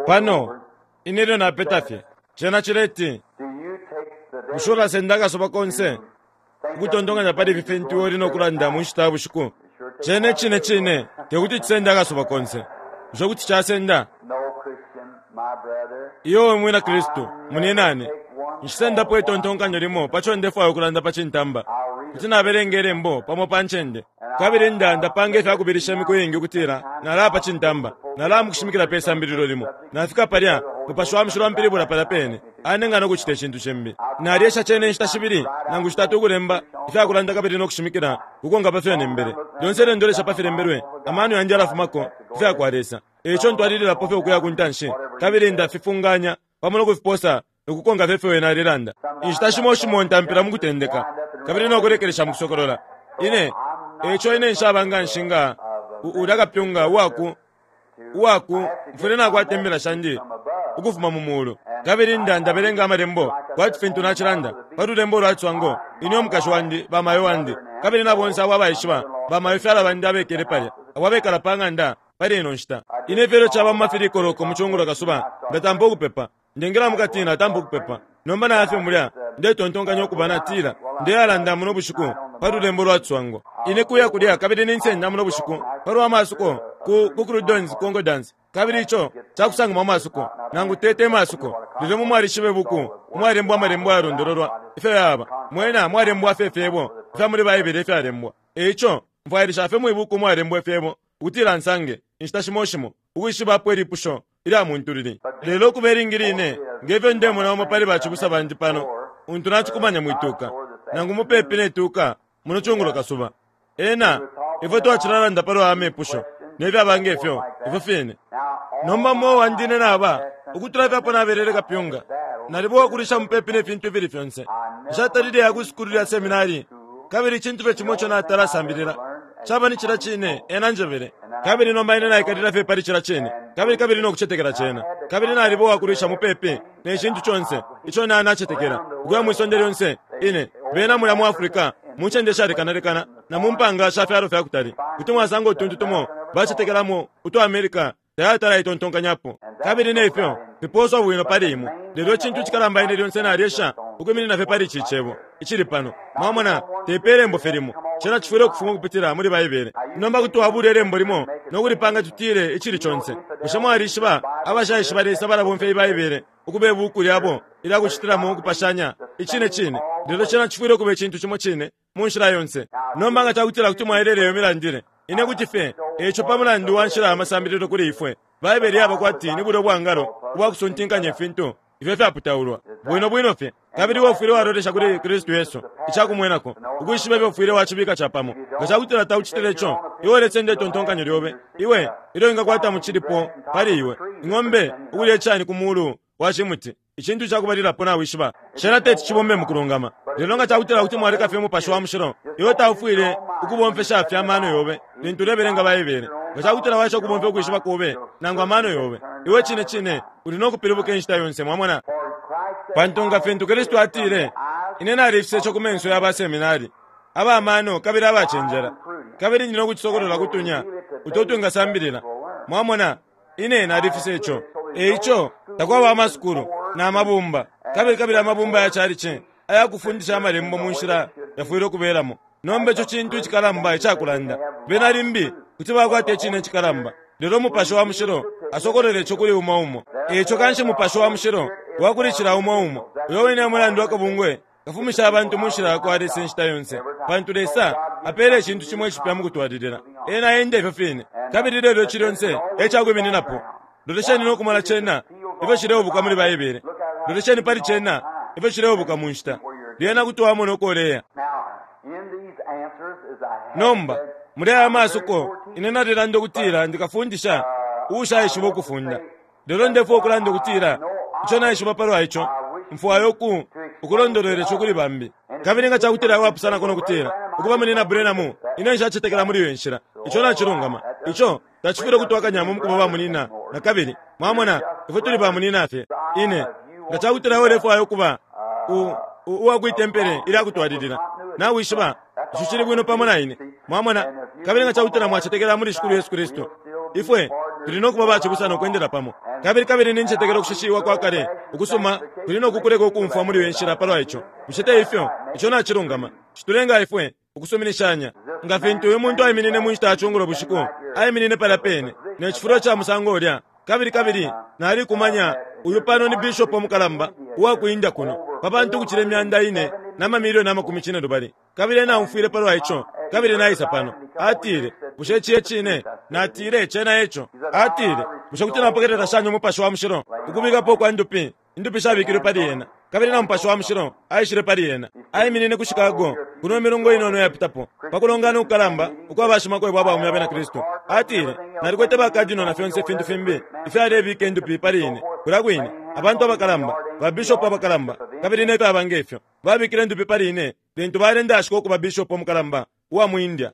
Pano, ine ilyo napeta fye, cena cileti, Bushe ulasenda akasuba konse ukutontonkanya pali ifi fintu iwe uli no kulanda mu nshita ya bushiku? Cena icine cine te kuti cisende akasuba konse. Bushe kuti casenda? Iyo we mwina Kristu, muninane, nshisendapo itontonkanyo limo pa co ndefwaya ukulanda pa cintamba. Kuti nabelenga ilembo pamo pa ncende. Kabili nda, ndapanga ifya kubilisha imiku iingi ukutila nalaya pa cintamba, nalaya mukushimikila pe sambililo limo. Nafika palya, Mupashi wa Mushilo ampilibula palya pene, anenga no kucita icintu cimbi. Nalyesha cena inshita shibili nangu shitatu ukulemba ifya kulanda kabili no kushimikila ukukonka pa fyo nembele. Lyonse ilyo ndolesha pa filembelwe, amano yandi yalafumako ku fya kwa Lesa. E ico ntwalililapo fye ukuya ku ntanshi kabili ndafifunganya pamo no kufiposa ukukonka fye ifyo Ena alelanda. Inshita shimo shimo ntampila mu kutendeka kabili no kulekelesha mu kusokolola. Ine, eico ine nshaba nganshi nga ulya kapyunga uwaku, uwaku, mfwile nakwata imbila shandi ukufuma mu mulu. Kabili nda, ndabelenga Amalembo kwati fintu nacilanda pa lulembo ulwa ciswango, ine umukashi wandi, ba mayo wandi, kabili na bonse abo abaishiba, ba mayo fyala bandi abekele palya, abo abekala pa ng'anda pali ino nshita. Ine fye ilyo caba mu mafilikoloko mu cungulo kasuba, ndatampa ukupepa. Ndengela mukati natampa ukupepa. Nomba naya fye mulya, ndetontonkanya ukuba natila, Ndeyalanda muno bushiku pa lulembo lwa ciswango. Ine kuya kulya kabili ninsenda muno bushiku palwa masuko ku, ku Crudon's Concordance. Kabili ico cakusangamo amasuko, nangu te, te masuko, lelo imwe mwalishiba ibuku umwalembwa amalembo ayalondololwa ifyo yaba. Mwena mwalembwa fye ifyebo ifya muli Baibele ifyalembwa. E ico, mfwailisha fye mwi buku umwalembwa ifyebo ukutila nsange, inshita shimo shimo, ukwishiba apo ilipusho ilya muntu lili. Lelo ukuba ilingi line, nge fyo ndemona umo pali bacibusa bandi pano, untu nacikumanya mwi tuka, nangu mupepi ne tuka, muno cungulo kasuba. Ena, ifwe twacilalanda palwa amepusho, ne fyaba nge fyo, ifyo fine. Nomba muo wandi ine naba, ukutula fye apo nabelele kapyunga, naliba uwakulisha mupepi ne fintu ifili fyonse. Nshatalile ya ku sukulu lya seminari, kabili icintu fye cimo ico natala sambilila caba ni cilya cine ena anjebele. Kabili nomba ine naikalila fye pali cilya cine, kabili, kabili no kucetekela cena. Kabili naliba uwakulwisha mupepi ne cintu conse ico na, nacetekela, ukuya mwi sonde lyonse. Ine, bena mulya mu Africa, mu ncende ishalekana lekana, na mu mpanga sha fyalo fya kutali, kuti mwasanga utuntu tumo bacetekelamo uto America tayatala aitontonkanyapo, kabili ne fyo fipooswa bwino pali imwe. Lelo icintu icikalamba ine lyonse nalyesha ukwiminina fye pali ici Cebo icili pano. Mwamona, te pe lembo fye limo, cena cifwile ukufuma ukupitila muli Baibele. Nomba kuti wabula ilembo limo no kulipanga tutile icili conse. Bushe mwalishiba abashaishiba Lesa balabomfya iyi Baibele ukuba ibuuku lyabo ilya kucitilamo ukupashanya? Icine cine. Lelo cena cifwile ukuba icintu cimo cine mu nshila yonse. Nomba nga ca kutila kuti mwaelela iyo milandile, ine kuti fye, e ico pa mulandu wa nshila ya masambililo kuli ifwe, Baibele yaba kwati ni bulya ubwangalo ubwa kusuntinkanya ifintu ifyo ifyaputaulwa bwino bwino fye. Kabili iwe ufwile walolesha kuli Kristu Yesu, ica kumwenako, ukwishiba ifyo ufwile wacibika capamo. Nga ca kutila taucitile ico, iwe ulesenda itontonkanyo lyobe, iwe, ilyo wingakwata mu cilipo pali iwe, ing'ombe ukulya icani ku mulu wa cimuti. Icintu ca kubalilapo nawishiba, cena teti cibombe mukulungama. Lelo nga cakutila kuti mwaleka fye Umupashi wa Mushilo, iwe taufwile ukubomfesha fye amano yobe lintu ulebelenga Baibele. Nga cakutila waesha ukubomfya ukwishiba kobe nangu amano yobe, iwe cine cine uli no kupilibuka inshita yonse. Mwamona? Pantu nga fintu Kristu atile, Ine nalifisa ico ku menso ya ba seminari, aba mano kabili abacenjela, kabili ndi no kucisokolola ku tunya uto utwingasambilila. Mwamona? Ine nalifisa ico. E ico, takwaba amasukulu, na mabumba, kabili kabili amabumba ya calici aya kufundisha amalembo mu nshila yafwile ukubelamo. Nomba ico cintu icikalamba icakulanda. Bena limbi kuti bakwata icine icikalamba, lelo Mupashi wa Mushilo asokolola ico kuli umo umo. E ico kanshi Mupashi wa Mushilo wa kuli cila umo umo. Uyo wine e mulandu akabungwe Kafumisha abantu mu nshila yakwa Lesa inshita yonse, pantu Lesa apela icintu cimo icipya mukutwalilila. Ena enda ifyo fine. Kabili lelo ici lyonse e cakwimininapo. Lolesheni no kumona cena ifyo cileubuka muli Baibele. Lolesheni pali cena ifyo cileubuka mu nshita. Lyena kuti wamona uko uleya. Nomba, muli aya masuko, ine nalilanda ukutila ndi kafundisha uushaishiba ukufunda. Lelo ndefwaya ukulanda ukutila ico naishiba palwa ico, mfwaya uku, ukulondolwela ico kuli bambi. Kabili nga cakutila wapusanako no kutila, Ukuba, Munyina Branham, ine nshacetekela muli iyo inshila. Ico nacilungama. Ico tacifwile ukutwakanyamo mukuba ba munyina nakabili. Mwamona, ifwe tuli ba munyina fye. Ine, nga cakutila iwe ulefwaya ukuba u, u, uwa kwi tempele ilya kutwalilila, nawishiba, ico cili bwino pamo na ine. Mwamona? Kabili nga cakutila mwacetekela muli Shikulu Yesu Kristu, ifwe. Tuli no kuba bacibusa no kwendela pamo. Kabili, kabili nincetekela ukushishiwa kwa kale ukusuma kuli no kukuleka ukumfwa muli iyo nshila palwa ico. Bushe te ifyo? Ico nacilungama. Citulenga ifwe ukusuminishanya. Nga fintu uyu muntu aiminine mu nshita ya cungulo bushiku, aiminine palya pene, ne cifulo ca musango ulya, kabili, kabili nalikumanya uyu pano ni bishopo mukalamba uwa ku India kuno, pa bantu ukucila imyanda ine na mamilioni amakumi cinelubali. Kabili ena aumfwile palwa ico, kabili naisa pano. Atile, Bushe ici e cine? Natile, Cena eco. Atile, Bushe kuti napokelela shani Umupashi wa Mushilo? Ukubikapo ukwa ndupi, indupi shabikilwe pali ena, kabili na Mupashi wa Mushilo aishile pali ena. Aiminine ku Chicago, kuno imilungu inono iyapitapo, pa kulongana ukukalamba ukwa bashimakwebo abaume abena Kristu. Atile, Nalikwete ba cardinal na fyonse ifintu fimbi ifyalebika indupi pali ine, kulya kwine, abantu abakalamba, ba bishop abakalamba, kabili ne fyaba nge fyo. Babikile indupi pali ine lintu balendashika ukuba bishopo mukalamba uwa mu India.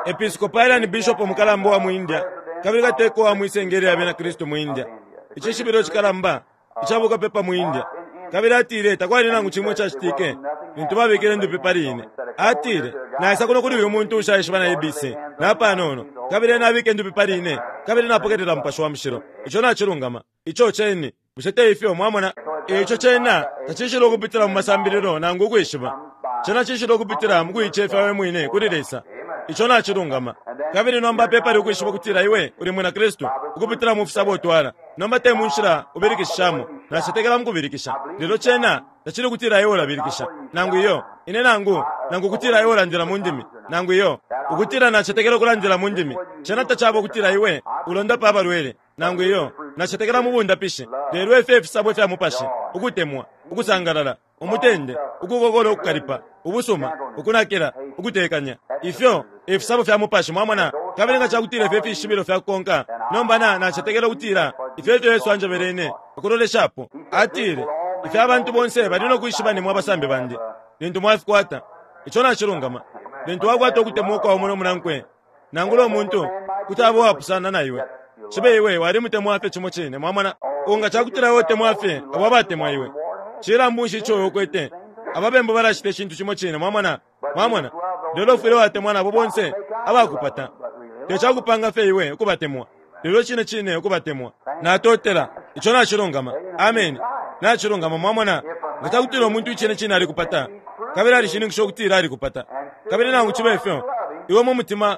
Episcopalian bishopo mukalamba uwa mu India kabili kateka uwa mwi senge lya Bena Kristu mu India, icishibilo cikalamba ica bukapepa mu India. Kabili atile takwali nangu cimo icacitike lintu babikile indupi pali ine. Atile, Naisa kuno kuli uyu muntu ushaishiba na ABC napanono, kabili ena abika indupi pali ine, kabili napokelela Mupashi wa Mushilo. Ico nacilungama. Ico ceni. Bushe te ifyo? Mwamona? E ico cena tacishila ukupitila mu masambililo nangu ukwishiba. Cena cishila ukupitila mu kuicefya we mwine kuli Lesa. Ico nacilungama. Kabili nomba pepali ukwishiba ukutila iwe uli mwina Kristu ukupitila mu fisabo utwala. Nomba te mu nshila ubilikishishamo. Nacetekela mu kubilikisha. Lelo cena tacili ukutila iwe ulabilikisha, nangu iyo, ine nangu, nangu ukutila iwe ulandila mu ndimi, nangu iyo, ukutila nacetekela ukulandila mu ndimi. Cena tacaba ukutila iwe ulondapa abalwele. nangu iyo, nacetekela mu bundapishi, lelo ifyo ifisabo fya Mupashi, ukutemwa, ukusangalala, umutende, ukukokola ukukalipa, ubusuma, ukunakila, ukutekanya. Ifyo ifisabo fya Mupashi, mwamona. Kabili nga cakutila ifyo ifishibilo fya kukonka, nomba na, nacetekela ukutila ifyo efyo Yesu anjebele ine ukuloleshapo. Atile, Ifyo abantu bonse bali no kwishiba nimwe abasambi bandi, lintu mwafikwata. Ico nacilungama. Lintu wakwata ukutemwa ukwa umo no munankwe, Nangula umuntu kuti aba uwapusana na iwe, cibe iwe walimutemwa fye cimo cine. Mwamona? Nga cakutila iwe utemwa fye abo abatemwa iwe, cilambu nshi ico iwe ukwete? Ababembu balacita icintu cimo cine. Mwamona? Mwamona? Lelo ufwile watemwa nabo bonse abakupata. Te cakupanga fye iwe ukubatemwa, lelo cine cine ukubatemwa. Natotela. Ico nacilungama. Ameni. Nacilungama. Mwamona? Nga cakutila umuntu icine cine alikupata, kabili alishininkisha ukutila alikupata, kabili nangu cibe ifyo, iwe mu mutima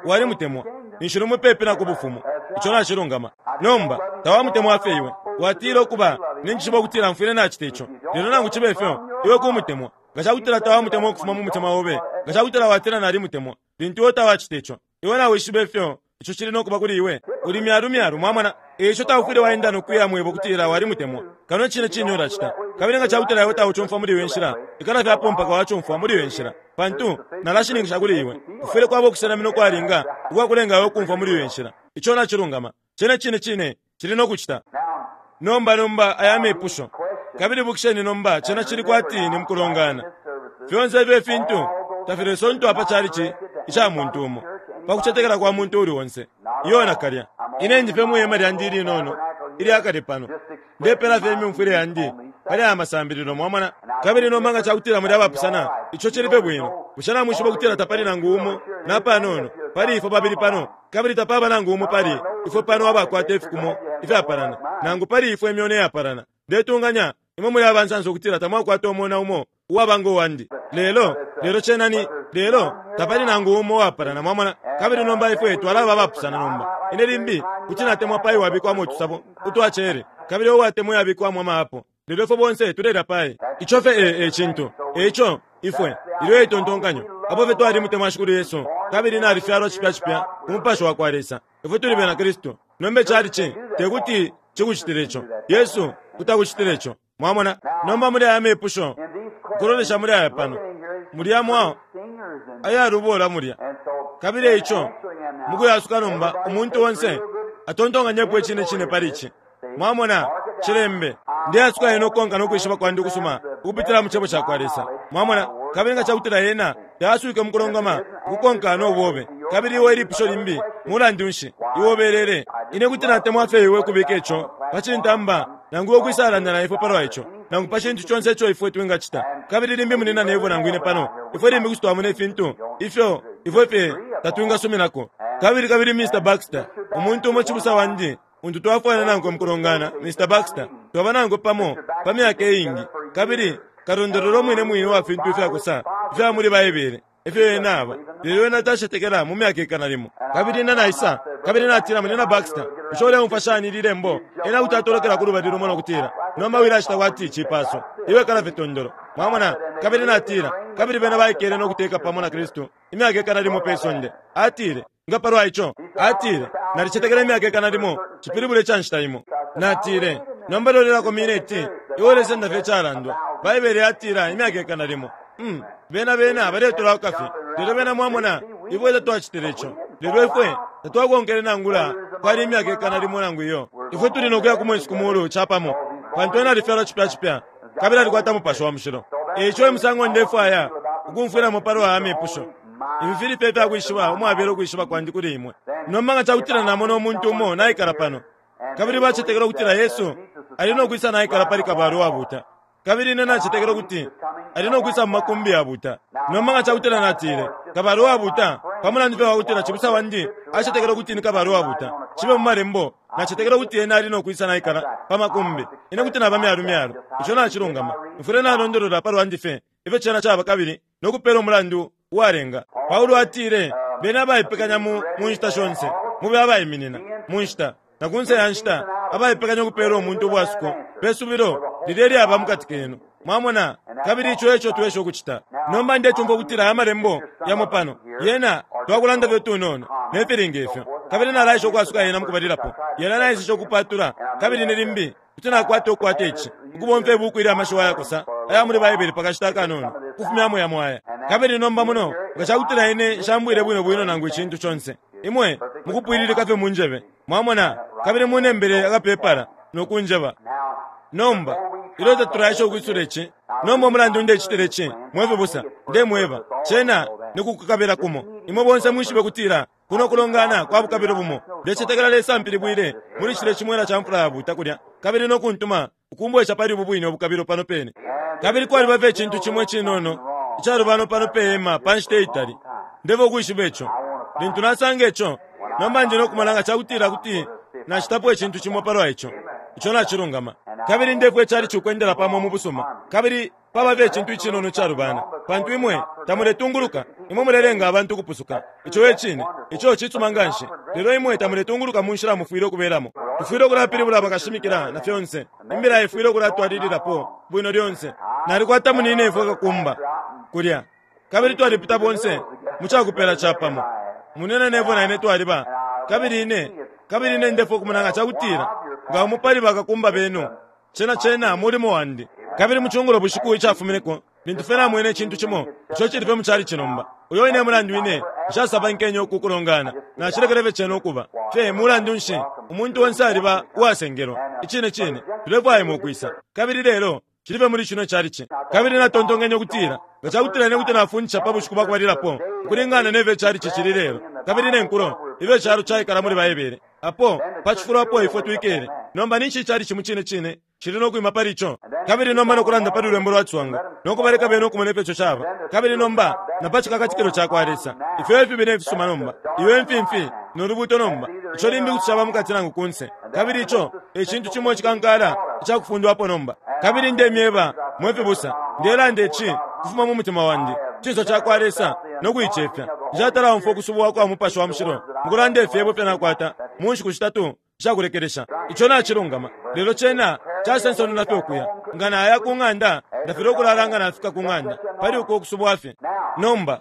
walimutemwa, ninshi uli mupepi na ku Bufumu. Ico nacilungama. Nomba, tawamutemwa fye iwe. Watila, Ukuba, ninjishiba ukutila mfwile nacita ico. Lelo nangu cibe ifyo, iwe kumutemwa. Nga cakutila tawamutemwa ukufuma mu mutima obe, nga cakutila watila nalimutemwa, lintu iwe tawacita ico, Iwe nawishiba ifyo ico cili no kuba kuli iwe. Uli myalu myalu, mwamona. E ico taufwile waenda no kuya mweba ukutila walimutemwa, kano icine cine ulacita. Kabili nga cakutila iwe taucumfwa muli iyo inshila, ikala fye apo mpaka wacumfwa muli iyo inshila. Pantu, nalashininkisha kuli iwe, kufwile kwaba ukusenamina ukwalinga ukwa kulenga iwe ukumfwa muli iyo inshila. Ico nacilungama. Cena cine cine cili no kucita. Nomba, nomba, aya mepusho. Kabili ibukisheni nomba, cena cili kwati ni mukulongana. Fyonse ifyo ifintu tafilesontwa pa chalichi ica muntu umo, pa kucetekela kwa muntu uuli onse. Iyo nakalya. Ine ndi fye mwi hema lyandi ilinono ilya kale pano, ndepela fye imyumfwile yandi pali aya masambililo, mwamona. Kabili nomba nga cakutila muli abapusana, ico cili fye bwino. Bushe namwishiba ukutila tapali nangu umo napanono pali ifwe babili pano Kabili tapaba nangu umo pali ifwe pano abakwata ifikumo ifyapalana, nangu pali ifwe imyona iyapalana. Ndetunganya imwe muli abansansa ukutila tamwakwata umona umo uwaba ngo wandi. Lelo, lelo cena ni, lelo tapali nangu umo uwapalana, mwamona. Kabili nomba ifwe twalaba abapusana nomba. Ine limbi kuti natemwa pai wabikwamo utusabo utwa cere, kabili uwatemwa iyabikwamo ama apo. Lelo ifwe bonse tulelya pai. Ico fye e, e cintu. E ico, ifwe, ilyo e tontonkanyo, apo fye twalimutemwa Shikulu Yesu, kabili nalifyalwa cipya cipya ku Mupashi wa kwa Lesa, ifwe tuli bena Kristu. Nomba icalici tekuti cikucitile ico. Yesu kuti akucitile ico. Mwamona? Nomba muli aya mepusho, ukulolesha muli aya pano, mulya mwa ayalubola mulya. Kabili e ico, mukuyasuka nomba, umuntu onse atontonkanyepo icine cine pali ici. Mwamona, cilembe. Ndeasuka yena ukukonka no kwishiba kwandi ukusuma ukupitila mu Cebo cakwa Lesa. Mwamona? Kabili nga cakutila yena taaswike mukulongama ukukonka no bobe, kabili iwe ilipusho limbi, mulandu nshi, iwe ubelele. Ine kuti natemwa fye iwe ukubika ico pa cintamba, nangu iwe ukwisalanda na ifwe palwa ico, nangu pa cintu conse ico ifwe twingacita. Kabili limbi Munyina Neville nangu ine pano, ifwe limbi kuti twamona ifintu ifyo. Ifwe fye tatwingasuminako. Kabili, kabili Mr. Baxter, umuntu umo cibusa wandi, untu twafwana nankwe mukulongana, Mr. Baxter, twaba nankwe pamo pa myaka iingi, kabili kalondolola umwine mwine uwa fintu ifyakosa ifya muli Baibele, efyo ena aba, lelo ena tacetekela mu myaka ikana limo. Kabili ine naisa, kabili natila, Munyina Baxter, bushe uleumfwa shani ili lembo? Ena kuti atolokela ku lubali lumo no kutila, Nomba wilacita kwati cipaso. Iwe kala fye tondolo. Mwamona? Kabili natila, Kabili bena baikele no kuteka pamo na Kristu imyaka ikana limo pe sonde. Atile, Nga palwa ico? Atile, Nalicetekela imyaka ikana limo cipilibula ica nshita imo. Natile, Nomba lolelako mineti, iwe ulesenda fye icalandwa. Baibele yatila imyaka ikana limo. Hmm, bena bena baletulauka fye. Lelo bena mwamona, ifwe tatwacitile ico. Lelo ifwe tatwakonkele nangula kwali imyaka ikana limo nangu iyo. Ifwe tuli no kuya ku mwesu ku mulu capamo, pantu ena alifyalwa cipya cipya kabili alikwata Mupashi wa Mushilo. E ico e musango ndefwaya ukumfwilamo palwa aya mepusho. Ifi fili fye ifyakwishiba umwabela ukwishiba kwandi kuli imwe. Nomba nga cakutila namona umuntu umo naikala pano, kabili bacetekela ukutila Yesu ali no kwisa naikala pali kabalwe uwabuta, kabili ine nacetekela ukuti ali no kwisa mu makumbi yabuta. Nomba nga cakutila natile, Kabalwe uwabuta, pa mulandu fye wakutila cibusa wandi acetekela ukuti ni kabalwe uwabuta, cibe mu Malembo, nacetekela ukuti ena ali no kwisa naikala pa makumbi, ine kuti naba myalu myalu. Ico nacilungama. Mfwile nalondolola palwandi fye ifyo cena caba kabili no kupela umulandu uwalenga. Paulo atile, Beni abaipekanya mu, mu nshita shonse, mube abaiminina, mu nshita, na kunse ya nshita, abaipekanya ukupela umuntu ubwasuko pe subilo lilya ilyaba mukati kenu. Mwamona? Kabili ico eco twesha ukucita. Nomba ndecumfwa ukutila aya Malembo yamo pano, yena, twakulanda fye utunono, ne fili nge fyo. Kabili nalaesha ukwasuka yena mukubalilapo. Yena naeseshe ukupatula, kabili ine limbi kuti nakwata ukukwata ici, ukubomfya ibuku ilya mashiwi ayakosa aya muli Baibele pa kashita akanono, ukufumyamo yamo aya. Kabili nomba muno, nga cakutila ine nshambwile bwino bwino nangu icintu conse, imwe mukupwililika fye munjebe, mwamona, kabili munembele akapepala no kunjeba. Nomba, ilyo tatulaesha ukwisula ici, nomba umulandu ndecitila ici, mwe fibusa, ndemweba, cena ni kukukabila kumo. Imwe bonse mwishibe kutila Kuno kulongana kwa bukabilo bumo, ndecetekela Lesa ampilibwile muli cilye cimwela ca mfula yabuuta kulya, kabili no kuntuma ukumbwesha pali ubu bwine ubukabilo pano pene. Kabili kwaliba fye icintu cimo icinono icalubana pano pe hema pa nshita itali. Ndefwaya ukwishiba ico. Lintu nasanga ico, nomba ndi no kumona nga cakutila kuti nacitapo icintu cimo palwa ico. Ico nacilungama. Kabili ndefwaya icalici ukwendela pamo mu busuma. Kabili Paba fye icintu icinono icalubana, pantu imwe tamuletunguluka. Imwe mulelenga abantu ukupusuka. Ico e cine. Ico cisuma nganshi. Lelo imwe tamuletunguluka mu nshila mufwile ukubelamo. Tufwile ukulapilibula bakashimikila na fyonse. Imbila ifwile ukulatwalililapo bwino lyonse. Nalikwata munyinefwe kakumba kulya, kabili twalipita bonse mu cakupela capamo. Munyina Neville na ine twaliba, kabili ine, kabili ine ndefwaya ukumona nga cakutila nga umo pali bakakumba benu Cena, cena mulimo wandi. Kabili mu cungulo bushiku icafumineko, lintu fye namwene icintu cimo ico icili fye mu chalichi nomba, uyo wine e mulandu ine nshasabankenye uku kulongana. Nacilekele fye cena ukuba fye. Mulandu nshi, umuntu onse aliba uwasengelwa. Icine cine, tulefwaya imwe ukwisa. Kabili lelo cili fye muli cino chalichi. Kabili natontonkenye ukutila, Nga cakutila ine kuti nafundisha pa bushiku bwa kubalilapo, ukulingana ne fyo icalichi cili lelo, kabili ne nkulo ifyo icalo caikala muli Baibele, Apo, pa cifulo apo ifwe twikele nomba, ninshi icalici mu cine cine cili no kwima pali ico? Kabili nomba no kulanda pali lulembo lwa ciswango, no kubaleka bena ukumona ifyo ico caba, kabili nomba na pa cikakatikilo cakwa Lesa, ifyo ifibi ne fisuma nomba, iyo imfimfi no lubuuto nomba, ico limbi kuti caba mukati nangu kunse. Kabili ico e cintu cimo icikankala icakufundwapo nomba. Kabili ndemyeba, mwe fibusa, ndelanda ici kufuma mu mutima wandi, cinso cakwa Lesa, no kuicefya. Nshatalaumfwa ukusubwa kwa Mupashi wa Mushilo mukulanda ifyebo ifyo nakwata mu nshiku shitatu ishakulekelesha. Ico nacilungama, lelo cena casensonona fye ukuya. Nga naya ku ng'anda, ndafilwa ukulala nga nafika ku ng'anda pali uko kusubwa fye. Nomba,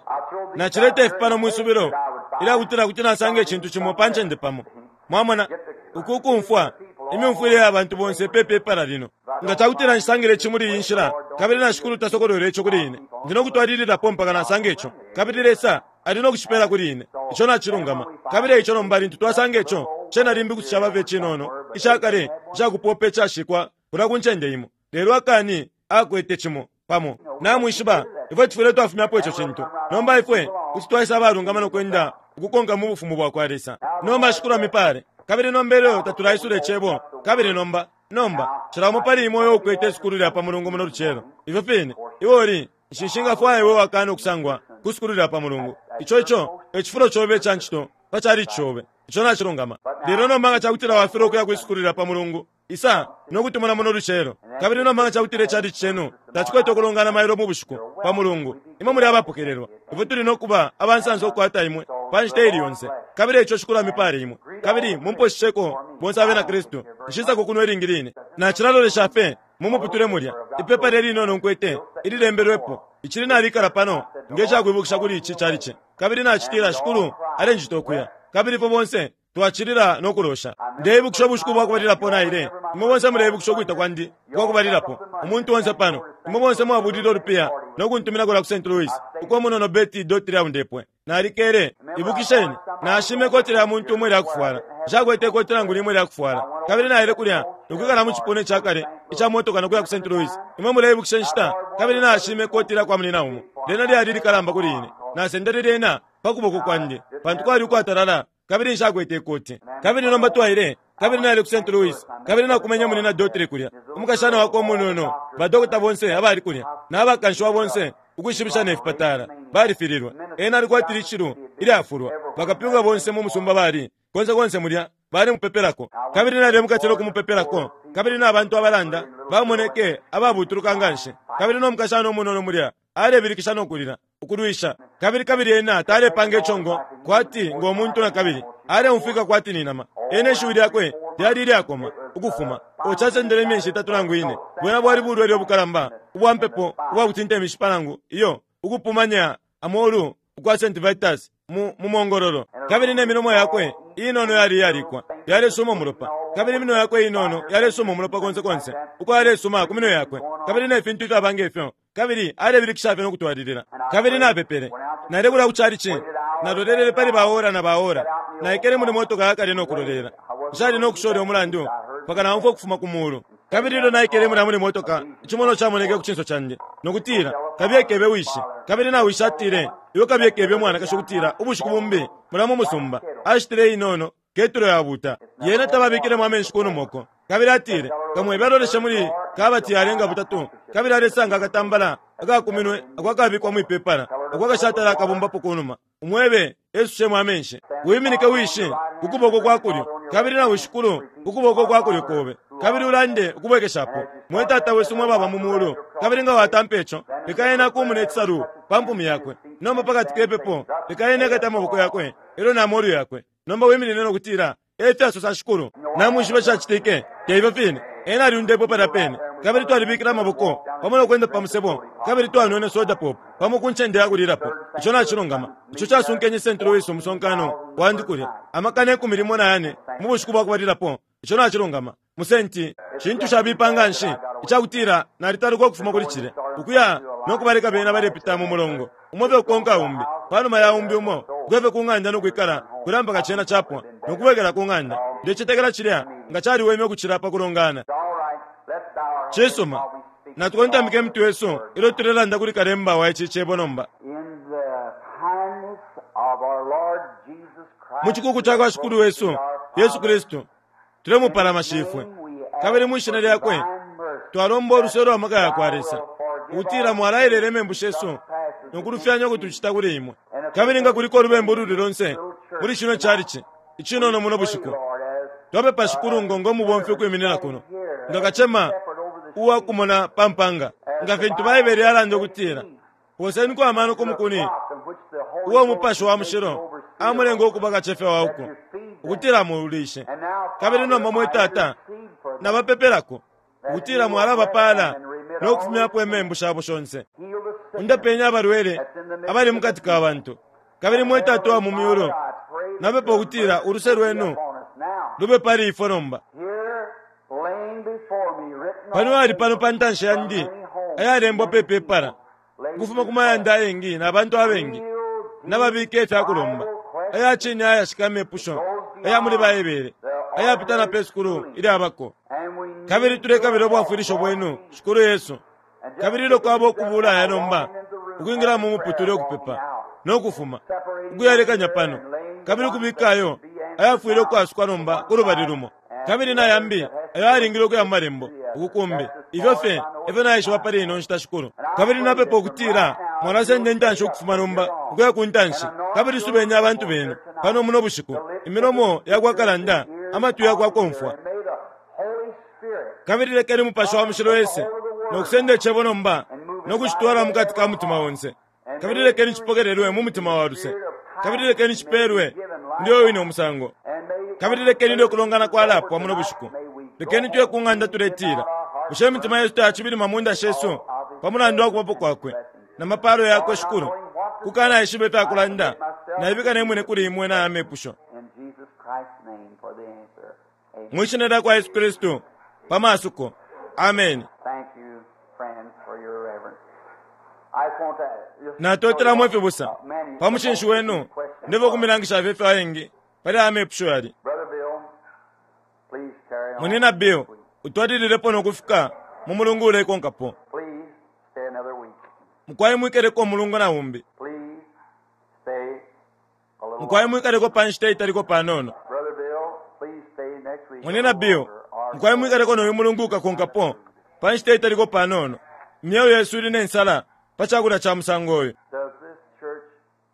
nacileta ifi pano mwisubilo ilyakutila kuti nasanga icintu cimo pa ncende pamo. Mwamona, uku kumfwa imyumfwile ya bantu bonse pe pepala lino. Nga cakutila nshisangile ici muli iyi nshila, kabili na Shikulu tasokolwele ico kuli ine, ndi no kutwalililapo mpaka nasanga ico, kabili Lesa ali no kucipela kuli ine. Ico nacilungama. Kabili eico nomba lintu twasanga ico, cena limbi kuti caba fye icinono, icakale, icakupopa icashikwa kulya ku ncende imo. Lelo akani akwete cimo, pamo. Namwishiba, ifwe tufwile twafumyapo ico cintu. Nomba ifwe kuti twaisa abalungama no kwenda ukukonka mu Bufumu bwakwa Lesa. Nomba Shikulu amipale. Kabili nomba ilyo tatulaisula Icebo, kabili nomba, nomba, cila umo pali imwe uyo ukwete isukulu lya pa Mulungu muno lucelo, ifyo fine, iwe uli, nshi nshingafwaya iwe wakana ukusangwa. ku sukulu lya pa Mulungu. Ico, ico e cifulo cobe ica ncito pa chalichi cobe. Ico nacilungama. Lelo nomba nga cakutila wafilwa ukuya kwi sukulu lya pa Mulungu, isa no kutumona muno lucelo. Kabili nomba nga cakutila ichalichi cenu tacikwete ukulongana mailo mu bushiku pa Mulungu, imwe muli abapokelelwa. Ifwe tuli no kuba abansansa ukukwata imwe pa nshita ili yonse. Kabili eico Shikulu amipale imwe. Kabili mumposhisheko bonse abena Kristu. Nshisako kuno ilingi line. Nacilalolesha fye mu muputule mulya, ipepala ilinono nkwete ililembelwepo, icili nalikala pano nge cakwibukisha kuli ici chalichi. Kabili nacitila, Shikulu alenjita ukuya. Kabili ifwe bonse twacilila no kulosha. Ndeibukisha ubushiku bwa kubalilapo naile. Imwe bonse muleibukisha ukwita kwandi ukwa kubalilapo. Umuntu onse pano, imwe bonse mwabulile ulupiya no kuntumina kulya ku St. Louis, uko umunono Betty Daughtry aundepwe. Nalikele. Ibukisheni, naashime ikoti lya muntu umo ilya kufwala. Nshakwete ikoti nangu limo ilya kufwala. Kabili naile kulya no kwikala mu cipuna ica kale ica motoka no kuya ku St. Louis. Imwe muleibukisha inshita? Kabili naashime ikoti lya kwa munyina umo. Lyena lyali ilikalamba kuli ine. Nasendele lyena pa kuboko kwandi, pantu kwali ukwatalala kabili nshakwete ikoti. Kabili nomba twaile, kabili naile ku St. Louis, kabili nakumenye Munyina Daughtry kulya, umukashana wakwe umunono, ba dokota bonse abali kulya, na bakanshiwa bonse ukwishibisha ne fipatala, balifililwe. Ena alikwatile icilu ilyafulwa. Bakapyunga bonse mu musumba bali, konse konse mulya, bali mupepelako. Kabili naile mukati no kumupepelako, kabili na bantu abalanda bamoneke ababutuluka nganshi. Kabili no mukashana umunono mulya alebilikisha no kulila, ukulwisha. Kabili, kabili ena talepanga icongo kwati ngo muntu nakabili, aleumfwika kwati ni nama. Ena ishiwi lyakwe lyali ilyakoma, ukufuma. O, casendele imyeshi itatu nangu ine. Bwena bwali bulwele ubukalamba ubwa mpepo ubwa kutinta imishipa nangu, iyo, ukupumanya amolu ukwa St. Vitus mu, mu mongololo. Kabili ne milomo yakwe inono yali iyalikwa, yalesuma umulopa. Kabili iminwe yakwe inono yalesuma umulopa konse konse, uko yalesuma ku minwe yakwe, kabili ne fintu ifyaba nge fyo. Kabili alebilikisha fye no kutwalilila. Kabili napepele. Naile kulya ku chalichi. Nalolelele pali ba ora na ba ora. Naikele muli motoka yakale no kulolela. Nshali no kusha ulya umulandu mpaka naumfwa ukufuma ku mulu. Kabili ilyo naikele mulya muli motoka, icimonwa camoneke ku cinso candi, no kutila, Kabiye kebe wishi. Kabili na wishi atile, Iwe kabiye kebe umwanakashi ukutila ubushiku bumbi mulya mu musumba ashitile inono ketulo yabuuta. Yena tababikilemo amenshi kunuma uko. Kabili atile, Kamwebe aloleshe muli kabati yalenga butatu, kabili alesanga akatambala akakuminwe ako akabikwa mwi pepala, ako akashatala akabombapo kunuma. Umwebe esushemo amenshi. Wiminike wishi ku kuboko kwa kulyo, kabili na wishikulu ku kuboko kwa kulyo kobe, kabili ulande ukubwekeshapo, Mwe Tata wesu mwe baba mu mulu. Kabili nga watampa ico, leka ena akumune icisalu pa mpumi yakwe. Nomba pakati ke pepo, leka ena ekate amaboko yakwe elyo na molu yakwe. Nomba wiminine no kutila, E fyasosa Shikulu. Namwishiba icacitike, te ifyo fine? Ena alyundepwe palya pene. Kabili twalibikile amaboko pamo no kwenda pa musebo, kabili twanwene soda pop pamo ku ncende ya kulilapo. Ico nacilungama. Ico casunkenye St. Louis umusonkano wandi kulya, 14,000 mu bushiku bwa kubalilapo. Ico nacilungama. Mu St. Cintu cabipa nganshi icakutila nalitaluka ukufuma kuli cilya, ukuya no kubaleka bena balepita mu mulongo, umo fye ukukonka umbi, panuma ya umbi umo, ukuya fye ku ng'anda no kwikala kulya mpaka cena capwa, no kubwekela ku ng'anda. Ndecetekela cilya nga caliweme ukucila pa kulongana. Cisuma, natukontamike imitwe yesu ilyo tulelanda kuli Kalemba wa ici Cebo nomba. Mu cikuku cakwa Shikulu wesu Yesu Kristu, Tulemupalama Shifwe, kabili mwi Shina Lyakwe twalomba uluse ulwa maka yakwa Lesa, ukutila mwalaelela imembu shesu no kulufyanya uko tucita kuli Imwe. Kabili nga kuliko ulubembu ululi lonse muli cino chalichi icinono muno bushiku, twapepa, Shikulu, ngo, ngo mubomfi ukwiminina kuno, nga kacema uwa kumona pa mpanga, nga fintu Baibele yalanda ukutila, Poseniko amano ku mukuni uo Umupashi wa Mushilo amulenga ukuba kacefya wa uko, ukutila amuulishe. Kabili nomba, mwe Tata, nabapepelako, ukutila mwalabapaala no kufumyapo imembu shabo shonse. Undapeni abalwele abali mukati ka bantu. Kabili mwe Tata uwa mu myulu, napepa ukutila uluse lwenu lube pali ifwe nomba. Pano ali pano pa ntanshi yandi ayalembwa pe pepala ukufuma ku mayanda ayengi na bantu abengi nababika ifya kulomba aya cine ayashika amepusho aya muli Baibele ayapita na pe sukulu ilyabako. Kabili tulekabila ubwafwilisho bwenu, Shikulu Yesu. Kabili ilyo kwaba ukubula aya nomba, ukwingila mu muputule ukupepa, no kufuma, ukuyalekanya pano, kabili ukubika ayo ayafwile ukwasukwa nomba ku lubali lumo, kabili na yambi ayo ayalingile ukuya mu Malembo, uku kumbi. Ifyo fye efyo naishiba pali ino nshita, Shikulu. Kabili napepa ukutila Mwalasenda intanshi ukufuma nomba ukuya ku ntanshi, kabili subeni abantu benu pano muno bushiku, imilomo ya kwa kalanda, amatwi ya kwa komfwa. Kabili lekeni Mupashi wa Mushilo ese no kusenda Icebo nomba no kucitwala mukati ka mutima onse. Kabili lekeni cipokelelwe mu mutima wa luse. Kabili lekeni cipelwe muli uyo wine umusango. Kabili lekeni ilyo kulongana kwalapwa muno bushiku, lekeni tuye ku ng'anda tuletila, Bushe imitima yesu tayacibilima mu nda shesu pa mulandu wa kubapo kwakwe na mapalo yakwe Shikulu? Kukanaishiba ifya kulanda, naibika ne mwine kuli imwe na aya mepusho. Mwi Shina lya kwa Yesu Kristu, pa masuko. Ameni. Natotela mwe fibusa pa mucinshi wenu. Ndefwaya ukumilangisha fye ifyo ayengi pali aya mepusho yali. Munyina Bill, utwalililepo no kufika mu mulungu ulekonkapo. Mukwai mwikeleko umulungu na umbi. Mukwai mwikaleko pa nshita italiko panono. Munyina Bill, mukwai mwikaleko no uyu mulungu ukakonkapo pa nshita italiko panono. Imyeo yesu ili ne nsala pa cakulya ca musango uyu.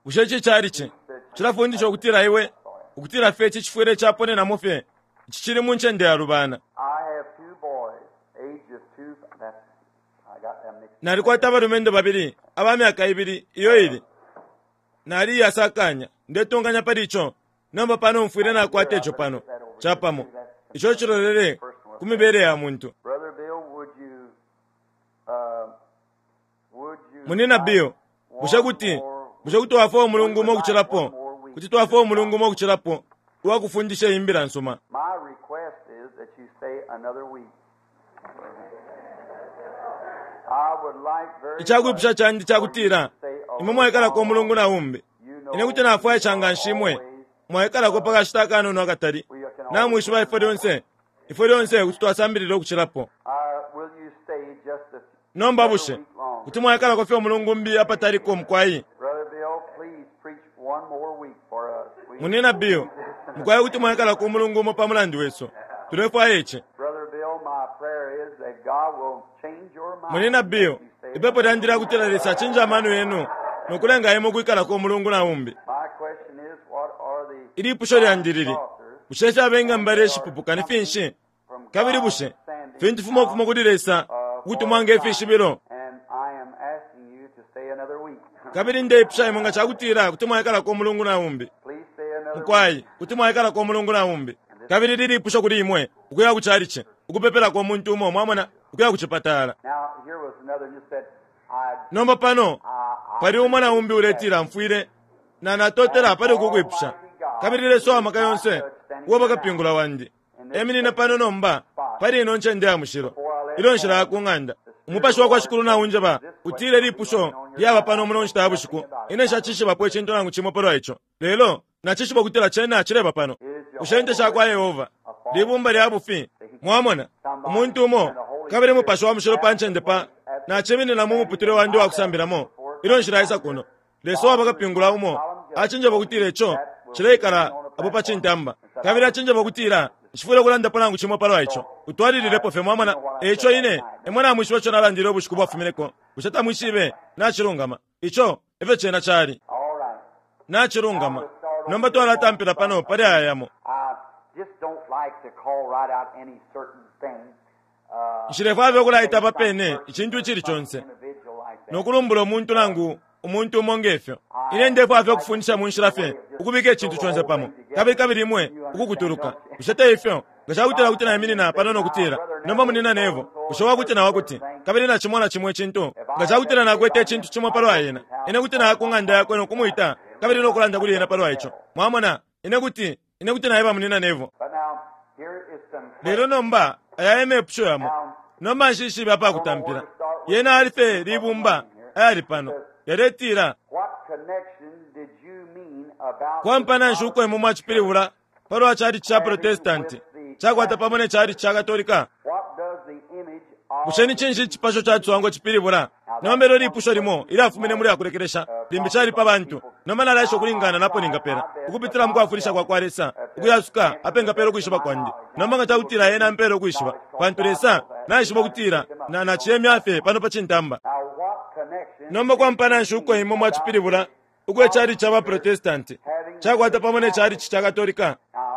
Bushe ici calici cilafundisha ukutila iwe, ukutila fye ici cifwile caponenamo fye, ici cili mu ncende yalubana? Nalikwata abalumendo babili aba myaka ibili iyo ili. Nali iyasakanya, ndetunganya pali ico. Nomba pano mfwile nakwata ico pano, capamo. Ico cilolele ku mibele ya muntu. Munyina Bill, bushe kuti, bushe kuti wafwaya umulungu umo ukucilapo? Kuti twafwaya umulungu umo ukucilapo uwa kufundisha iyi Mbila nsuma. Icakwipusha candi cakutila imwe mwaikalako umulungu na umbi. Ine kuti nafwaisha nganshi imwe mwaikalako pa kashita akanono akatali. Namwishiba ifwe lyonse, ifwe lyonse kuti twasambilila ukucilapo. Nomba bushe kuti mwaikalako fye umulungu umbi apataliko, mukwai? Munyina Bill, mukwai kuti mwaikalako umulungu umo pa mulandu wesu. Tulefwaya ici. Munyina Bill, ipepo lyandi lya kutila Lesa acinje amano yenu no kulenga imwe ukwikalako umulungu na umbi. Ilipusho lyandi lili, bushe ifyaba ingambala ishipupuka ni finshi? Kabili bushe fintu fimo ukufuma kuli Lesa ukutumwa nge fishibilo? Kabili ndeipusha imwe nga cakutila kuti mwaikalako umulungu na umbi. Mukwai, kuti mwaikalako umulungu na umbi. Kabili lili ipusho kuli imwe, ukuya ku chalichi, ukupepelako umuntu umo, mwamona, ukuya ku cipatala. Nomba pano pali umo na umbi uletila mfwile na natotela pali uku kwipusha. Kabili Lesa wa maka yonse, uwaba kapingula wandi, eminine pano nomba pali ino ncende ya mushilo, ilyo nshilaya ku ng'anda. Umupashi wa kwa Shikulu naunjeba, utile lipusho lyaba pano muno nshita ya bushiku. Ine nshacishibapo icintu nangu cimo palwa ico, lelo nacishiba ukutila cena cileba pano. Bushe Inte sha kwa Yehova libumba lya bufi? Mwamona, umuntu umo, kabili Mupashi wa Mushilo pa ncende pa, naciminina mu muputule wandi uwa kusambilamo ilyo nshilaisa kuno. Lesa uwaba kapingula umo acinjeba ukutila ico cileikala apo pa cintamba, kabili acinjeba ukutila nshifwile ukulandapo nangu cimo palwa ico. Utwalililepo fye, mwamona. E ico ine, imwe namwishiba ico nalandile ubushiku bwafumineko, bushe tamwishibe? Nacilungama. Ico efyo cena cali. Nacilungama. Nomba twalatampila pano pali aya yamo. Nshilefwaya fye ukulaita apa pene icintu icili conse no kulumbula umuntu nangu umuntu umo nge fyo. Ine ndefwaya fye ukufundisha mu nshila fye ukubika icintu conse pamo, kabili kabili imwe ukukutuluka. Bushe te ifyo? Nga cakutila kuti naiminina pano no kutila, Nomba Munyina Neville, bushe wakuti na wakuti, kabili na cimo na cimo icintu, nga cakutila nakwete icintu cimo palwa ena, ine kuti naya ku ng'anda yakwe no kumwita kabili no kulanda kuli ena palwa ico. Mwamona? Ine kuti, ine kuti naeba Munyina Neville. Lelo nomba aya e mepusho yamo. Nomba nshishibe apakutampila. Yena ali fye libumba ayali pano. Yaletila, Kwampana nshi uko imwe mwacipilibula palwa chalichi ca Protestanti cakwata pamo ne chalichi ca Katolika? Bushe ni cinshi icipasho ca ciswango cipilibula? Nomba ilyo lipusho limo ilyafumine muli yakulekelesha, limbi cali pa bantu. Nomba nalaesha ukulingana napo ningapela, ukupitila mu kwafwilisha kwa kwa Lesa, ukuyasuka apengapela ukwishiba kwandi. Nomba nga cakutila Ena ampela ukwishiba, pantu Lesa naishiba ukutila na, naciyemya fye pano pa cintamba. Nomba kwampana nshi uko imwe mwacipilibula ukwe chalichi ca ba Protestanti cakwata pamo ne chalichi ca Katolika?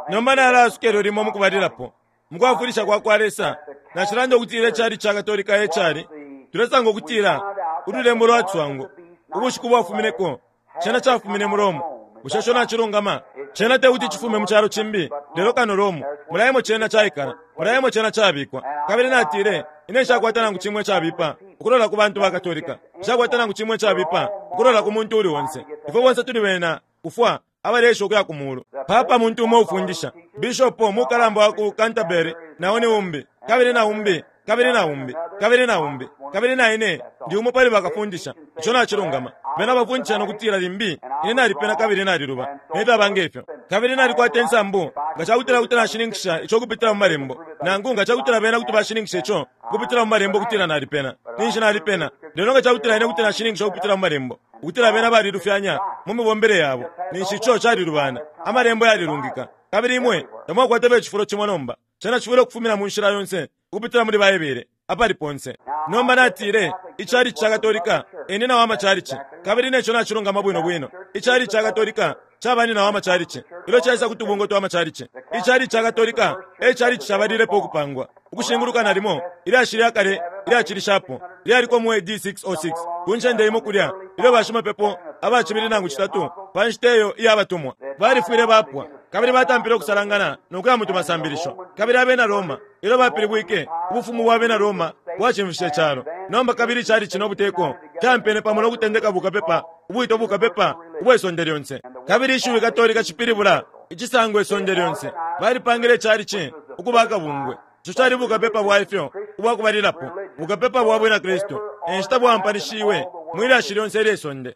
Nomba nalaasuka ilyo limo mukubalilapo. Mukwafwilisha kwa kwa Lesa, nacilanda ukutila ichalichi ca Katolika e cali. Tulesanga ukutila ululembo lwa ciswango, ubushiku bwafumineko, cena cafumine mu Rome. Bushe ico nacilungama? Cena te kuti cifume mu calo cimbi, lelo kano Rome. Mulya emo cena caikala. Mulya emo cena cabikwa. Kabili natile, Ine nshakwata nangu cimo icabipa ukulola ku bantu ba Katolika. Nshakwata nangu cimo icabipa ukulola ku muntu uli onse. Ifwe bonse tuli bena kufwa abaleesha ukuya ku mulu. Papa muntu umo ufundisha. Bishopo mukalamba wa ku Canterbury na o ni umbi, kabili na umbi, kabili na umbi, kabili na umbi, kabili na ine ndi umo pali bakafundisha. Ico nacilungama. Bena bafundisha no kutila limbi ine nalipena kabili naliluba, ne fyaba nge fyo. Kabili nalikwata insambu nga ca kutila kuti nashininkisha ico ukupitila mu Malembo, nangu nga ca kutila bena kuti bashininkisha ico ukupitila mu Malembo ukutila nalipena, ninshi nalipena. Lelo nga ca kutila ine kuti nashininkisha ukupitila mu Malembo ukutila bena balilufyanya mu mibombele yabo, ninshi ico calilubana. Amalembo yalilungika. Kabili imwe tamwakwata fye icifulo cimo nomba. Cena cifwile ukufumina mu nshila yonse ukupitila muli Baibele, apali ponse. Nomba natile, Ichalichi ca Katolika e nina wa machalichi, kabili ne co nacilungama bwino bwino. Ichalichi ca Katolika caba nina wa machalichi ilyo caisa ku tubungwe twa machalichi. Ichalichi ca Katolika e chalichi cabalilepo ukupangwa ukushinguluka nalimo ilyashi lya kale ilyacilishapo lyaliko mu A.D. 606 ku ncende imo kulya ilyo bashimapepo aba cibili nangu citatu pa nshita iyo iya batumwa balifwile bapwa kabili batampile ukusalangana no kuya mu tumasambilisho. Kabili abena Roma ilyo bapilibwike, ubufumu bwa bena Roma bwacimfishe icalo. Nomba kabili icalici no buteko fyampene pamo no kutendeka bukapepa ubwitwa bukapepa ubwe sonde lyonse. Kabili ishiwi Katolika cipilibula icisangwa isonde lyonse. Balipangile icalici ukuba akabungwe. Ico cali bukapepa bwa ifyo ubwa kubalilapo, bukapepa bwa Bwina Kristu, e nshita bwaampanishiwe mwi lyashi lyonse ilye sonde.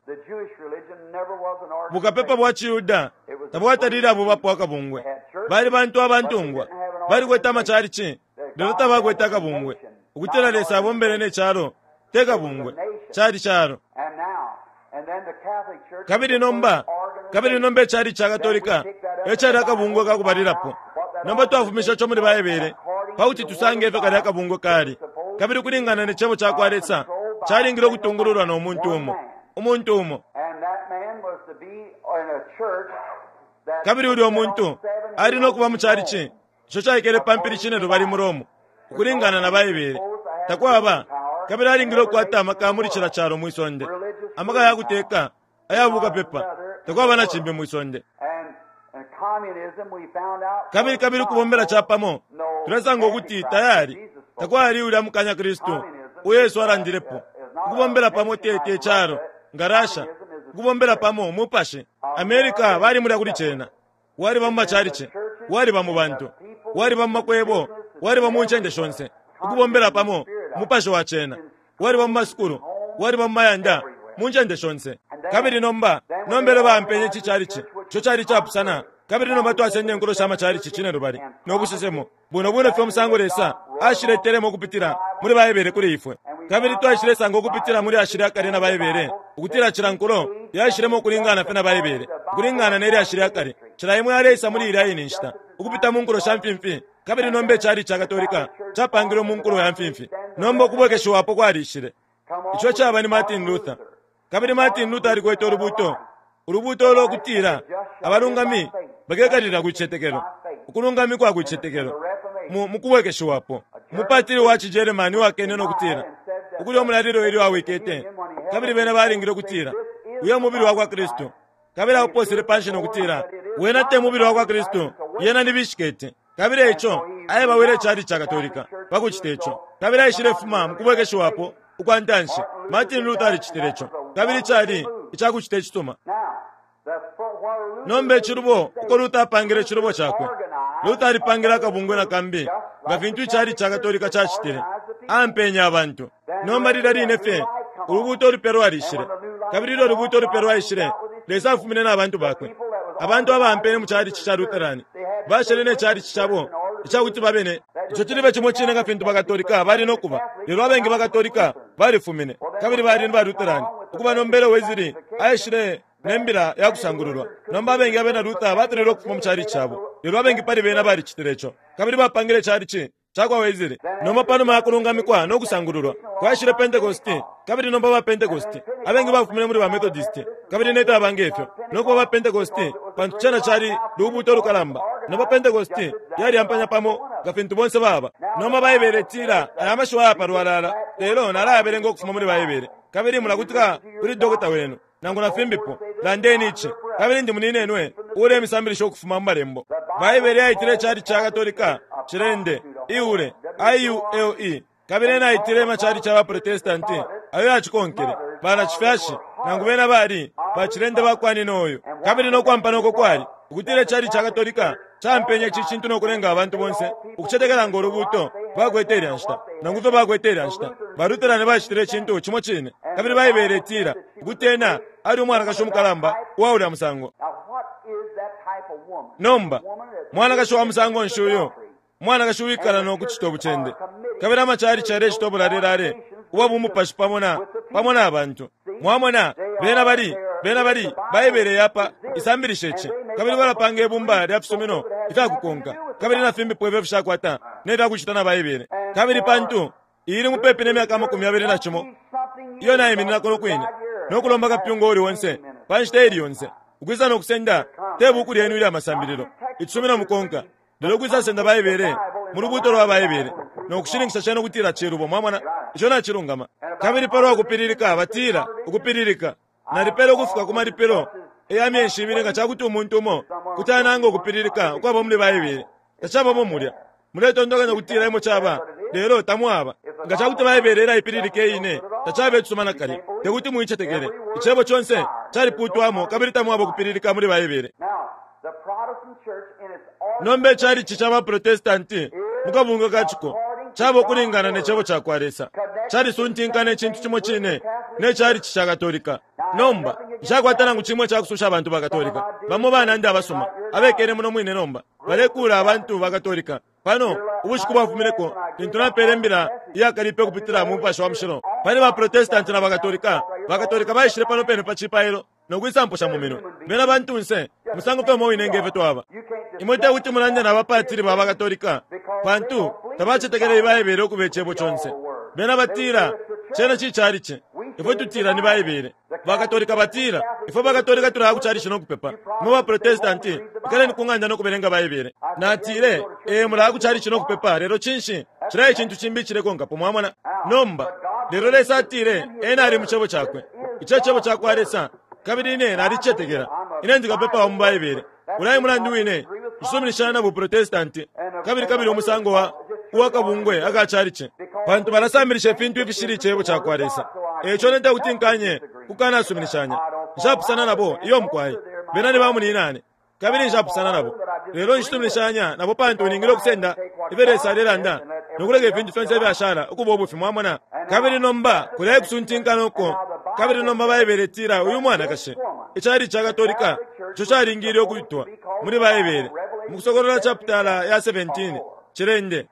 Bukapepa bwa ciYuda tabwatalile abubapo akabungwe. Bali bantu abantungwa, balikwete amacalici, lelo tabakwete akabungwe. Ukutila Lesa abombele ne calo, te kabungwe, cali calo. Kabili nomba, kabili nomba icalici ca Katolika e cali akabungwe ka kubalilapo. Nomba twafumisha ico muli Baibele pa kuti tusange ifyo kalya kabungwe kali. Kabili ukulingana ne Cebo ca kwa Lesa, calingile ukutungululwa no muntu umo, umuntu umo. Kabili ulyo muntu ali no kuba mu calici ico caikele pa mpili cinelubali mu Rome, ukulingana na Baibele. Takwaba, kabili alingile ukukwata amaka muli cila calo mwi sonde, amaka ya kuteka aya bukapepa. Takwaba na cimbi mwi sonde. Kabili kabili ukubombela capamo, tulesanga ukuti tayali, takwali ulya mukanya Kristu uyo Yesu alandilepo. Ukubombela pamo te, te calo, nga Russia. Ukubombela pamo mupashi. America bali mulya kuli cena. Waliba mu macalici, waliba mu bantu, waliba mu makwebo, waliba mu ncende shonse. Ukubombela pamo, umupashi wa cena. Waliba mu masukulu, waliba mu mayanda, mu ncende shonse. Kabili nomba, nomba elyo baampenye ici chalichi, ico cali icapusana, kabili nomba twasenda inkulo sha machalichi cinelubali no busesemo, bwino bwino fye umusango Lesa ashiletelemo ukupitila muli Baibele kuli ifwe. Kabili twaishilesanga ukupitila mu lyashi lya kale na Baibele, ukutila cila nkulo yaishilemo ukulingana fye na Baibele, ukulingana ne lyashi lya kale. Cila imo yaleisa muli ilya ine nshita, ukupita mu nkulo sha mfimfi, kabili nomba icalichi ca Katolika capangilwe mu nkulo ya mfimfi. Nomba ukubwekeshiwapo kwalishile. Ico caba ni Martin Luther. Kabili Martin Luther alikwete ulubuuto, ulubuuto ulo kutila abalungami bakekalilila ku cicetekelo, ukulungamikwa ku cicetekelo, mu, mu kubwekeshiwapo. Umupatili wa ciGerman uwakene no kutila ukulya umulalilo ilyo awikete, kabili bena balingile ukutila uyo mubili wa kwa Kristu, kabili auposele panshi no kutila wena te mubili wa kwa Kristu, yena ni bishiketi. Kabili e ico aebawile icalici ca Katolika pa kucite co, kabili aishilefuma mu kubwekeshiwapo ukwa ntanshi. Martin Luther alicitile co, kabili cali ica kucita icisuma. Nomba icilubo uko Luther apangile icilubo cakwe, Luther alipangile akabungwe na kambi nga fintu icalici ca Katolika cacitile, aampenye abantu. Nomba lilya line fye ulubuuto ulupya lwalishile, kabili ilyo ulubuuto ulupya lwaishile, Lesa afumine na bantu bakwe. Abantu abaampene mu calici ca Lutheran bashele ne calici cabo ica kuti babe ne ico cilibe cimo cine nga fintu baKatolika bali no kuba. Lelo abengi baKatolika balifumine kabili bali ni baLutheran. Ukuba nombele Wesley aishile ne mbila ya kusangululwa. Nomba abengi abena Luther bafililwe ukufuma mu calici cabo, lelo abengi pali bena balicitile ico kabili bapangile icalici. cakwa Wesley. Nomba panuma ya kulungamikwa no kusangululwa, kwaishile Pentecost, kabili nomba ba Pentecost. Abengi bafumine muli ba Methodist, kabili ne fyaba nge fyo, no kuba ba Pentecost, pantu cena cali lubuuto lukalamba. Nomba Pentecost yaliyampanya pamo nga fintu bonse baba. Nomba Baibele itila aya mashiwi aya palwalala, lelo nalayabelenga ukufuma muli Baibele. Kabili mulakutika kuli dokota wenu, nangu na fimbipo. Landeni ici, kabili ndi muninenwe uulemisambilisha ukufuma mu Malembo. Baibele yaitile icalici ca Katolika cilende, iule, I-u-l-e, kabili ena aitile amacalici ya baProtestanti ayo yacikonkele, banacifyashi, nangu bena bali bacilende ba kwa nina uyu. Kabili no kwampana uko kwali, ukutila icalici ca Katolika caampenye ici cintu no kulenga abantu bonse ukucetekela ngo lubuuto bakwete ilya nshita, nangu ifyo bakwete ilya nshita. Ba Lutherani bacitile icintu cimo cine. Kabili Baibele itila ukuti ena ali umwanakashi umukalamba uwa ulya musango. Nomba, mwanakashi wa musango nshi uyo? Umwanakashi uwikala no kucito bucende. Kabili amacalici yalecita ubulalelale ubwa bumupashi pamo na, pamo na bantu. Mwamona, bena bali, bena bali, Baibele yapa isambilisha ici, kabili balapanga ibumba lya fisumino ifya kukonka, kabili na fimbipo ifyo fishakwata ne fya kucita na Baibele. Kabili pantu iyi ili mupepi ne myaka 21 iyo naiminina kuno kwine no kulomba kapyunga uuli onse pa nshita iili yonse ukwisa no kusenda te buku lyenu ilya masambililo, icisumino mukonka, Lelo ukwisasenda Baibele mu lubuuto lwa Baibele no kushininkisha cena ukutila cilubo. Mwamona, ico nacilungama. Kabili palwa kupililika, batila, Ukupililika. Nalipela ukufika ku malipilo ya myeshi ibili nga cakuti umuntu umo kuti ananga ukupililika ukwaba muli Baibele. Tacabamo mulya. Muletontonkanya ukutila emo caba, lelo tamwaba. Nga cakuti Baibele ilaipililika iine, tacaba icisuma nakalya. Tekuti muicetekele. Icebo conse calipuutwamo kabili tamwaba ukupililika muli Baibele. Nomba icalici ca baProtestanti mu kabungwe ka ciko caba ukulingana ne Cebo ca kwa Lesa, calisuntinkana icintu cimo cine ne calici ca Katolika. Nomba, nshakwata nangu cimo ica kususha abantu ba Katolika. Bamo banandi abasuma abekele muno mwine nomba balekuula abantu ba Katolika. Pano, ubushiku bwafumineko, lintu napeele imbila iyakalipe ukupitila mu Mupashi wa Mushilo pali baProtestanti na baKatolika, baKatolika baishile pano pene pa cipailo no kwisamposha mu minwe. Bena bantunse, musango fye umo wine nge fyo twaba. Imwe te kuti mulande na bapatili ba baKatolika, pantu tabacetekela Ibaibele ukuba Icebo conse. Bena batila, Cena ci calici. Ifwe tutila ni Baibele. BaKatolika batila, Ifwe baKatolika tulaya ku calici no kupepa. Imwe ba Protestanti, ikaleni ku ng'anda no kubelenga Baibele. Natile, Ee, mulaya ku calici no kupepa, lelo cinshi? Cilya e cintu cimbi icilekonkapo, mwamona. Nomba, lelo Lesa atile Ena ali mu Cebo Cakwe. Ico e Cebo cakwa Lesa, kabili ine nalicetekela. Ine ndi kapepa wa mu Baibele. Ulya e mulandu wine nshisuminishanya na buProtestanti, kabili, kabili umusango wa, uwa kabungwe aka calici, pantu balasambilisha ifintu ifishili Icebo cakwa Lesa. E ico ine tekuti nkanye kukanasuminishanya. Nshapusana nabo, iyo mukwai. Bena ni bamunyinane. Kabili nshapusana nabo, lelo nshisuminishanya nabo pantu ningile ukusenda ifyo Lesa alelanda no kuleka ifintu fyonse ifyashala ukuba ubufi. Mwamona? Kabili nomba kulya ekusuntinkana uko, kabili nomba Baibele itila uyu mwanakashi, icalici ca Katolika, ico calingile ukwitwa muli Baibele, mu Kusokolola chaputala ya 17, cilende.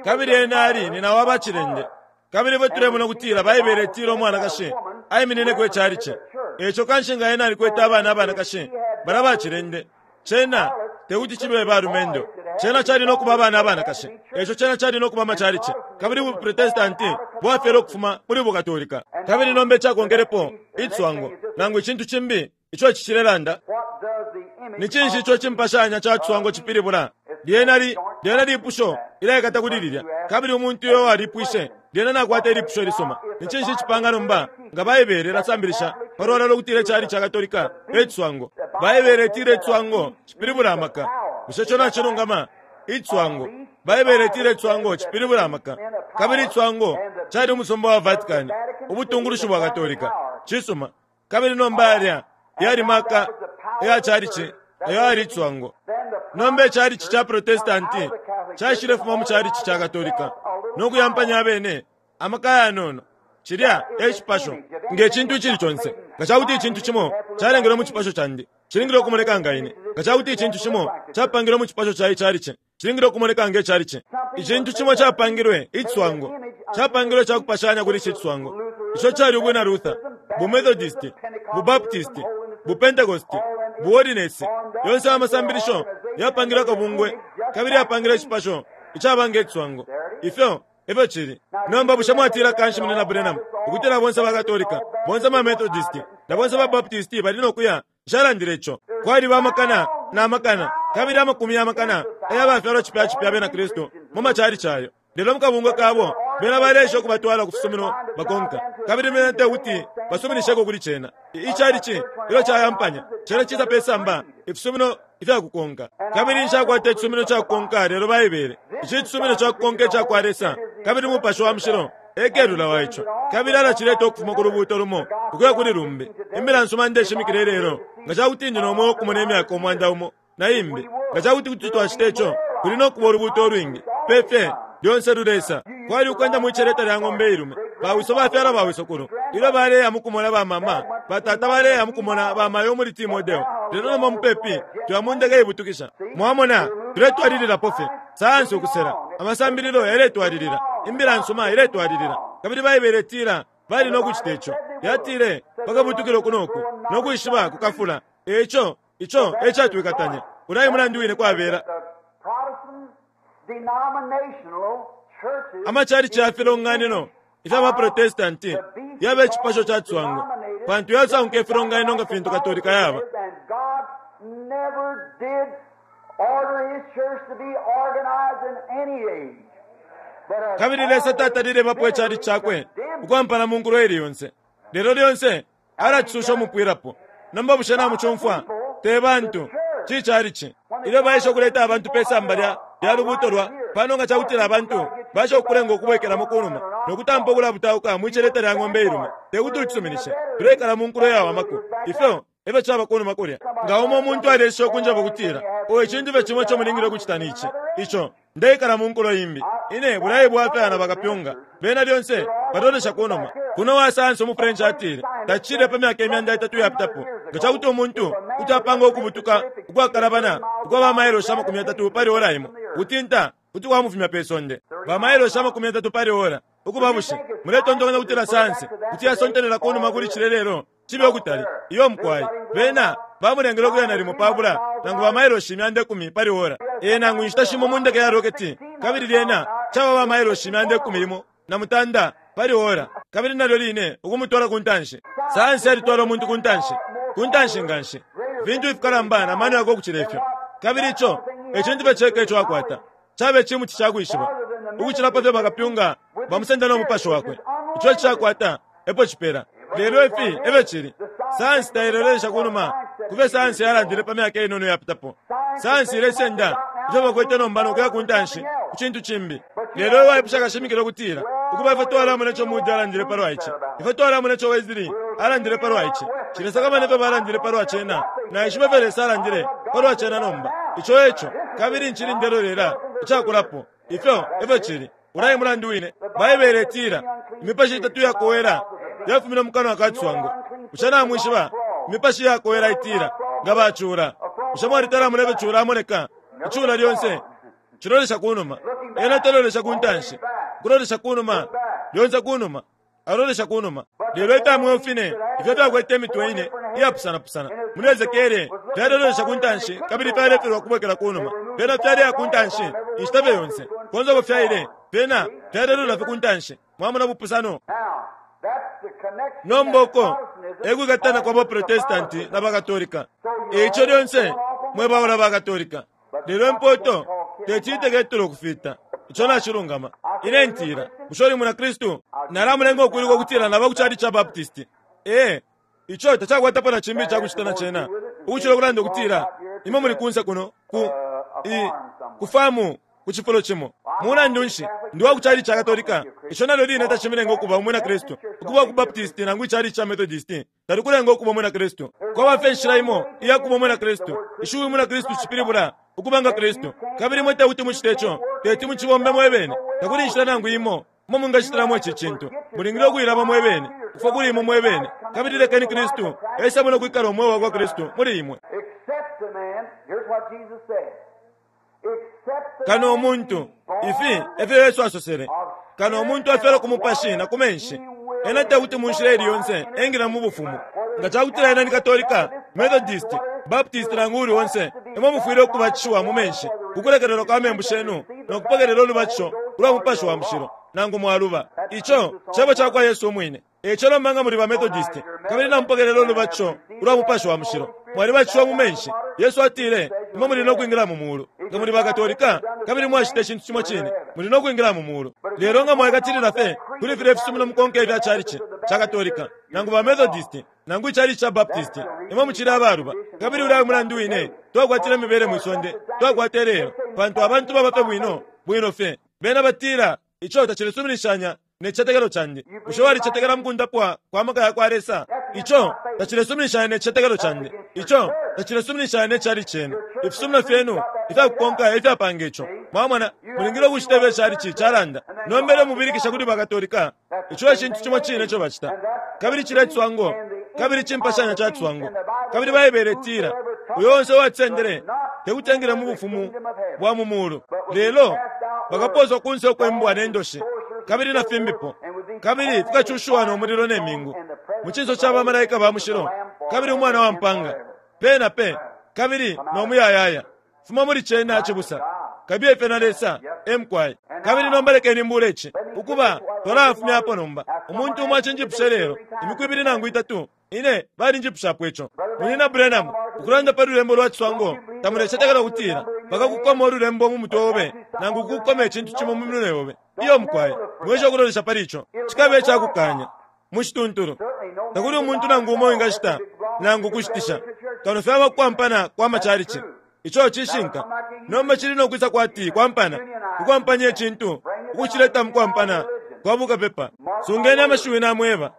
Kabili ena ali nina wa bacilende. Kabili ifwe tulemona ukutila Baibele itila umwanakashi aiminineko icalici. Eico kanshi nga ena alikwete abana abanakashi, balya bacilende, cena tekuti cibe balumendo. Cena cali no kuba abana abanakashi. Eico cena cali no kuba amacalici. Kabili buProtestanti bwafyelwe ukufuma muli buKatolika. Kabili nomba icakonkelepo, iciswango, nangu icintu cimbi ico ici cilelanda. Ni cinshi ico icimpashanya ca ciswango cipilibula? Lyena li, lyena lipusho ilyaikata kuli lilya. Kabili umuntu uyo walipwishe, lyena nakwata ilipusho ilisuma. Ni cinshi icipanga nomba nga Baibele ilasambilisha palwalala ukutila icalici ca Katolika e ciswango? Baibele itila iciswango cipilibula amaka. Bushe ico nacilungama? Iciswango. Baibele itila iciswango cipilibula amaka. Kabili iciswango cali umusumba wa Vatican, ubutungulushi bwa Katolika. Cisuma. Kabili nomba yalya yali maka ya calici ayo ayali iciswango. Nomba icalici ca Protestanti caishilefuma mu calici ca Katolika no kuyampanya abene amaka ayanono. Cilya e cipasho. Nge cintu icili conse, nga ca kuti icintu cimo calengelwe mu cipasho candi, cilingile ukumoneka nga ine. Nga ca kuti icintu cimo capangilwe mu cipasho ca icalici, cilingile ukumoneka nge calici. Icintu cimo capangilwe, iciswango, capangilwe ca kupashanya kuli ici ciswango, ico cali ubwina Luther, buMethodist, buBaptist, buPentecost, buHoliness. Yonse aya masambilisho yapangilwe akabungwe kabili yapangilwe icipasho icaba nge ciswango. Ifyo efyo cili. Nomba bushe mwatila kanshi Munyina Branham ukutila bonse ba Katolika, bonse ba Methodist, na bonse ba Baptist bali no kuya? Nshalandile ico. Kwaliba amakana na makana kabili amakumi ya makana aya bafyalwa cipya cipya abena Kristu mu macalici ayo. Lelo mu kabungwe kabo, bena baleesha ukubatwala ku fisumino bakonka, kabili bena te kuti basuminisheko kuli cena. Icalici ilyo cayampanya, cena cisa pe samba ifisumino ifya kukonka. Kabili nshakwata icisumino ca kukonka lelo Baibele. Ici cisumino ca kukonka ica kwa Lesa, kabili Mupashi wa Mushilo e kelula wa ico, kabili alacileta ukufuma ku lubuuto lumo ukuya kuli lumbi. Imbila nsuma ndeshimikila ilelo, nga ca kuti ndi no mweo ukumona imyaka 100 na imbi, nga ca kuti kuti twacita ico, kuli no kuba ulubuuto ulwingi pe fye lyonse lulesa. Kwali ukwenda mwi celeta lya ng'ombe ilume. Bawiso bafyala bawisokulu ilyo baleya mu kumona bamama, batata baleya mu kumona bamayo muli Timodeo. Lelo nomba mupepi tuya mu ndeke ibutukisha. Mwamona, tuletwalililapo fye. Sayansi ukusela, amasambililo yaletwalilila, imbila nsuma iletwalilila. Kabili Baibele itila bali no kucita ico. Yatile, Bakabutukila uku no ku, no kwishiba kukafula. E ico, ico e catwikatanya. Ulya e mulandu wine kwabela. Amacalici ya filonganino ifya baProtestanti yaba icipasho ca ciswango pantu yasanguka ifilonganino nga fintu Katolika yaba. Kabili Lesa tatalile bapo icalici cakwe ukwampana mu nkulo ili yonse, lelo lyonse alacisusha umupwilapo. Nomba bushe namucumfwa? Te bantu, ci calici. Ilyo baesha ukuleta abantu pe samba lya, lya lubuuto lwa pano, nga cakutila abantu baesha ukukulenga ukubwekelamo kunuma no kutampa ukulabutauka mwi celeta lya ng'ombe ilume, te kuti ucisuminishe. Tuleikala mu nkulo iyawamako. Ifyo efyo caba kunuma kulya. Nga umo umuntu aleesha ukunjeba ukutila, Oh, icintu fye cimo ico mulingile ukucita ni ici, ico, Ndeikala mu nkulo imbi. Ine bulai bwafya na bakapyunga. Bena lyonse balolesha ku numa. Kuno uwa sayansi umu French atile, Tacicile pa myaka 300 iyapitapo, nga ca kuti umuntu kuti apanga ukubutuka ukwakalabana ukwa ba mailoshi 30 pali ora imo, ukutinta kuti kwamufumya pe sonde. Ba mailoshi 30 pali ora! Ukuba bushe muletontonkanya ukutila sayansi kuti yasontelela ku numa kuli cilya lelo? Cibe ukutali. Iyo, mukwai. Bena bamulengele ukuya nalimo pabula nangu ba mailoshi 100 pali ora. Ee, nangu inshita shimo mu ndeke ya roketi, kabili lyena caba ba mailoshi 118 pali ora, kabili nalyo line ukumutwala ku ntanshi. Sayansi yalitwala umuntu ku ntanshi, ku ntanshi nganshi, ifintu ifikalamba na mano yakwe ukucila ifyo. Kabili ico e cintu fye ceka ico akwata. Caba icimuti ca kwishiba ukucila pa fyo bakapyunga bamusenda no mupashi wakwe. Ico icakwata epo cipela. Lelo ifi e fyo cili. Sayansi tailolesha ku numa ku fyo sayansi yalandile pa myaka inono iyapitapo. Sayansi ilesenda ifyo bakwete nomba no kuya ku ntanshi ku cintu cimbi. Lelo iwe waipusha kashimikila ukutila, Ukuba, ifwe twalamona ico Moody alandile palwa ici. Ifwe twalamona ico Wesley alandile palwa ici. Nshilesakamana ifyo balandile palwa cena. Naishiba ifyo Lesa alandile palwa cena nomba. Ico eco. Kabili ncili ndelolela icakulapo. Ifyo efyo cili. Ulya e mulandu wine Baibele itila, Imipashi itatu iyakowela yafumine mu kanwa ka ciswango. Bushe namwishiba? Imipashi iyakowela itila, Nga bacula. Bushe mwalitala amona ifyo cula amoneka? Icula lyonse cilolesha ku numa. Ena talolesha ku ntanshi. Kulolesha ku numa, lyonse ku numa. Alolesha ku numa. Lelo ifya mweo fine ifyo fyakwete imitwe ine iyapusanapusana muli Esekiele fyalelolesha ku ntanshi kabili fyalefilwa ukubwekela ku numa. Fyena fyaleya ku ntanshi inshita fye yonse. Konse uko fyaile, fyena fyalelola fye ku ntanshi. Mwamona ubupusano? Nomba uko e kwikatana kwa baProtestanti na baKatolika. E ico lyonse mwebaula baKatolika. Lelo impoto teti iteketule ukufita. Ico nacilungama. Ine ntila, Bushe uli mwina Kristu? Nalamulenga ukwiluka ukutila naba ku chalichi ca Baptist. Ee, ico tacakwatapo na cimbi icakucita na cena ukucila ukulanda ukutila imwe muli kunse kuno ku i ku famu ku cifulo cimo. Mulandu nshi, ndi wa ku chalichi ca Katolika. Ico nalyo line tacimilenga ukuba umwina Kristu. Ukuba ku Baptist nangu ichalichi ca Methodist talikulenga ukuba umwina Kristu. Kwaba fye inshila imo iya kuba umwina Kristu. Ishiwi umwina Kristu cipilibula ukuba nga Kristu. Kabili imwe tekuti mucite ico, teti mucibombe mwe bene. Takuli inshila nangu imo umo mwingacitilamo ici cintu. Mulingile ukuilama mwe bene, ukufwa kuli imwe mwe bene, kabili lekeni Kristu esemo no kwikala umweo wa kwa Kristu muli imwe. Kano umuntu, ifi e fyo Yesu asosele, kano umuntu afyalwa ku mupashi na ku menshi, ena te kuti mu nshila ili yonse engila mu bufumu. Nga ca kutila ena ni Katolika, Methodist, Baptist nangu uuli onse, imwe mufwile ukubatishiwa mu menshi ku kulekelelwa kwa membu shenu. no kupokelela ulubatisho ulwa Mupashi wa Mushilo, nangu mwaluba. Ico Cebo cakwa Yesu Umwine. Eico nomba nga muli ba Methodist, kabili na mupokelela ulubatisho ulwa Mupashi wa Mushilo, mwalibatishiwa mu menshi, Yesu atile, imwe muli no kwingila mu Mulu. Nga muli ba Katolika, kabili mwacita icintu cimo cine, muli no kwingila mu Mulu. Lelo nga mwaikatilila fye kuli filya ifisumino mukonka ifya chalichi ca Katolika, nangu ba Methodist, nangu ichalichi ca Baptist, imwe mucili abaluba. Kabili ulya e mulandu wine twakwatila imibele mwi sonde twakwata ilelo, pantu abantu baba fye bwino bwino fye. Bena batila, Ico tacilesuminishanya ne cicetekelo candi. Bushe walicetekela mukundapwa kwa maka yakwa Lesa? Ico tacilesuminishanya ne cicetekelo candi. Ico tacilesuminishanya ne chalichi cenu. Ifisumino fyenu ifyakukonka efyapanga ico. Mwamona, mulingile ukucita ifyo ichalichi calanda. Nomba ilyo mubilikisha kuli ba Katolika, ico e cintu cimo cine ico bacita. Kabili cilya ciswango, kabili cimpashanya ca ciswango. Kabili Baibele itila, Uyo onse uwacisendele tekuti engile mu Bufumu bwa mu Mulu, lelo bakaposwa kunse ukwe mbwa ne ndoshi, kabili na fimbipo, kabili fikacushiwa no mulilo ne mingu, mu cinso ca ba malaika ba mushilo kabili Umwana wa mpanga, pe na pe, kabili no muyayaya. Fuma muli cena, cibusa. Kabiye fye na Lesa. E mukwai. Kabili nomba lekeni mbule ici. Ukuba, twalafumyapo nomba. Umuntu umo acinjipusha ilelo, imiku ibili nangu itatu, Ine balinjipushapo ico. Munyina Branham, ukulanda pa lulembo lwa ciswango, tamulecetekela ukutila bakakukoma ululembo mu mutwe obe nangu ukukoma icintu cimo mu minwe yobe? Iyo, mukwai. Mwiesha ukulolesha pali ico. Cikaba icakukanya. Mu cituntulu. Takuli umuntu nangu umo uwingashita nangu ukushitisha, kano fye abakwampana kwa macalici. Ico cishinka. Nomba cili no kwisa kwati kwampana, ukwampanya icintu, ukucileta mu kwampana kwa bukapepa. Sungeni amashiwi namweba.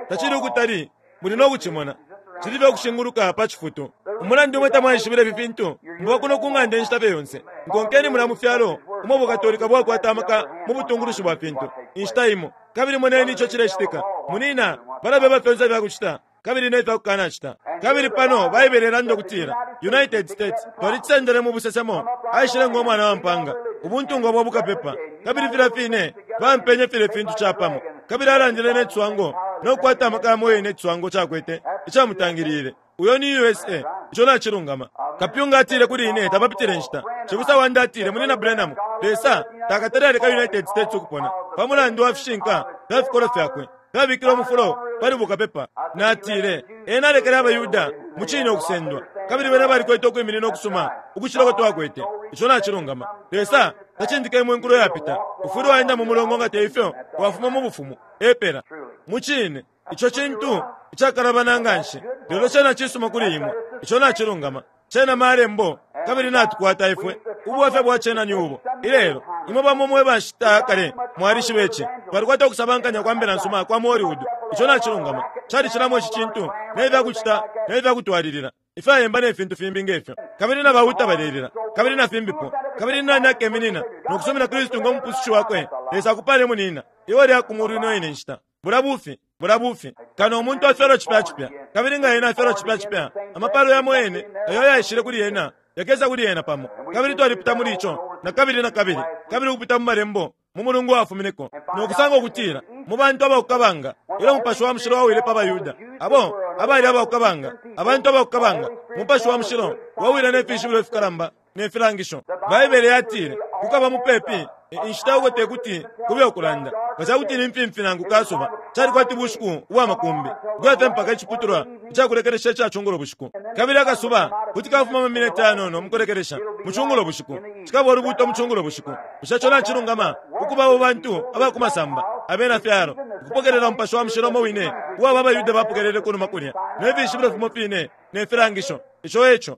Tacili ukutali, muli no kucimona. Cili fye ukushinguluka pa cifutu. Umulandu imwe tamwaishibila ifi fintu, muba kuno ku ng'anda inshita fye yonse. Nkonkeni mulya mu fyalo umo Bukatolika bwakwata amaka mu butungulushi bwa fintu, inshita imo, kabili moneni ico cilecitika. Munina, balabeba fyonse ifya kucita kabili ne fya kukanacita. Kabili pano Baibele ilanda ukutila United States, twalicisendele mu busesemo, aishile ngo mwana wa mpanga, ubuntungwa bwa bukapepa, kabili filya fine baampenye filye fintu capamo. Kabili alandile ne ciswango no kukwata amaka yamo yene iciswango cakwete icamutangilile. Uyo ni U.S.A. Ico nacilungama. Kapyunga atile kuli ine tapapitile nshita. Cibusa wandi atile, Munyina Branham, Lesa takatale aleka United States ukupona pa mulandu wa fishinka fya fikolwe fyakwe fyabikile umufulo pali bukapepa. Natile, Ena alekele abaYuda mucine ukusendwa, kabili bena balikwete ukwiminina ukusuma ukucila uko twakwete. Ico nacilungama. Lesa tacindika imwe inkulo yapita. Ufwile waenda mu mulongo nga teifyo wafuma mu bufumu. Epela. Mucine, ico cintu icakalabana nganshi, lelo cena cisuma kuli imwe. Ico nacilungama. Cena Malembo, kabili natukwata ifwe. Ubwafya bwa cena ni ubu, ilelo, imwe bamo mwe ba nshita ya kale mwalishiba ici, twalikwata ukusabankanya kwa mbila nsuma kwa mu Hollywood. Ico nacilungama. Calicilamo ici cintu, ne fya kucita, ne fya kutwalilila, ifyayemba ne fintu fimbi nge fyo. Kabili na bauta balelila, kabili na fimbipo. Kabili nani akeminina no kusumina Kristu ngo Mupusushi wakwe? Lesa akupale, munina. Iwe lya ku mulu ino ine nshita. Bulya bufi. Bulya bufi. Kano umuntu afyalwa cipya cipya. Kabili nga ena afyalwa cipya cipya, amapalo yamo yene ayo ayaishile kuli ena yakesa kuli ena pamo. Kabili twalipita muli ico nakabili na kabili, kabili ukupita mu Malembo mu mulungu uwafumineko, no kusanga ukutila mu bantu aba ku kabanga, ilyo Mupashi wa Mushilo wawile pa baYuda, abo abali aba ku kabanga, abantu aba ku kabanga, Umupashi wa Mushilo wawile ne fishibilo ifikalamba ne filangisho. Baibele yatile, Kukaba mupepi inshita uko te kuti kube ukulanda, nga ca kuti ni mfimfi nangu kasuba, cali kwati bushiku ubwa makumbi, ukuya fye mpaka iciputulwa ica kulekelesha ica cungulo bushiku. Kabili akasuba kuti kafuma amamineti ayanono mu kulekelesha mu cungulo bushiku. Cikaba ulubuuto mu cungulo bushiku. Bushe ico nacilungama? Ukuba abo bantu aba ku masamba, abena fyalo, ukupokelela Umupashi wa Mushilo umo wine uo aba abaYuda bapokelele kunuma kulya, ne fishibilo fimo fine ne filangisho. Ico e co.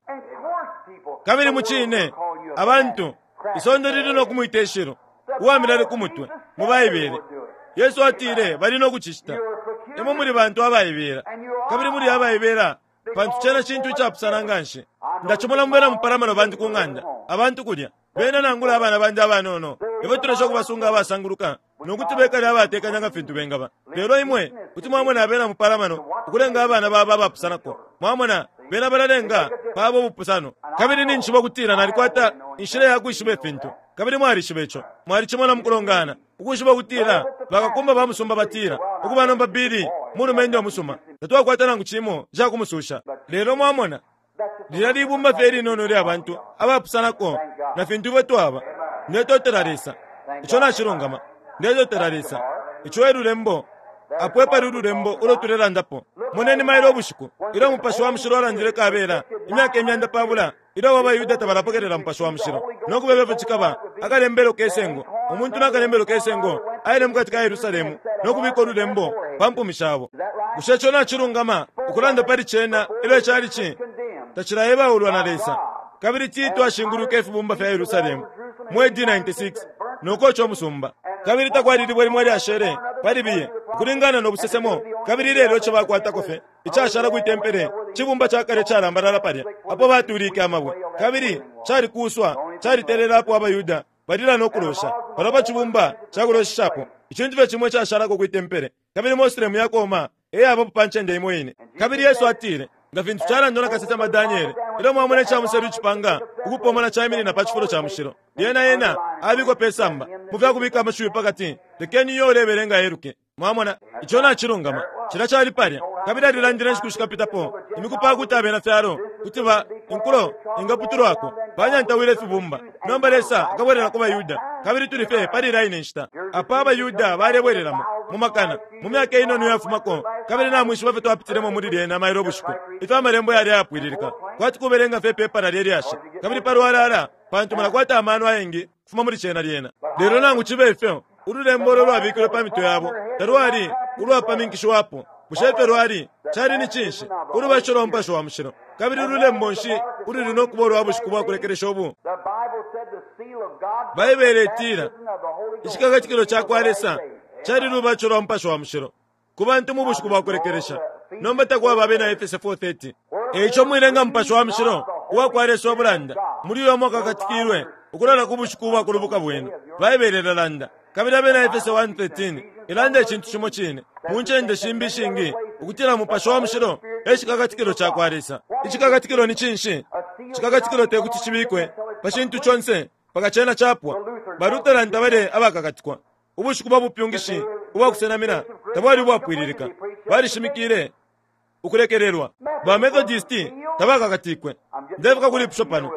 Kabili mucine, abantu, isonde lili no kumwita ishilu, uwa milale ku mutwe, mu Baibele. Yesu atile bali no kucicita. Imwe muli bantu abaibela, kabili muli abaibela pantu cena cintu icapusana nganshi. Ndacimona mu bena mupalamano bandi ku ng'anda, abantu kulya, bena nangula abana bandi abanono, ifyo tulesha ukubasunga abasanguluka no kuti bekale abatekanya nga fintu bengaba. Lelo imwe kuti mwamona abena mupalamano ukulenga abana baba abapusanako. Mwamona, bena balalenga paba ubupusano. Kabili ninjishiba ukutila nalikwata inshila ya kwishiba ifintu, kabili mwalishiba ico. Mwalicimona mukulongana, ukwishiba ukutila bakakumba ba musumba batila, Ukuba nomba, Billy mulumendo umusuma. Tatwakwata nangu cimo ica kumususha. Lelo mwamona, lilya libumba fye ilinono ilya bantu abapusanako na fintu ifwe twaba. Ndetotela Lesa. Ico nacilungama. Ndetotela Lesa. Ico e lulembo. Apo epali ululembo ulo tulelandapo. Moneni mailo ubushiku, ilyo Mupashi wa Mushilo alandile kabela, imyaka 500 ilyo abo abaYuda tabalapokelela Mupashi wa Mushilo, no kubeba ifyo cikaba, akalembelo ke sengo, umuntu na kalembelo ke sengo, aile mukati ka Yerusalemu no kubika ululembo pa mpumi shabo. Bushe ico nacilungama ukulanda pali cena ilyo icalici tacilaebaulwa na Lesa? Kabili Tito ashingulwike ifibumba fya Yerusalemu mu AD 96 no koca umusumba, kabili takwali libwe limo ilyashele pali biye ukulingana no busesemo. Kabili ilelo ico bakwatako fye icashala kwi tempele cibumba ca kale calambalala palya apo batuulike amabwe, kabili calikuuswa, calitelela apo abaYuda balila no kulosha palya pa cibumba ca kuloshishapo. Icintu fye cimo icashalako kwi tempele, kabili Moslemu yakooma e yabapo pa ncende imo ine. Kabili Yesu atile, Nga fintu calandwa na kasesema Daniele, ilyo mwamona ica muselu icipanga ukupomona caiminina pa cifulo ca mushilo, lyena ena abikwa pe samba mu fya kubika amashiwi pa kati, lekeni uyo ulebelenga eluke. Mwamona, ico nacilungama. Cilya cali palya. Kabili alilandile inshiku shikapitapo imiku pa kuti abena fyalo kuti ba inkulo ingaputulwako banyantawile ifibumba. Nomba Lesa akabwelela ku baYuda, kabili tuli fye pali ilya ine nshita apo abaYuda balebwelelamo mu makana mu myaka inono iyafumako. Kabili namwishiba ifyo twapitilemo muli lyena mailo ubushiku, ifyo Amalembo yali ayapwililika, kwati kubelenga fye ipepala lye lyashi, kabili palwalala, pantu mulakwata amano ayengi kufuma muli cena lyena. Lelo nangu cibe ifyo, ululembo ulo lwabikilwe pa mitwe yabo talwali ulwapaminkishiwapo. Bushe ifyo lwali? Cali ni cinshi? Ulubatisho lwa Mupashi wa Mushilo. Kabili lulembo nshi ululi no kuba ulwa bushiku bwa kulekelesha ubu? Baibele itila icikakatikilo ca kwa Lesa cali lubatisho lwa Mupashi wa Mushilo ku bantu mu bushiku bwa kulekelesha. Nomba takwaba Abena Efese 4:30. E ico mwilenga Mupashi wa Mushilo uwa kwa Lesa ubulanda, muli uyo mwakakatikilwe ukulola ku bushiku ubwa kulubuka bwenu. Baibele ilalanda. Kabili Abena Efese 1:13 ilanda icintu cimo cine mu ncende shimbi ishingi ukutila Mupashi wa Mushilo e cikakatikilo ca kwa Lesa. Icikakatikilo ni cinshi? Cikakatikilo te kuti cibikwe pa cintu conse mpaka cena capwa. Ba Lutheran tabali abakakatikwa. Ubushiku bwa bupyungishi ubwa kusenamina tabwali ubwapwililika. Balishimikile ukulekelelwa. Ba Methodist tabakakatikwe. Ndefika kulipusho pano.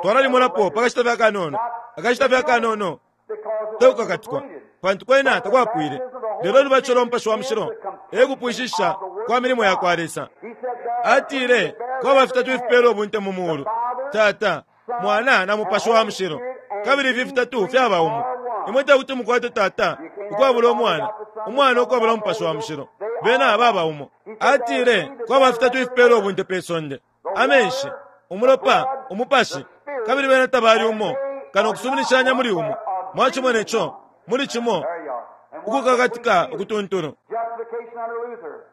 Twalalimolapo pa kashita fye akanono. Akashita fye akanono tekukakatikwa, pantu kwena takwapwile. Lelo ulubatisho lwa Mupashi wa Mushilo e kupwishishisha kwa milimo ya kwa Lesa. Atile kwaba fitatu ifipela ubunte mu mulu, Tata, Mwana na Mupashi wa Mushilo, kabili ifi fitatu fyaba umo. Imwe te kuti mukwate Tata ukwabula Umwana, Umwana ukwabula Umupashi wa Mushilo. Bena baba umo. Atile kwaba fitatu ifipela ubunte pe sonde, amenshi, umulopa, umupashi, kabili bena tabali umo kano kusuminishanya muli umo. Mwacimone co muli cimo ukukakatika ukutuntulu.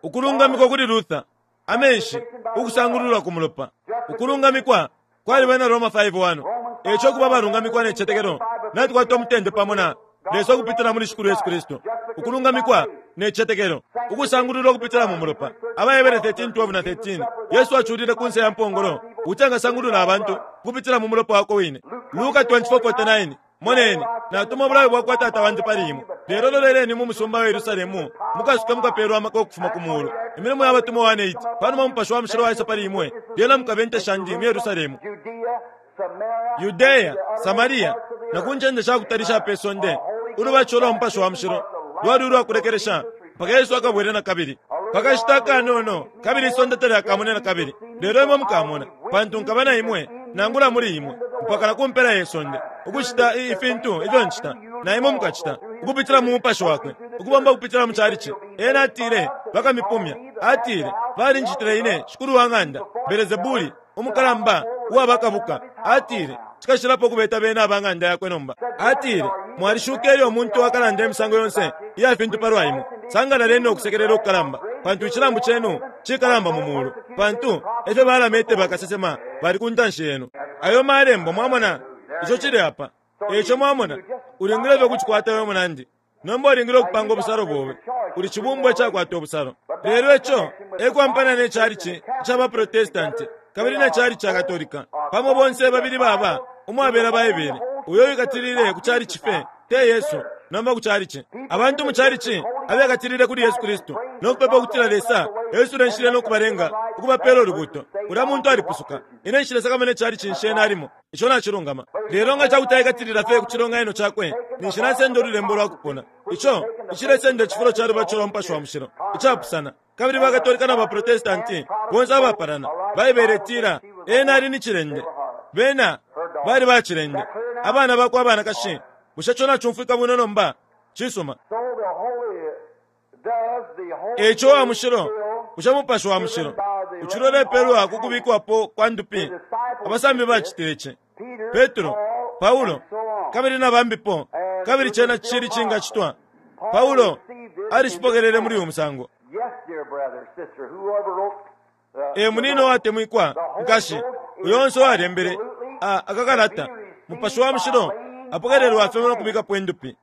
Ukulungamikwa kuli Luther, amenshi, ukusangululwa ku mulopa. Ukulungamikwa kwali bena Roma 5:1. E ico ukuba abalungamikwa ne citetekelo, natukwata umutende pamo na Lesa ukupitila muli Shikulu Yesu Kristu. Ukulungamikwa ne citetekelo, ukusangululwa ukupitila mu mulopa. AbaHebere 13:12 na 13. Yesu aculile ku nse ya mpongolo ukuti engasangulula abantu ukupitila mu mulopa wakwe wine. Luka 24:49. Moneni, natuma ubulayo bwa kwa Tata wandi pali imwe, lelo loleleni mu musumba wa Yerusalemu, mukasuke mukapeelwa amaka ukufuma ku muulu. Imilimo ya Batumwa 1:8. Pa numa umupashi wa mushilo waisa pali imwe, lyena mukaba inte shandi mu Yerusalemu, Yudea, Samaria, na ku ncende sha kutali isha pe sonde. Ulubatisho lwa mupashi wa mushilo lwali ulwa kulekelesha mpaka Yesu akabwele na kabili. Pa kashita akanono kabili isonde talyakamone na kabili, lelo imwe mukamona, pantu nkaba na imwe, nangula muli imwe, mpaka na ku mpela ye sonde. Ukucita ifintu ifyo ncita, na imwe mukacita, ukupitila mu Mupashi Wakwe, ukubomba ukupitila mu chalichi. Ena atile, Bakamipumya. Atile, Balincitile ine, shikulu wa ng'anda, Belezebuli, umukalamba uwa bakabuka. Atile, Cikashilapo ukubeta bena aba ng'anda yakwe nomba. Atile, Mwalishuka ilyo umuntu akalanda imisango yonse iya fintu palwa imwe. Sangalaleni no kusekelela ukukalamba, pantu icilambu cenu cikalamba mu mulu, pantu efyo balamete bakasesema bali ku ntanshi yenu. Ayo malembo, mwamona, ico cili apa. Eico mwamona, ulingile fye ukucikwata we munandi. Nomba ulingile ukupanga ubusalo bobe. Uli cibumbwa icakwata ubusalo. Lelo ico e kwampana ne calici ica baProtestanti kabili ne calici ca Katolika. Pamo bonse babili baba umwabela Baibele. Uyo wikatilile ku calici fye. Te Yesu, nomba ku chalichi. Abantu mu chalichi abekatilile kuli Yesu Kristu no kupepa ukutila Lesa esule inshila no kubalenga ukubapeela ulubuuto. Ulya muntu alipusuka. Ine nshilesakamana icalichi nshi ena alimo. Ico nacilungama. Lelo nga ca kuti aikatilila fye ku cilonganino cakwe, ninshi nasenda ululembo lwa kupona. Ico icilesenda icifulo ca lubatisho lwa Mupashi wa Mushilo, icapusana. Kabili ba Katolika na ba Protestanti bonse abapalana. Baibele itila, Ena ali ni cilende. Bena bali ba cilende. Abana bakwe abanakashi. Bushe co nacumfwika bwino nomba? Cisuma. E ico uwa mushilo, bushe Mupashi wa Mushilo ucili ulepelwa ku kubikwapo kwa ndupi? Abasambi bacitile ci. Petro, Paulo, kabili na bambipo, kabili cena cili cingacitwa. Paulo alicipokelele muli uyu musango. E munino watemwikwa, nkashi, uyo onse uwalembele a akakalata, Mupashi wa Mushilo apokelelwa fye no kubikapo indupi.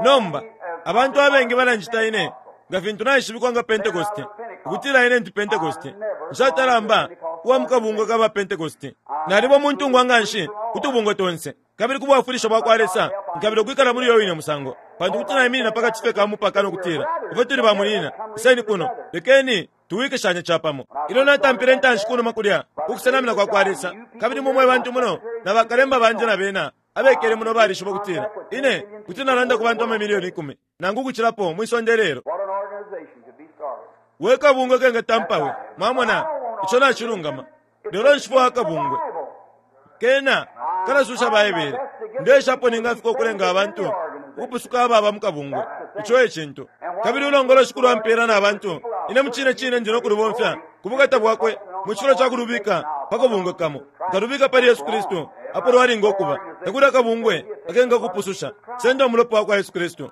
Nomba, abantu abengi balanjita ine, nga fintu naishibikwa nga Pentekoste, ukutila ine ndi Pentekoste. Nshatala mba uwa mukabungwe ka ba Pentekoste. Naliba umuntungwa nganshi ku tubungwe tonse. Kabili ku bwafwilisho bwa kwa Lesa, nkabila ukwikala muli uyo wine musango, pantu kuti naiminina pa kati fye ka mupaka no kutila, Ifwe tuli bamunyina, iseni kuno, lekeni tuwikishanye capamo. Ilyo natampile intanshi kunuma kulya ku kusenamina kwa kwa Lesa, kabili imwe mwe bantu muno, na bakalemba bandi na bena abekele muno balishiba ukutila ine kuti nalanda ku bantu amamilioni 10 nangu ukucilapo mwi sonde ilelo. We kabungwe kengatampa we! Mwamona, ico nacilungama. Lelo nshifwaya akabungwe. Kena kalasusha Baibele. Ndeeshapo ningafika ukulenga abantu ukupusuka ababa mu kabungwe. Ico e cintu. Kabili ulongolo Shikulu ampeela na bantu, ine mucine cine ndi no kulubomfya ku bukata Bwakwe mu cifulo ca kulubika pa kabungwe kamo. Nkalubika pali Yesu Kristu, apo lwalinga ukuba. Takuli akabungwe akengakupususha. Senda Umulopa wa kwa Yesu Kristu.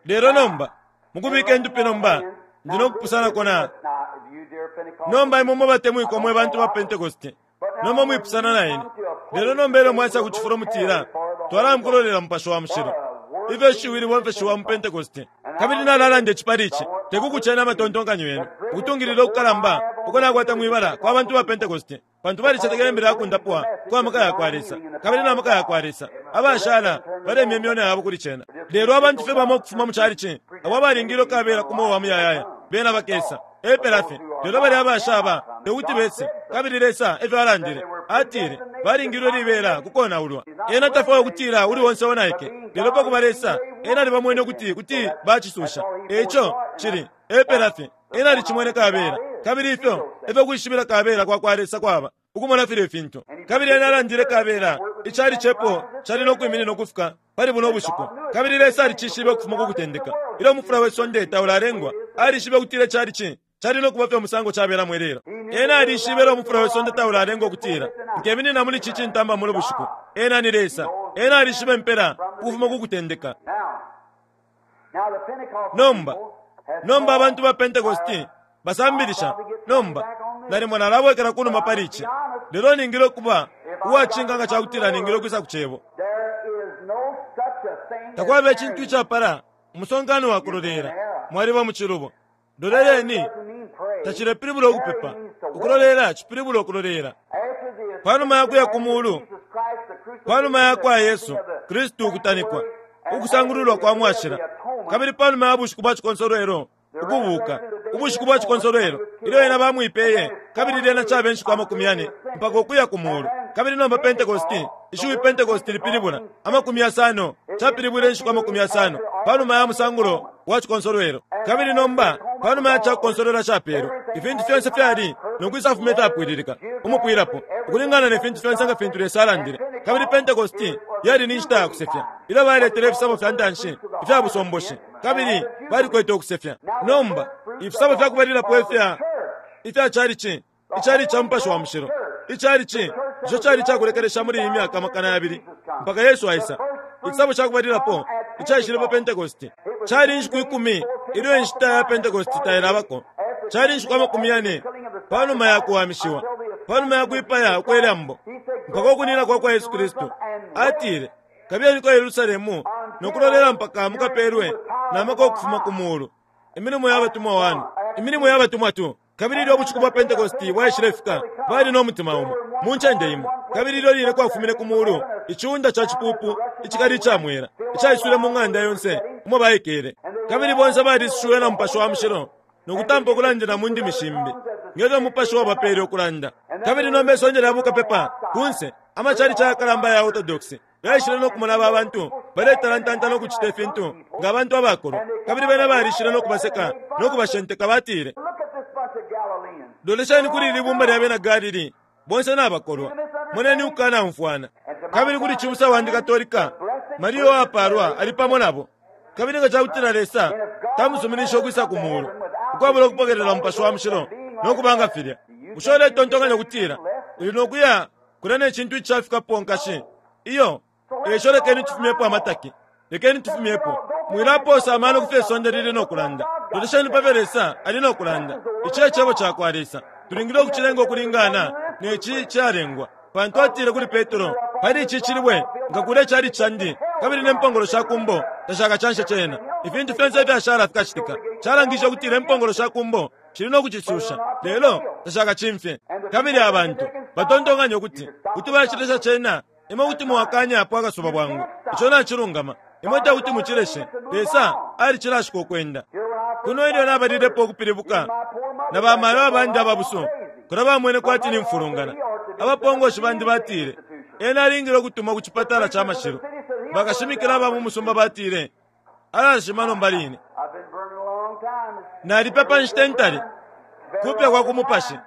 Lelo nomba, mukubika indupi nomba, ndi no kupusanako na. Nomba imwe mwe batemwikwa mwe bantu ba Pentekoste, nomba mwipusana na ine. Lelo nomba ilyo mwaisa ku cifulo mutila, Twalamukulolela Mupashi wa Mushilo. Ifyo ishiwi libomfeshiwa mu Pentekoste. Kabili nalalanda ici pali ici, te ku kucena amatontonkanyo yenu, ukutungilila ukukalamba uko nakwata mwi bala kwa bantu ba Pentekoste. Pantu balicetekele imbila ya kundapwa kwa maka ya kwa Lesa, kabili na maka ya kwa Lesa, abashala balemya imyona yabo kuli cena. Lelo abantu fye bamo ukufuma mu calici, abo abalingilwe kabela ku mweo wa muyayaya, bena bakesa. Epela fye. Lelo balya abashaba, te kuti bese. Kabili Lesa efyo alandile. Atile, Balingilwe libela ku konaulwa. Ena tafwaya ukutila uli onse onaike. Lelo pa kuba Lesa, Ena alibamwene ukuti kuti bacisusha. E ico, cili, epela fye. Ena alicimwene kabela. Kabili ifyo efyo kwishibila kabela kwa kwa Lesa kwaba, ukumona filye fintu. Kabili ena alandile kabela icali cepo cali no kwiminina ukufika pali buno bushiku. Kabili Lesa alicishibe ukufuma ku kutendeka. Ilyo umufula we sonde taulalengwa, alishibe ukutila icali cali no kuba fye umusango cabelamo ilelo. Ena alishibe ilyo umufula we sonde taulalengwa ukutila, Nkeminina muli ci cintamba muno bushiku. Ena ni Lesa. Ena alishibe impela ukufuma ku kutendeka. Nomba, nomba abantu ba Pentecosti basambilisha. Nomba, nalimo nalabwekela kunuma pali ici, lelo ningile ukuba uwacinka nga cakutila ningile ukwisa ku Cebo. Takwaba icintu icapala umusonkano wa kulolela. Mwaliba mu cilubo. Loleleni tacilepilibula ukupepa. Ukulolela cipilibula ukulolela. Panuma ya kuya ku mulu, panuma ya kwa Yesu Kristu ukutanikwa, ukusangululwa kwa mwashila, kabili panuma ya bushiku bwa cikonsolwelo, ukubuka, ubushiku bwa cikonsolwelo, ilyo ena bamwipeye, kabili lyena cabe nshiku 40 mpaka ukuya ku mulu. Kabili nomba Pentekoste, ishiwi Pentekoste lipilibula 50, capilibwile inshiku 50 panuma ya musangulo wa cikonsolwelo. Kabili nomba, panuma ya ca kukonsolwela capelwe, ifintu fyonse fyali no kwisafuma ifyapwililika umupwilapo, ukulingana ne fintu fyonse nga fintu Lesa alandile. Kabili Pentekoste yali ni nshita ya kusefya, ilyo baletele ifisabo fya ntanshi ifya busomboshi, kabili balikwete ukusefya. Nomba, ifisabo fya kubalilapo ifya ifya calici, icali ca Mupashi wa Mushilo, icalici ico cali icakulekelesha muli iyi myaka 2000 mpaka Yesu aisa. Icisabo ca kubalilapo icaishile pa Pentekoste cali inshiku 10 ilyo inshita ya Pentekoste tailabako. Cali inshiku 40 pa numa ya kuwamishiwa, pa numa ya kwipaya ukwe lambo, mpaka ukunina kwa kwa Yesu Kristu. Atile, Kabiyeni ku Yerusalemu no kulolela mpaka mukapelwe na maka ukufuma ku mulu. Imilimo ya Batumwa 1, Imilimo ya Batumwa 2. Kabili ilyo ubushiku bwa Pentekoste bwaishilefika, bali no mutima umo, mu ncende imo. Kabili ilyo line kwafumine ku muulu iciunda ca cipuupu icikali ica mwela, icaiswile mu ng'anda yonse umo baikele. Kabili bonse baliisushiwe na Mupashi wa Mushilo no kutampa ukulandila mu ndimi shimbi, nge fyo Umupashi wabapeele ukulanda. Kabili nomba isonde lya bukapepa kunse, amacalici ayakalamba aya Orthodox, yaishile no kumona aba bantu baletalantanta no kucita ifintu nga bantu abakolwa. Kabili bena balishile no kubaseka no kubashenteka, batile, Lolesheni kuli ili bumba lya bena Galili, bonse nabakolwa. Moneni ukukanaumfwana. Kabili kuli cibusa wandi Katolika, Maria uwapaalwa ali pamo nabo. Kabili nga ca kutila Lesa tamusuminishe ukwisa ku muulu ukwabula ukupokelela Umupashi wa Mushilo no kuba nga filya, bushe uletontonkanya ukutila uli no kuya kulya ne cintu icishafikapo, nkashi? Iyo. E ico lekeni tufumyepo amataki. Lekeni tufumyepo. Mwilapoosa amano ku fyo isonde lili no kulanda. Lolesheni pa fyo Lesa ali no kulanda. Ici e Cebo ca kwa Lesa. Tulingile ukucilenga ukulingana ne ci calengwa. Pantu atile kuli Petro, Pali ici cilibwe nkakuula icalici candi, kabili ne mpongolo sha ku mbo tashakacanshe cena. Ifintu fyonse ifyashala fikacitika. Calangishe ukutila impongolo sha ku mbo shili no kucisusha, lelo tashakacimfye. Kabili abantu batontonkanya ukuti kuti bacilesha cena. Imwe kuti mwakanyapo akasuba bwangu. Ico nacilungama. Imwe te kuti mucileshe. Lesa alicilashika ukwenda. Kuno ilyo nabalilepo ukupilibuka, na bamayo abandi ababusu kulya bamwene kwati nimfulungana. Abapongoshi bandi batile, Ena alingile ukutumwa ku cipatala ca mashilu. Bakashimikila aba mu musumba batile, Alashima nomba line. Nalipepa inshita intali. Kupya kwa ku mupashi.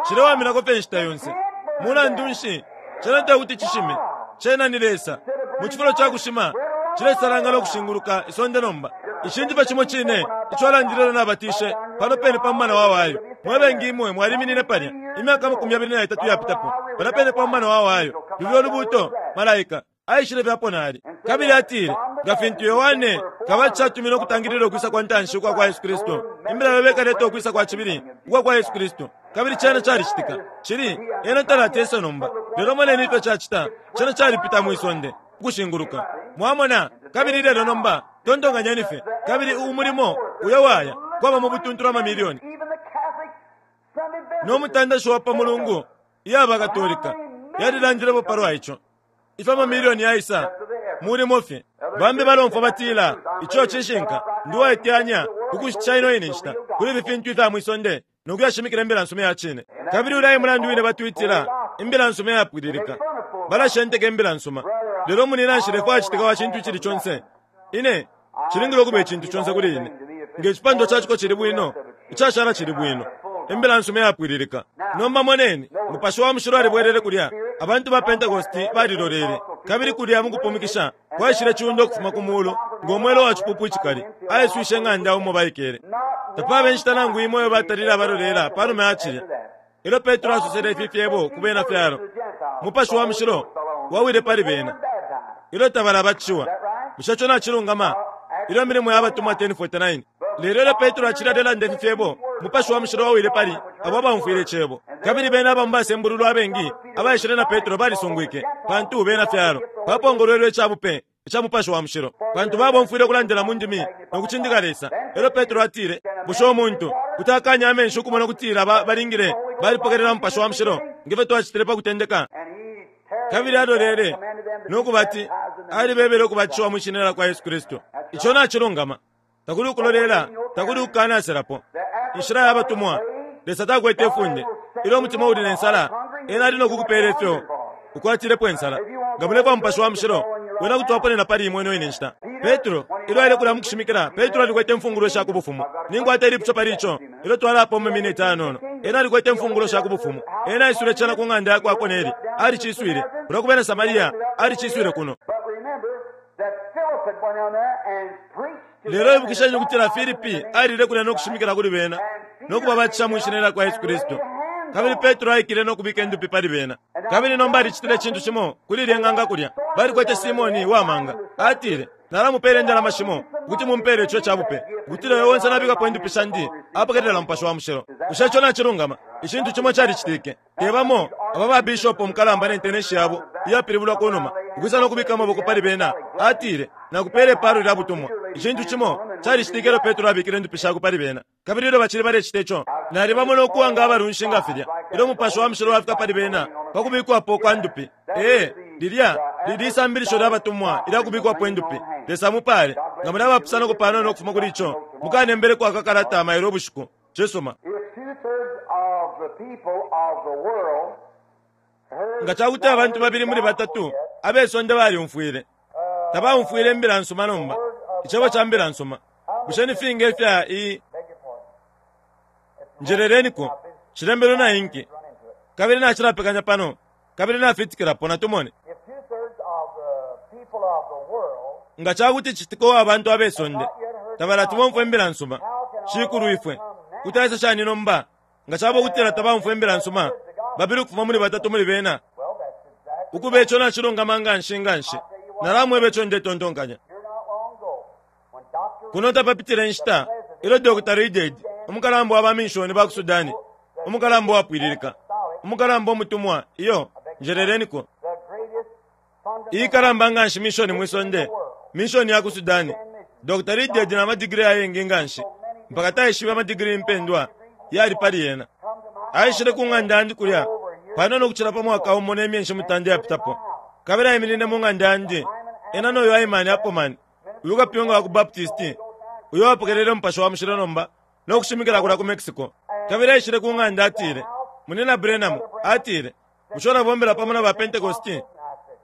Cilewaminako fye inshita yonse. Mulandu nshi, cena te kuti cishime. Cena ni Lesa. Mu cifulo ca kushima, cilesalangana ukushinguluka isonde nomba. Icintu fye cimo cine ico alandile ilyo nabatishe pano pene pa mumana wa Ohio. Mwe bengi imwe mwaliminine palya, imyaka 23 iyapitapo, palya pene pa mumana wa Ohio. Lulyo Lubuuto, Malaika, aishile fye apo nali. Kabili atile, Nga fintu Yohane Kabatisha atumine ukutangilila ukwisa kwa ntanshi ukwa kwa Yesu Kristu, imbila yobe ikaleta ukwisa kwa cibili ukwa kwa Yesu Kristu. Kabili cena calicitika. Cili, ena talati ese nomba. Lelo moneni ifyo cacita, cena calipita mwi sonde, ukushinguluka. Mwamona? Kabili ilelo nomba, tontonkanyeni fye, kabili umulimo uyo waya, kwaba mu butuntulu amamilioni. No mutandashi wa pa Mulungu iya baKatolika yalilandilepo palwa ico. Ifyo amamilioni yaisa mulimo fye. Bambi balomfwa batila, Ico cishinka. Ndi uwaiteyanya ukushitisha ino ine nshita kuli ifi fintu ifya mwi sonde no kuyashimikila imbila nsuma ya cine. Kabili ulya e mulandu wine batwitila imbila nsuma iyapwililika. Balashenteka imbila nsuma. Lelo munyina nshilefwaya citika wa cintu icili conse. Ine, cilingile ukuba icintu conse kuli ine. Nge cipandwa ca ciko cili bwino, icashala cili bwino. Imbila nsuma iyapwililika. Nomba moneni, Mupashi wa Mushilo alibwelele kulya. Abantu ba Pentecost balilolele. Kabili kulya mukupumikisha kwaishile ciunda ukufuma ku mulu ngo mwela wa cipupu icikali, aiswishe ing'anda umo baikele. Tapaba inshita nangu imo iyo batalile abalolela panuma ya cilya. Ilyo Petro asosele ifi fyebo ku bena fyalo, Mupashi wa Mushilo wawile pali bena ilyo tabalabatishiwa. Bushe ico nacilungama? Ilyo Imilimo ya Batumwa 10:49. Lelo ilyo Petro acili alelanda ifi fyebo, Mupashi wa Mushilo wawile pali abo abaumfwile icebo. Kabili bena aba mu basembululwa abengi abaishile na Petro balisungwike, pantu bena fyalo bapongolwelwe ica bupe ica Mupashi wa Mushilo, pantu babomfwile ukulandila mu ndimi no kucindika Lesa. E lyo Petro atile, Bushe umuntu kuti akaanya amenshi ukumona ukutila ba balingile balipokelela Mupashi wa Mushilo nge fyo twacitile pa kutendeka? Kabili alolele no kubati alibebele ukubatishiwa mwi shina lya kwa Yesu Kristu. Ico nacilungama. Takuli ukulolela, takuli ukukanaselapo. Inshila ya batumwa, Lesa takwete ifunde. Ilyo umutima uli ne nsala, Ena ali no kukupela ifyo ukwatilepo insala. Nga mulefwa Mupashi wa Mushilo, wena kuti waponena pali imwe ino ine nshita. Petro, ilyo aile kulya mukushimikila, Petro alikwete imfungulo sha ku Bufumu. Ninkwata ilipusho pali ico, ilyo twalapwa mu miniti anono. Ena alikwete imfungulo sha ku Bufumu. Ena aiswile cena ku ng'anda yakwa Koneli, aliciswile. Kulya ku bena Samaria, aliciswile kuno. Lelo ibukisheni ukutila Filipi alile kulya no kushimikila kuli bena no kubabatisha mwi shina lya kwa Yesu Kristu. Kabili Petro aikile no kubika indupi pali bena. Kabili nomba alicitile icintu cimo kuli ilye ng'anga kulya. Balikwete Simoni wa manga. Atile, Nalamupeela indalama shimo ukuti mumpeele ico ca bupe, ukutila uyo onse nabikapo indupi shandi apokelela Mupashi wa Mushilo. Bushe ico nacilungama? Icintu cimo calicitike. Te bamo aba ba bishopo mukalamba ne nteneshi yabo iyapilibulwa ku numa, ukwisa no kubika amaboko pali bena, atile, Nakupeela ipaalo lya butumwa. Icintu cimo calicitike ilyo Petro abikile indupi shakwe pali bena. Kabili ilyo bacili balecita ico, nalibamona ukuwa nga abalunshi nga filya, ilyo Mupashi wa Mushilo wafika pali bena. pa kubikwapo kwa ndupi. Ee, lilya lili isambilisho lya batumwa ilya kubikwapo indupi. Lesa amupale. Nga muli abapusanako panono ukufuma kuli ico, mukanembeleko aka kalata mailo ubushiku. Cisuma. Nga ca kuti abantu babili muli batatu abe sonde balyumfwile, tabaumfwile imbila nsuma nomba, icebo ca mbila nsuma, bushe ni finga ifya i Njeleleniko, cilembelwe na inki, kabili nacilapekanya pano, kabili nafitikilapo, natumone. Nga ca kuti citika uwa bantu abe sonde tabalati bomfwe imbila nsuma, Shikulwifwe kuti aisa shani nomba nga caba ukutila tabaumfwa imbila nsuma? Babili ukufuma muli batatu muli bena. Ukuba ico nacilungama nga nshi nga nshi. Nalamweba ico ndetontonkanya. Kuno tapapitile inshita ilyo Dr. Reidhead, umukalamba wa baminshoni ba ku Sudani, umukalamba uwapwililika, umukalamba umutumwa, iyo, njeleleniko, iikalamba nga nshi mishoni mwi sonde, mishoni ya ku Sudani, Dr. Reidhead na madigiri ayengi nga nshi, mpaka taishibe amadigiri impendwa yali pali yena. Aishile ku ng'anda yandi kulya panono ukucila pa mwaka umo ne myeshi mutanda iyapitapo, kabili aiminine mu ng'anda yandi, ena no yu Hyman Appleman, uyu kapyunga wa ku Baptisti uyo wapokelele Umupashi wa Mushilo nomba no kushimikila kulya ku Mexico. Kabili aishile ku ng'anda, atile, Munyina Branham, atile, bushe ulabombela pamo na ba Pentecosti?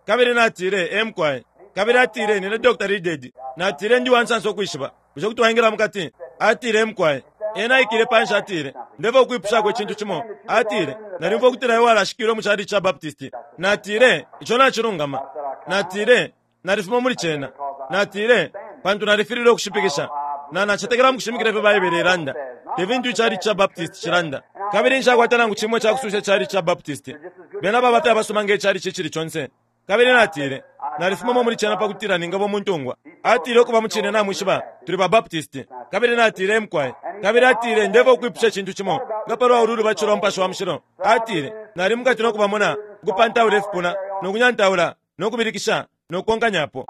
Kabili natile, Ee, mukwai. Kabili atile, Nine Dr. Reidhead. Natile, Ndi uwansansa ukwishiba. Bushe kuti waingila mukati? Atile, Ee, mukwai. Ena aikile panshi, atile, Ndefwaya ukwipushako icintu cimo. Atile, Nalyumfwa ukutila iwe walashikilwe mu chalichi ca Baptisti. Natile, Ico nacilungama. Natile, Nalifuma muli cena. Natile, Pantu nalifililwe ukushipikisha. Na, nacetekela mu kushimikila ifyo Baibele ilanda, te fintu ichalichi ca Baptist cilanda. Kabili nshakwata nangu cimo icakususha ichalichi ca Baptist. Bena baba fye abasuma nge chalichi icili conse. Kabili natile, Nalifumamo muli cena pa kutila ningaba umuntungwa. Atile, Ukuba, mucine, namwishiba, tuli ba Baptist. Kabili natile, Ee, mukwai. Kabili atile, Ndefwaya ukwipusha icintu cimo. Nga palwa ulu lubatisho lwa Mupashi wa Mushilo? Atile, Nali mukati no kubamona ukupantaula ifipuna, no kunyantaula, no kubilikisha, no kukonkanyapo.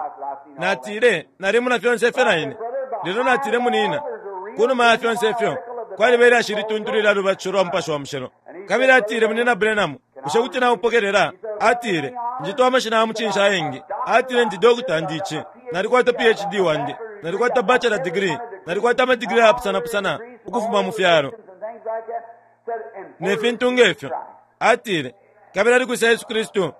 Natile, Nalimona fyonse ifyo na ine. Lelo natile, Munina, kunuma ya fyonse ifyo, kwaliba ilyashi ilituntulu ilya lubatisho lwa Mupashi wa Mushilo. Kabili atile, Munina Branham, bushe kuti naupokelela? Atile, Njitwa amashina ya mucinshi ayengi. Atile, Ndi dokota, ndi ici. Nalikwata PhD wandi. Nalikwata bachelor degree. Nalikwata ama degree ayapusana pusana ukufuma mu fyalo. Ne fintu nge fyo. Atile, Kabili ali kwisa Yesu Kristu?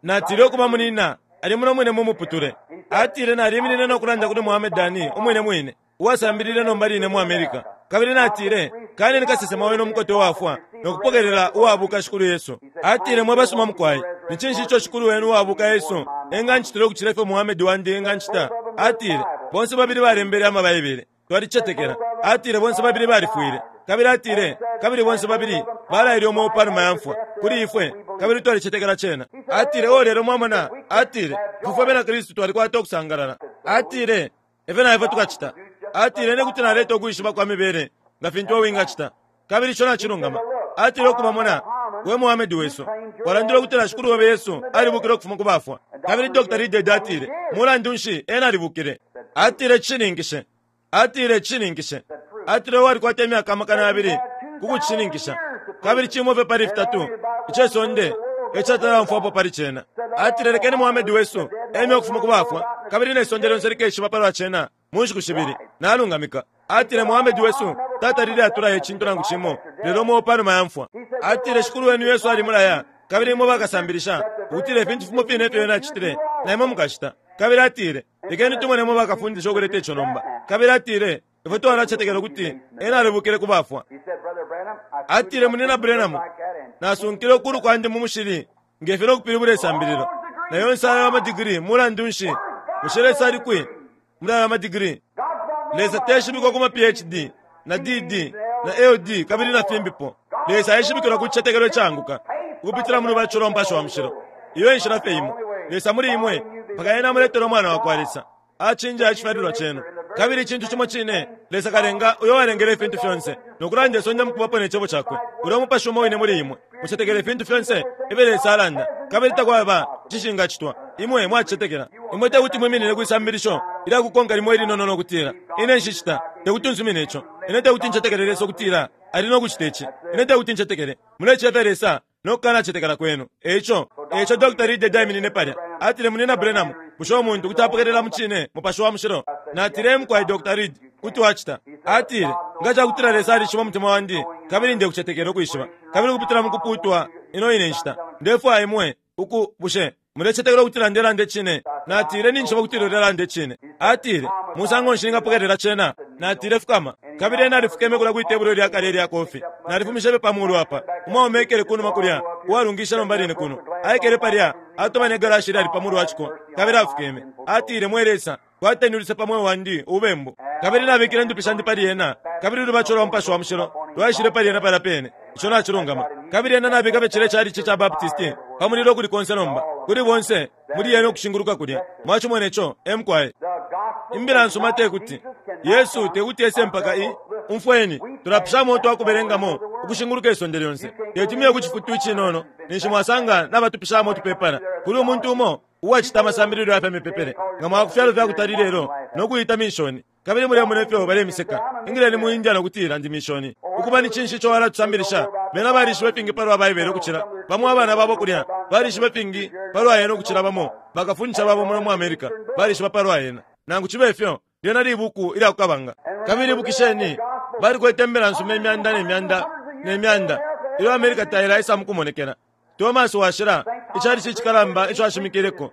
Natile, Ukuba, munina, ali muno mwine mu muputule. Atile, Naliminine no kulanda kuli Muhammad Ali umwine mwine, uwasambilile nomba line mu America. Kabili natile, Kaneni kasesema wenu umukote uwafwa, no kupokelela uwabuka Shikulu Yesu. Atile, Mwe basuma mukwai, ni cinshi ico Shikulu wenu uwabuka Yesu engancitila ukucila ifyo Muhammad wandi engancita? Atile, Bonse babili balembele ama Baibele. Twalicetekela. Atile bonse babili balifwile. Kabili atile, Kabili bonse babili balaile umweo panuma ya mfwa, kuli ifwe, kabili twalicetekela cena. Atile, Oh, lelo mwamona, atile, ifwe fwe bena Kristu twalikwata ukusangalala. Atile, Efyo na ifwe tukacita. Atile, Ine kuti naleta ukwishiba kwa mibele nga fintu iwe wingacita. Kabili ico nacilungama. Atile, Ukuba, mona, we Muhammed wesu, walandile ukutila Shikulu obe Yesu alibukile ukufuma ku bafwa. Kabili Dr. Reidhead atile, Mulandu nshi, Ena alibukile. Atile, Cishininkishe. Atile, Cishininkishe. Atile, Walikwata imyaka 2000 ku kucishininkisha. Kabili cimo fye pali fitatu ice sonde ecatalaumfwapo pali cena. Atile, Lekeni Muhammed wesu eme ukufuma ku bafwa, kabili ne sonde lyonse likeshiba palwa cena. mu nshiku shibili, nalungamika. Atile, Muhammed wesu tatalile atulaya icintu nangu cimo lelo umweo panuma ya mfwa. Atile, Shikulu wenu Yesu alimulaya, kabili imwe bakasambilisha, ukutila ifintu fimo fine ifyo Ena acitile, na imwe mukacita. Kabili atile, Lekeni tumone imwe bakafundisha ukuleta ico nomba. Kabili atile, Ifwe twalacetekela ukuti Ena alibukile ku bafwa. Atile, Munyina Branham, nasunkile ukulu kwandi mu mushili nge fyo no kupilibula isambililo, na yonse ayo amadigiri. Mulandu nshi, bushe Lesa ali kwi muli ayo amadigiri? Lesa teshibikwa ku ma PhD, na DD, na LD, kabili na fimbipo. Lesa aishibikilwa ku cicetekelo icaanguka, ukupitila mu lubatisho lwa Mupashi wa Mushilo. Iyo e nshila fye imo. Lesa muli imwe, mpaka Ena amuletele Umwana wakwa Lesa. Acinja icifyalilwa cenu. Kabili icintu cimo cine, Lesa Kalenga, uyo walengele ifintu fyonse, no kulanda isonde mukubapo ne Cebo Cakwe, ulya Umupashi umo wine muli imwe, mucetekela ifintu fyonse ifyo Lesa alanda, kabili takwaba icishingacitwa. Imwe mwacicetekela. Imwe tekuti mwiminine kwi sambilisho ilya kukonka limo ilinono no kutila, Ine nshicita. Tekuti nsumine ico. Ine tekuti ncetekele Lesa ukutila ali no kucita ici. Ine tekuti ncetekele. Mulecefya Lesa no kukanacetekela kwenu. Eico, eico Dr. Reed aiminine palya. Atile, Munyina Branham, bushe umuntu kuti apokelela mucine Mupashi wa Mushilo? Natile, Ee mukwai, Dr. Reed, kuti wacita. Atile, Nga cakutila Lesa alishiba umutima wandi, kabili ndekucetekela ukwishiba, kabili ukupitila mukupuutwa ino ine nshita, ndefwaya imwe uku, bushe mulecetekela ukutila ndelanda icine? Natile, Ninjishiba ukutila ulelanda icine. Atile, Musango nshi ningapokelela cena? Natile, Fukama. Kabili ena alifukeme kulya kwi tebulo ilya kale ilya kofi. Nalifumishe fye pa mulu apa. Umwaume aikele kunuma kulya, uwalungishe nomba line kuno, aikele palya, atoba ne galashi ilyali pa mulu wa ciko, kabili afukeme. Atile, Mwe Lesa, kwateni uluse pa mweo wandi ubembu. Kabili nabikile indupi shandi pali ena, kabili ulubatisho lwa Mupashi wa Mushilo lwaishile pali ena palya pene. Ico nacilungama. Kabili ena nabika fye cilya chalichi ca Baptisti pa mulilo ukuli konse nomba, kuli bonse muli yena ukushinguluka kulya. Mwacimone co. E mukwai. Imbila nsuma te kuti, Yesu te kuti ese mpaka i. Umfweni, tulapishamo utwa kubelengamo ukushinguluka isonde lyonse. Teti muye ku cifutu icinono ninshi mwasanga nabatupishamo utupepala. Kuli umuntu umo uwacita amasambililo ya fya mipepele nga mwaya ku fyalo fya kutali lelo no kuita minshoni kabili mulemona ifyo balemiseka. Ingileni mu India no kutila, Ndi minshoni. Ukuba ni cinshi ico walatusambilisha? Bena balishiba ifingi palwa Baibele ukucila bamo abana babo kulya. Balishiba ifingi palwa yena ukucila bamo bakafundisha babo muno mu America balishiba palwa yena. Nangu cibe fyo, lyena libuku ilya ku Kabanga. Kabili ibukisheni, balikwete imbila nsuma imyanda ne myanda ne myanda ilyo America tailaisa mukumonekela. Thomas Washila, icalici icikalamba ico ashimikileko,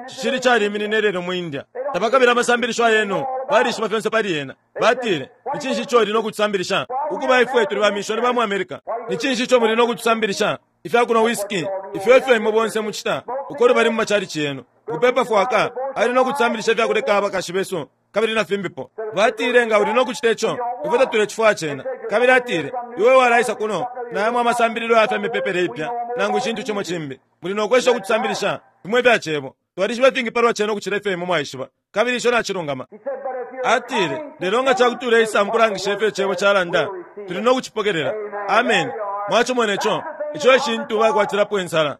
cicili caliminine lelo mu India. Tabakabila amasambilisho ayenu, balishiba fyonse pali yena. Batile, Ni cinshi ico uli no kutusambilisha? Ukuba ifwe tuli bamishoni ba mu America. Ni cinshi ico muli no kutusambilisha? Ifya kunwa whisky, ifyo efyo imwe bonse mucita uko lubali mu macalici yenu. Ukupepa fwaka, ali no kutusambilisha ifya kuleka abakashi besu kabili na fimbipo. Batile, Nga uli no kucita ico, ifwe tatulecifwaya cena. Kabili atile, Iwe walaisa kuno na yamo amasambililo ya fya mipepele ipya nangu icintu cimo cimbi. Muli no kwesha ukutusambilisha fimo ifya Cebo. Twalishiba ifingi palwa cena ukucila ifyo imwe mwaishiba. Kabili ico nacilungama. Atile, Lelo nga cakuti uleisa mukulangisha ifyo Icebo calanda, tuli no kucipokelela. Ameni. Mwacimone co. Ico e cintu bakwatilapo insala.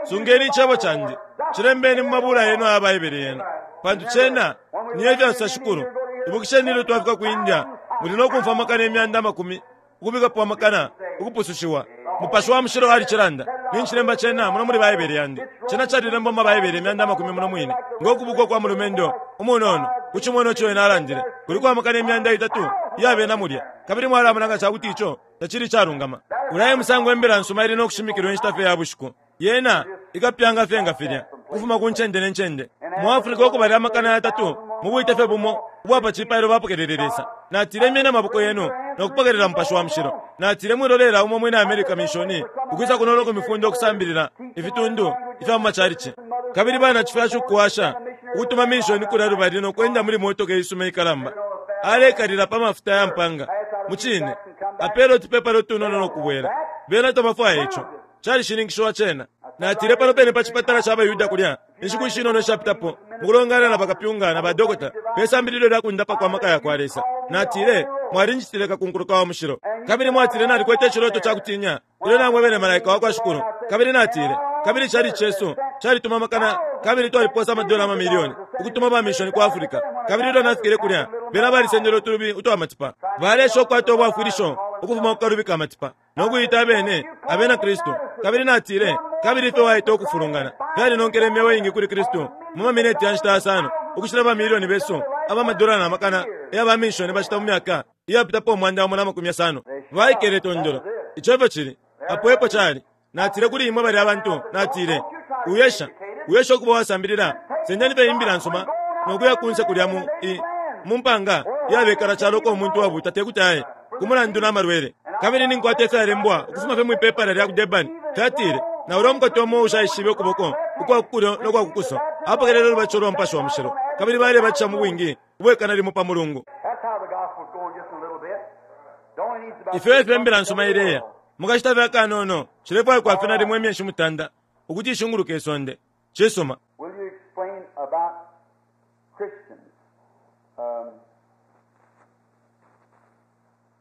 Sungeni icebo candi, cilembeni mu mabula yenu aya Baibele yenu, pantu cena ni efyasosa Shikulu. Ibukisheni ilyo twafika ku India, muli no kumfwa amakana imyanda amakumi ukubikapo amakana ukupusushiwa. Mupashi wa Mushilo alicilanda. Nincilemba cena muno muli Baibele yandi. Cena calilembwa mu maBaibele imyanda amakumi muno mwine, ngo kubuka ukwa mulumendo umunono ku cimonwa ico ena alandile. Kuliko amakana imyanda itatu iya bena mulya, kabili mwalamona nga cakuti ico tacili icalungama. Ulya e musango Imbila nsuma ili no kushimikilwa inshita fye ya bushiku. Yena ikapyanga fye nga filya, ukufuma ku ncende ne ncende. Mu Africa uko balya 300,000 mu bwite fye bumo ubwa pa cipailo bapokelele Lesa. Natile imyeni amaboko yenu no kupokelela Mupashi wa Mushilo. Natile mwilolela umo mwina America minshoni ukwisa kuno no kumifunda ukusambilila ifitundu ifya mu macalici. Kabili banacifyashi ukuwasha ukutuma minshoni kulya lubali no kwenda muli motoka iisuma ikalamba. Alekalila pa mafuta ya mpanga. Mucine. Apele utupepala utunono no kubwela. Bena tabafwaya ico. Calishininkishiwa cena. Natile pano pene pa cipatala ca baYuda kulya, inshiku ishinono ishapitapo, mukulongana na bakapyunga na badokota, pe sambililo lya kundapa kwa maka yakwa Lesa. Natile, Mwalinjitile kakunkuluka wa mushilo. Kabili mwatile nalikwete iciloto ca kutinya ilyo namwebele malaika wa kwa Shikulu. Kabili natile, Kabili icalici cesu calituma amakana kabili twaliposa amadola amamilioni ukutuma ba mishoni ku Africa. Kabili ilyo nafikile kulya, bena balisendele utulubi utwa matipa. Baleesha ukukwata ubwafwilisho ukufuma ku kalubi ka matipa. no kuita abene abena Kristu. Kabili natile, Kabili ifyo waita ukufulungana fyalinonkele imyeo iingi kuli Kristu mu mamineti ya nshita yasano ukucila bamilioni besu aba madola na makana ya baminshoni bacita mu myaka iyapitapo 150. Baikele tondolo. Ico efyo cili. Apo epo cali. Natile kuli imwe balya bantu, natile, Uyesha, uyesha ukuba uwasambilila, sendeni fye imbila nsuma no kuya kunse kulya mu i, mu mpanga iyabekala calo uko umuntu wabuuta te kuti aye, ku mulandu na malwele. Kabili ninkwata ifyalembwa ukufuma fye mwi pepala lya ku Durban, fyatile, Na ulya umukote umo uushaishibe ukuboko ukwa ku kulyo no kwa ku kuso apokelele ulubatisho lwa Mupashi wa Mushilo, kabili balebatisha mu bwingi ubwekana limo pa mulungu. Ifyo efyo imbila nsuma ileya. Mu kashita fye akanono, cilefwaikwa fye nalimo imyeshi mutanda ukuti ishunguluke isonde. Cisuma.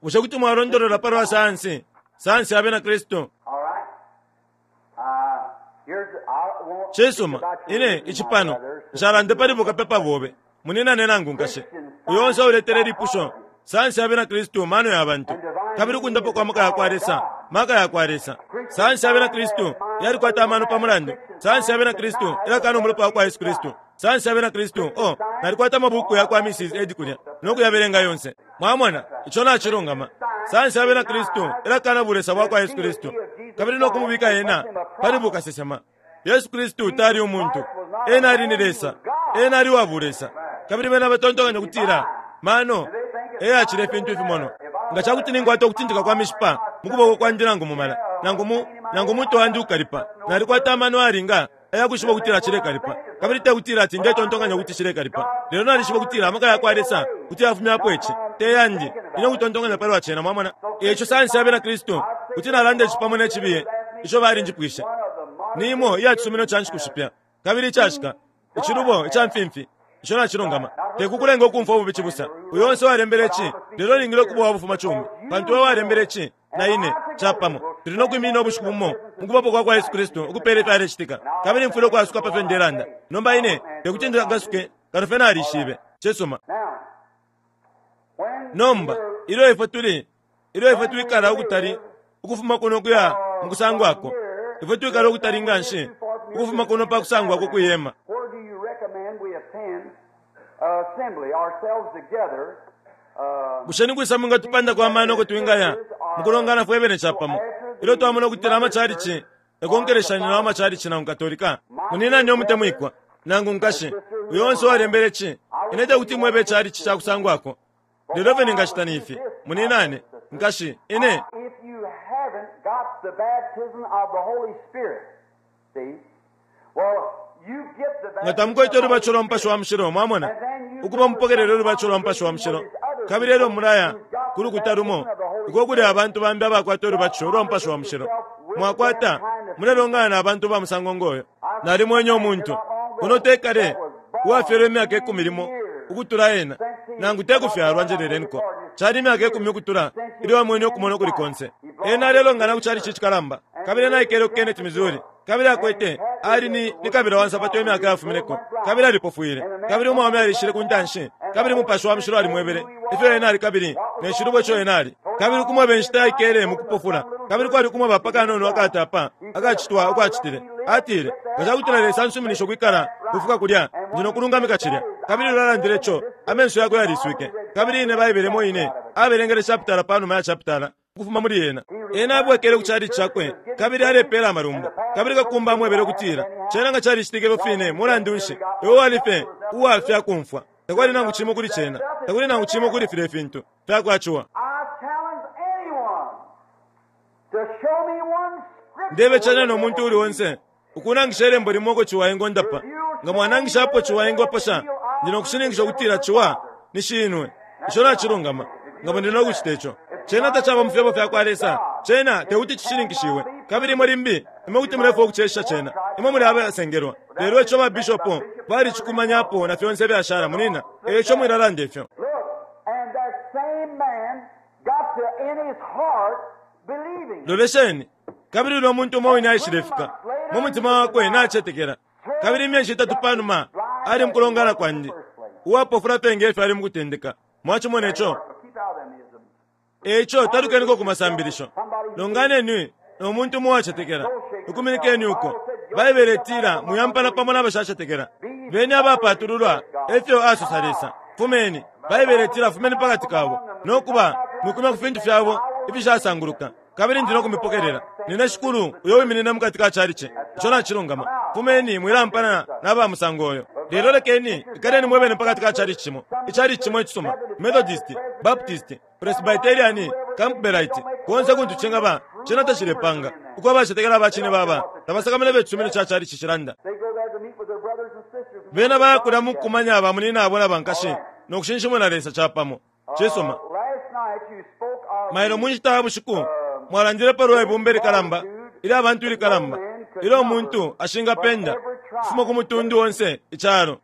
Bushe kuti mwalondolola pa lwa sayansi, sayansi ya Bena Kristu? Cisuma, ine, ici pano, nshalande pali bukapepa bobe, munyinane nangu nkashi. Uyo onse uletele lipusho, sayansi ya Bena Kristu mano ya bantu, kabili ukundapwa kwa maka ya kwa Lesa maka ya kwa Lesa. Sayansi ya Bena Kristu yalikwata amano pa mulandu. Sayansi ya Bena Kristu ilakana umulopa wa kwa Yesu Kristu. Sayansi ya Bena Kristu, oh, nalikwata amabuku ya kwa Mrs. Ed kulya no kuyabelenga yonse. Mwamona, ico nacilungama. Sayansi ya Bena Kristu ilakana bulesa bwa kwa Yesu Kristu kabili no kumubika ena pali bukasesema. Yesu Kristu tali umuntu, ena ali ni Lesa, ena ali wa bulesa. Kabili bena batontonkanya ukutila mano e yacila ifintu ifimonwa. Nga ca kuti ninkwata ukutintika kwa mishipa mu kuboko kwandi nangu mu mala, nangu mu, nangu umutwe wandi ukalipa, nalikwata amano ayalinga aya kwishiba ukutila cilekalipa. Kabili te kutila ati ndetontonkanya ukuti cilekalipa, lelo nalishiba ukutila amaka ya kwa Lesa kuti yafumyapo ici, te yandi, ine ukutontonkanya palwa cena. Mwamona? E ico sayansi ya Bena Kristu, kuti nalanda ici pamo ne cibiye ico balinjipwishe. Ni imo iya cisumino ca nshiku shipya kabili icashika, icilubo ica mfimfi. Ico nacilungama. Te kukulenga ukumfwa ububi cibusa, uyo onse uwalembele ici, lelo ulingile ukuba uwa bufumacumi, pantu we walembele ici na ine, capamo, tuli no kwiminina ubushiku bumo mu kubapo kwa kwa Yesu Kristu ukupela ifyalecitika, kabili mfwile ukwasuka pa fyo ndelanda. Nomba ine tekuti njasuke kano fye nalishibe. Cisuma. Nomba, ilyo ifwe tuli, ilyo ifwe twikala ukutali ukufuma kuno ukuya mu kusangwako, ifwe twikala ukutali nganshi ukufuma kuno pa kusangwako kwi hema. Bushe ni kwisa mwingatupandako amano uko twingaya mu kulongana fwe bene capamo ilyo twamona ukutila amacalici yakonkeleshanya na macalici nangu Katolika? Muninani umutemwikwa nangu nkashi, uyo onse uwalembele ci, ine tekuti mwebe icalici ca kusangwako. Lelo ifyo ningacita ni ifi, muninane, nkashi, ine. Nga tamukwete ulubatisho lwa Mupashi wa Mushilo, mwamona, ukuba mupokelele ulubatisho lwa Mupashi wa Mushilo, kabili elyo mulaya ku lukuta lumo uko kuli abantu bambi abakwata ulubatisho ulwa Mupashi wa Mushilo, mwakwata, mulelongana na bantu ba musango ngoyo. Nalimwenye umuntu, kuno te kale, uwafyelwe imyaka ikumi limo ukutula ena, nangu te kufyalwa, njeleleniko, cali imyaka ikumi ukutula ilyo amwene ukumona ukuli konse. Ena alelongana ku chalichi icikalamba, kabili ena aikele ku Kennett, Missouri. Kabili akwete, ali ni, ni kabila wa nsapato imyaka yafumineko, kabili alipofwile. Kabili umwaume alishile ku ntanshi, kabili Mupashi wa Mushilo alimwebele ifyo ena ali kabili ne cilubo ico ena ali, kabili ukumweba inshita aikele mukupofula, kabili kwali ukumweba pa kanono akatapa akacitwa uko acitile. Atile, Nga cakutila Lesa ansuminisha ukwikala ukufika kulya, ndi no kulungamika cilya. Kabili ilyo alandile ico, amenso yakwe yaliswike. Kabili ine Baibele imo ine, abelengele chapitala panuma ya chapitala, ukufuma muli yena. Ena abwekele ku chalichi cakwe kabili alepela amalumbo. Kabili kakumba amwebele ukutila, Cena nga calicitike ifyo fine, mulandu nshi, iwe wali fye uwafya kumfwa. Takwali nangu cimo kuli cena. Takuli nangu cimo kuli filye fintu fyakwa ciwa. Ndebecanya no muntu uuli onse ukunangisha ilembo limo uko ciwa engondapa. Nga mwanangisha apo ciwa engoposha, ndi no kushininkisha ukutila ciwa ni shinwe. Ico nacilungama. Nga muli no kucita ico. Cena tacaba mu fyebo fyakwa Lesa. Cena tekuti cishininkishiwe. Kabili imwe limbi, imwe kuti mulefwaya ukucesha cena. Imwe muli abasengelwa. Lelo ico ba bishopo balicikumanyapo na fyonse ifyashala, munina. E ico mwilalanda ifyo. Lolesheni, kabili ulya muntu umo wine aishilefika mu mutima wakwe nacetekela. Kabili imyeshi itatu panuma ali mukulongana kwandi, uwapofula fye nge fyo ali mukutendeka. Mwacimone co. E ico talukeniko ku masambilisho. Longaneni no muntu umo uwacetekela, ikuminikeni uko. Baibele itila mwiampana pamo na bashacetekela. Beni abapatululwa, e fyo asosa Lesa. Fumeni, Baibele itila fumeni pa kati kabo, no kuba mwikumya ku fintu fyabo ifishasanguluka, kabili ndi no kumipokelela. Nine Shikulu uyo wiminina mu kati ka calici. Ico nacilungama. Fumeni, mwilampana na ba musango uyo. Lelo lekeni, ikaleni mwe bene pa kati ka calici cimo, icalici cimo icisuma, Methodist, Baptist, Presbyterian, Campbellite, konse kuntu cingaba, cena tacilepanga. Uko abacetekela aba cine baba, tabasakamana ifyo icisumino ca calici cilanda. Bena baya kulya mu kukumanya bamunyinabo na bankashi no kushinshimuna Lesa capamo. Cisuma. Mailo mu nshita ya bushiku mwalandile pa lwa ibumba ilikalamba ilya bantu ilikalamba ilyo umuntu ashingapenda ukufuma ku mutundu onse icalo.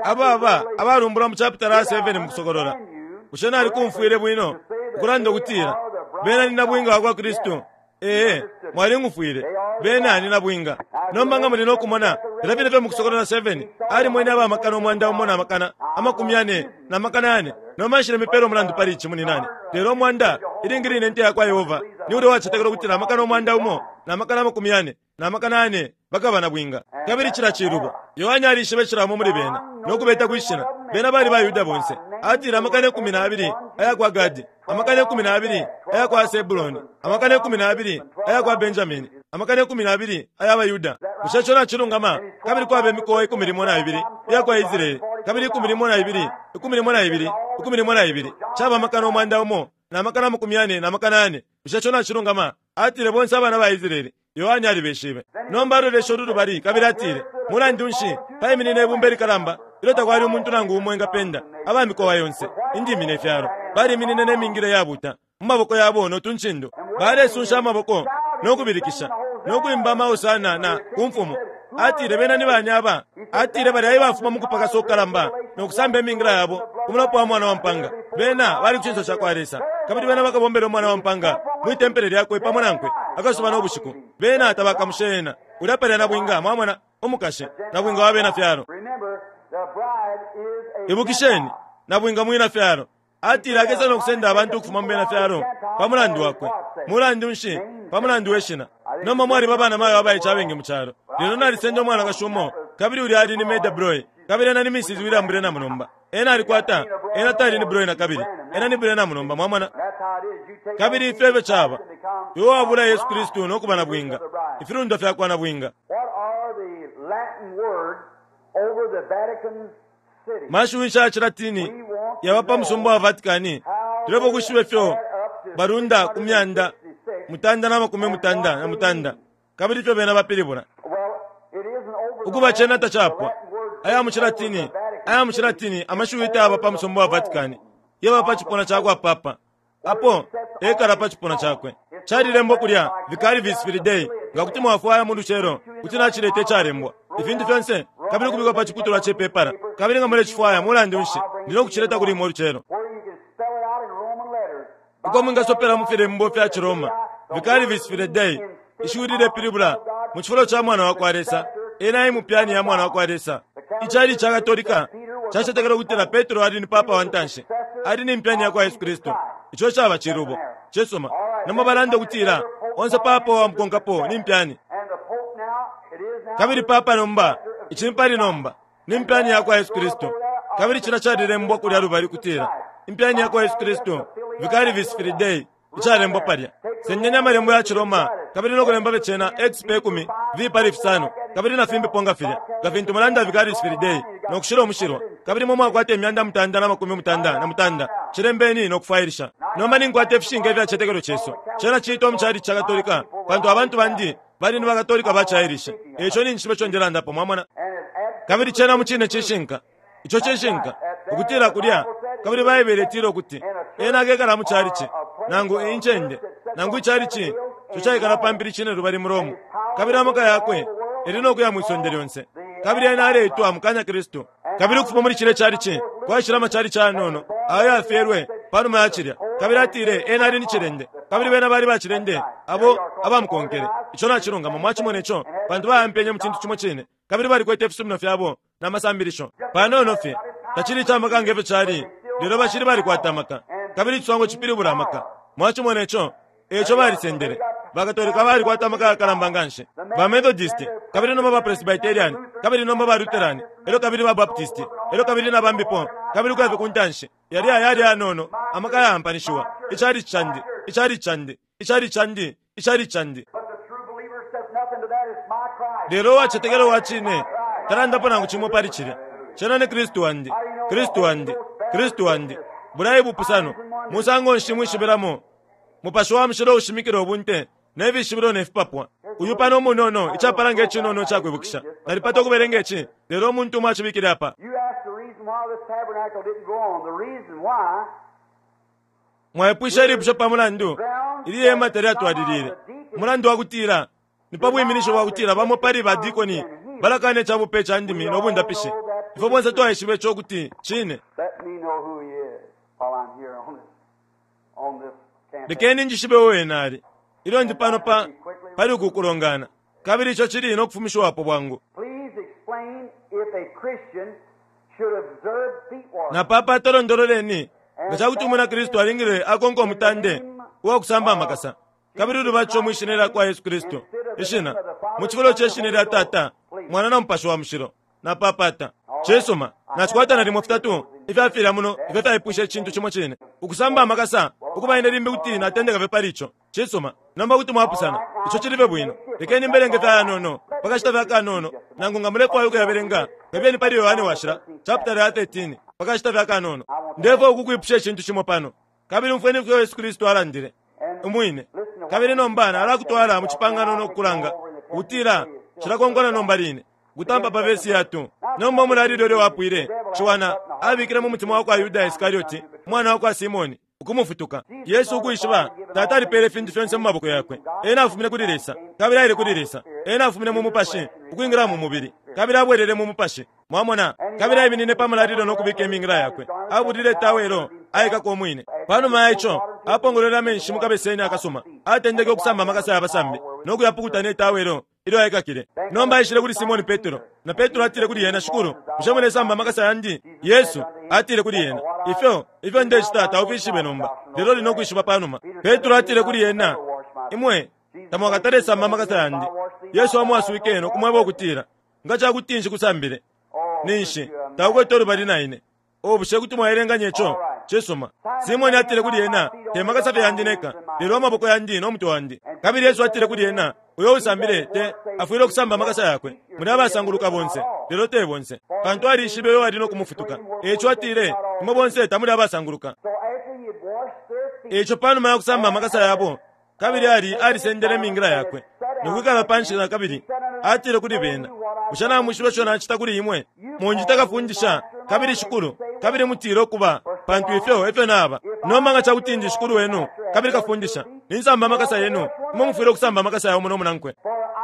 Ababa abalumbulwa mu chapitala 7 mu Kusokolola. Bushe nalikumfwile bwino ukulanda ukutila bena ni nabwinga wa kwa Kristu? Ee, mwaling'ufwile. Bena ni nabwinga. Nomba nga muli no kumona, filya fine fye mu Kusokolola 7, alimwene aba makana 1000 na makana 40 na makana yane. Nomba nshilemipela umulandu pali ici, muninane. Lelo umwanda, ilingi line Inte ya kwa Yehova, ni ulya uwacetekela ukutila amakana 1000 na makana 40 na makana yane bakaba nabwinga. Kabili cila cilubo. Yohane alishibe cila umo muli bena, no kubeta kwi shina. Bena bali baYuda bonse. Atile amakana 12 aya kwa Gadi, amakana 12 aya kwa Sebuloni, amakana 12 aya kwa Benjamini, amakana 12 aya baYuda. Bushe ico nacilungama? Kabili kwaba imikowa 12 iya kwa Israele, kabili 12, 12, 12, caba amakana 1000 na makana 40 na makana yane. Bushe ico nacilungama? Atile bonse abana ba Israele. Yohane alibeshibe. Nomba aloleshe ulu lubali kabili atile, Mulandu nshi, paiminine ibumba ilikalamba ilyo takwali umuntu nangu umo engapenda, aba mikowa yonse, indimi ne fyalo. Baliminine ne mingila iyabuuta mu maboko yabo no tuncindo. Balesunsha amaboko no kubilikisha, no kwimba amahosana na ku Mfumu. Atile, Bena ni bani aba? Atile, Balya e bafuma mu kupakasa ukukalamba no kusamba imingila yabo ku mulopa wa Mwana wa mpaanga. Bena bali ku cinso ca kwa Lesa, kabili bena bakabombela Umwana wa mpaanga mwi tempele lyakwe pamo nankwe akasuba no bushiku. Bena tabakamushe ena. Ulya palya nabwinga, mwamona, umukashi, nabwinga wa bena fyalo. Ibukisheni, nabwinga mwina fyalo. Atile akesa no kusenda abantu ukufuma mu bena fyalo pa mulandu wakwe. Mulandu nshi? Pa mulandu we shina. Nomba mwaliba abanamayo abaice abengi mu calo. Lelo nalisenda umwanakashi umo, kabili ulya ali ni Meda Broy, kabili ena ni Mrs. William Branham nomba. Ena alikwata, ena tali ni Broy nakabili. Ena ni Branham nomba, mwamona. Kabili ifyo efyo caba. Iwe wabula Yesu Kristu no kuba nabwinga, ifilundwa fyakwa nabwinga. Mashiwi nshi aya ciLatini yaba pa musumba wa Vatican? Tulefwaya ukwishiba ifyo balunda ku myanda mutanda na makumi mutanda na mutanda kabili ifyo bena bapilibula. Ukuba cena tacapwa. Aya mu ciLatini, aya mu ciLatini amashiwi tayaba pa musumba wa Vatican, yaba pa cipuna ca kwa papa. Apo ekala pa cipuna cakwe. Calilembwa kulya, Vicarivis Filii Dei, nga kuti mwafwaya mu lucelo, kuti nacileta icalembwa, ifintu fyonse, kabili ukubikwa pa ciputulwa ce pepala. Kabili nga mulecifwaya, mulandu nshi, ndi no kucileta kuli imwe ulucelo. Uko mwingasopela mu filembo fya ciRoma, Vicarivis Filii Dei, ishiwi lilepilibula, mu cifulo ca Mwana wa kwa Lesa, ena e mupyani ya Mwana wa kwa Lesa. Icalici ca Katolika cacetekela ukutila Petro ali ni papa wa ntanshi, ali ni mpyani ya kwa Yesu Kristu. Ico caba cilubo. Cisuma. Nomba balanda ukutila onse papa uwamukonkapo ni mpyani. Kabili papa nomba, ici ni pali nomba, ni mpyani ya kwa Yesu Kristu. Kabili cilya calilembwa kulya lubali ukutila, Impyani ya kwa Yesu Kristu, Vicarivis Filii Dei, icalembwa palya. Sendeni amalembo ya ciRoma kabili no kulemba fye cena x pe kumi, v pali fisano, kabili na fimbipo nga filya, nga fintu mulanda Vicarius Filii Dei, no kushila umushilwa, kabili imwe mwakwata imyanda mutanda na makumi mutanda na mutanda. Cilembeni no kufwailisha. Nomba ninkwata ifishinka ifya citetekelo cesu. Cena ciitwa mu chalichi ca Katolika, pantu abantu bandi bali ni ba Katolika ba ci Irish. Eico ninjishiba ico ndelandapo, mwamona. Kabili cena mucine cishinka. Ico cishinka, ukutila kulya, kabili Baibele itila ukuti Ena akekala mu chalichi, nangu incende, nangu ichalichi ico caikala pa mpili cinelubali mu Rome, kabili amaka yakwe yali no kuya mwi sonde lyonse. Kabili ena aleitwa mukanya Kristu. Kabili ukufuma muli cilye chalichi kwaishile amachalichi ayanono ayo ayafyelwe panuma ya cilya. Kabili atile ena ali ni cilende, kabili bena bali bacilende abo abamukonkele. Ico nacilungama, mwacimone co, pantu bayampenye mu cintu cimo cine, kabili balikwete ifisumino fyabo na masambilisho. Panono fye, tacili ica maka nge fyo cali, lelo bacili balikwata amaka. Kabili iciswango cipilibula amaka. Mwacimone co. E ico balisendele. Bakatolika balikwata amaka yakalamba nganshi. Ba Methodist, kabili nomba ba Presbyterian, kabili nomba ba Lutheran, elyo kabili ba Baptist, elyo kabili na bambipo, kabili ukuya fye kuntanshi. Yalya yali ayanono, amaka ayaampanishiwa. Icalici candi, icalici candi, icalici candi, icalici candi. Lelo uwacetekela uwa cine talandapo nangu cimo pali cilya. Cena ni Kristu wandi, Kristu wandi, Kristu wandi. Bulya e bupusano. Musango nshi mwishibilamo? Mupashi wa Mushilo ushimikila ubunte ne fishibilo ne fipapwa. Uyu pano umunono, icapala nge cinono ica kwibukisha. Nalipata ukubelenga ici, lelo umuntu umo acibikile apa. Mwaipwishe ilipusho pa mulandu ili hema talyatwalilile. Umulandu wa kutila ni pa bwiminisho bwa kutila bamo pali ba dikoni balakana ica bupe ca ndimi no bundapishi. Ifwe bonse twaishiba ico ukuti cine. Lekeni njishibe uo ena ali. Ilyo ndi pano pa pali uku kulongana, kabili ico cili no kufumishiwapo bwangu. Please explain if a Christian should observe feet washing. Napapata londololeni nga ca kuti umwina Kristu alingile akonka umutande uwa kusamba amakasa kabili ulubatisho mwi shina lya kwa Yesu Kristu, ishina, mu cifulo ce shina lya Tata, Mwana na Mupashi wa Mushilo. Napapata. Cisuma, nacikwata nalimo fitatu ifya filya muno ifyo fyaipwishe icintu cimo cine. Ukusamba amakasa, ukuba ine limbi kuti natendeka fye pali ico. Cisuma, nomba kuti mwapusana. Ico cili fye bwino. Lekeni mbelenge fye ayanono, pa kashita fye akanono, nangu nga mulefwaya ukuyabelenga, kabiyeni pali Yohane Washila, chapitala ya 13, pa kashita fye akanono. Ndefwaya ukukwipusha icintu cimo pano. Kabili umfweni ifyo Yesu Kristu alandile, umwine. Kabili nomba nalakutwala mu cipangano no kukulanga, ukutila cilakonkana nomba line. Ukutampa pa vesi ya 2. Nomba umulalilo ilyo wapwile, Ciwana abikile mu mutima wa kwa Yuda Iskarioti, umwana wa kwa Simone, ukumufutuka. Yesu ukwishiba Tata alipeele ifintu fyonse mu maboko yakwe. Ena afumine kuli Lesa, kabili aile kuli Lesa. Ena afumine mu Mupashi, ukwingila mu mubili, kabili abwelele mu Mupashi. Mwamona? Kabili aiminine pa mulalilo no kubika imingila yakwe. Abulile tawelo, aikaka umwine. Pa numa ya ico, apongolwele amenshi mu kabeseni akasuma. Atendeke ukusamba amakasa ya basambi, no kuyapukuta ne tawelo ilyo aikakile. Nomba aishile kuli Simone Petro, na Petro atile kuli ena, Shikulu, bushe mulesamba amakasa yandi? Yesu atile kuli ena, Ifyo, ifyo ndecita taufishibe nomba, lelo uli no kwishiba pa numa. Petro atile kuli ena, Imwe tamwakatalesamba amakasa yandi. Yesu amwaswike no kumweba ukutila, Nga ca kuti nshikusambile, ninshi taukwete ulubali na ine. Oh, bushe kuti mwaelenganya ico? Cisuma. Simone atile kuli ena, Te makasa fye yandi neka, lelo amaboko yandi no mutwe wandi. Kabili Yesu atile kuli ena, Uyo uusambile, te, afwile ukusamba amakasa yakwe. Muli abasanguluka bonse, lelo te bonse. Pantu alishibe uyo ali no kumufutuka. E ico atile, Imwe bonse tamuli abasanguluka. So after he had washed their feet, E ico pa numa ya kusamba amakasa yabo, kabili ali alisendele imingila yakwe, no kwikala pa nshi na kabili, atile kuli bena, Bushe namwishiba ico nacita kuli imwe? Munjita Kafundisha, kabili Shikulu, kabili mutile ukuba, pantu ifyo e fyo naba. Nomba nga ca kuti ndi Shikulu wenu kabili Kafundisha, ninsamba amakasa yenu, imwe mufwile ukusamba amakasa ya umo no munankwe.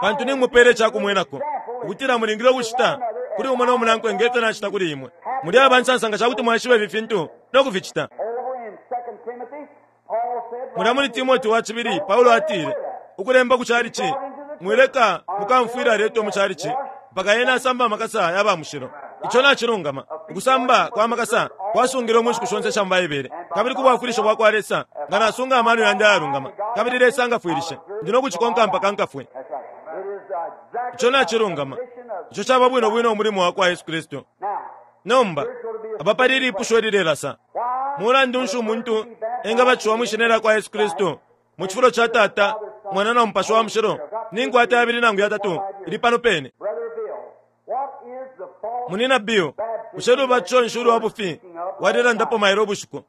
Pantu nimupeela ica kumwenako, ukutila mulingile ukucita kuli umo no munankwe nge fyo nacita kuli imwe. Muli aba nsansa nga ca kuti mwaishiba ifi fintu no kuficita. over in 2 Timothy, Paul said, Mulya muli Timote wa cibili, Paulo atile, ukulemba ku calici, Mwileka mukamfwila aletwe mu calici mpaka ena asamba amakasa ya ba mushilo. Ico nacilungama. Ukusamba kwa makasa kwasungilwe mu nshiku shonse isha mu Baibele, kabili ku bwafwilisho bwa kwa Lesa, nga nasunga amano yandi ayalungama, kabili Lesa angafwilishe, ndi no kucikonka mpaka nkafwe. That's right. It is exactly Ico nacilungama. Ico caba bwino bwino umulimo wa kwa Yesu Kristu. now. Nomba, apa pali ilipusho ililelasa. Why Mulandu nshi umuntu engabatishiwa mwi shina lya kwa Yesu Kristu mu cifulo ca Tata, Mwana na Mupashi wa Mushilo? Ninkwata yabili nangu yatatu ili pano pene. Brother Bill, what is the false Munina Bill, bushe lubatisho nshi ulwa bufi walelandapo mailo ubushiku?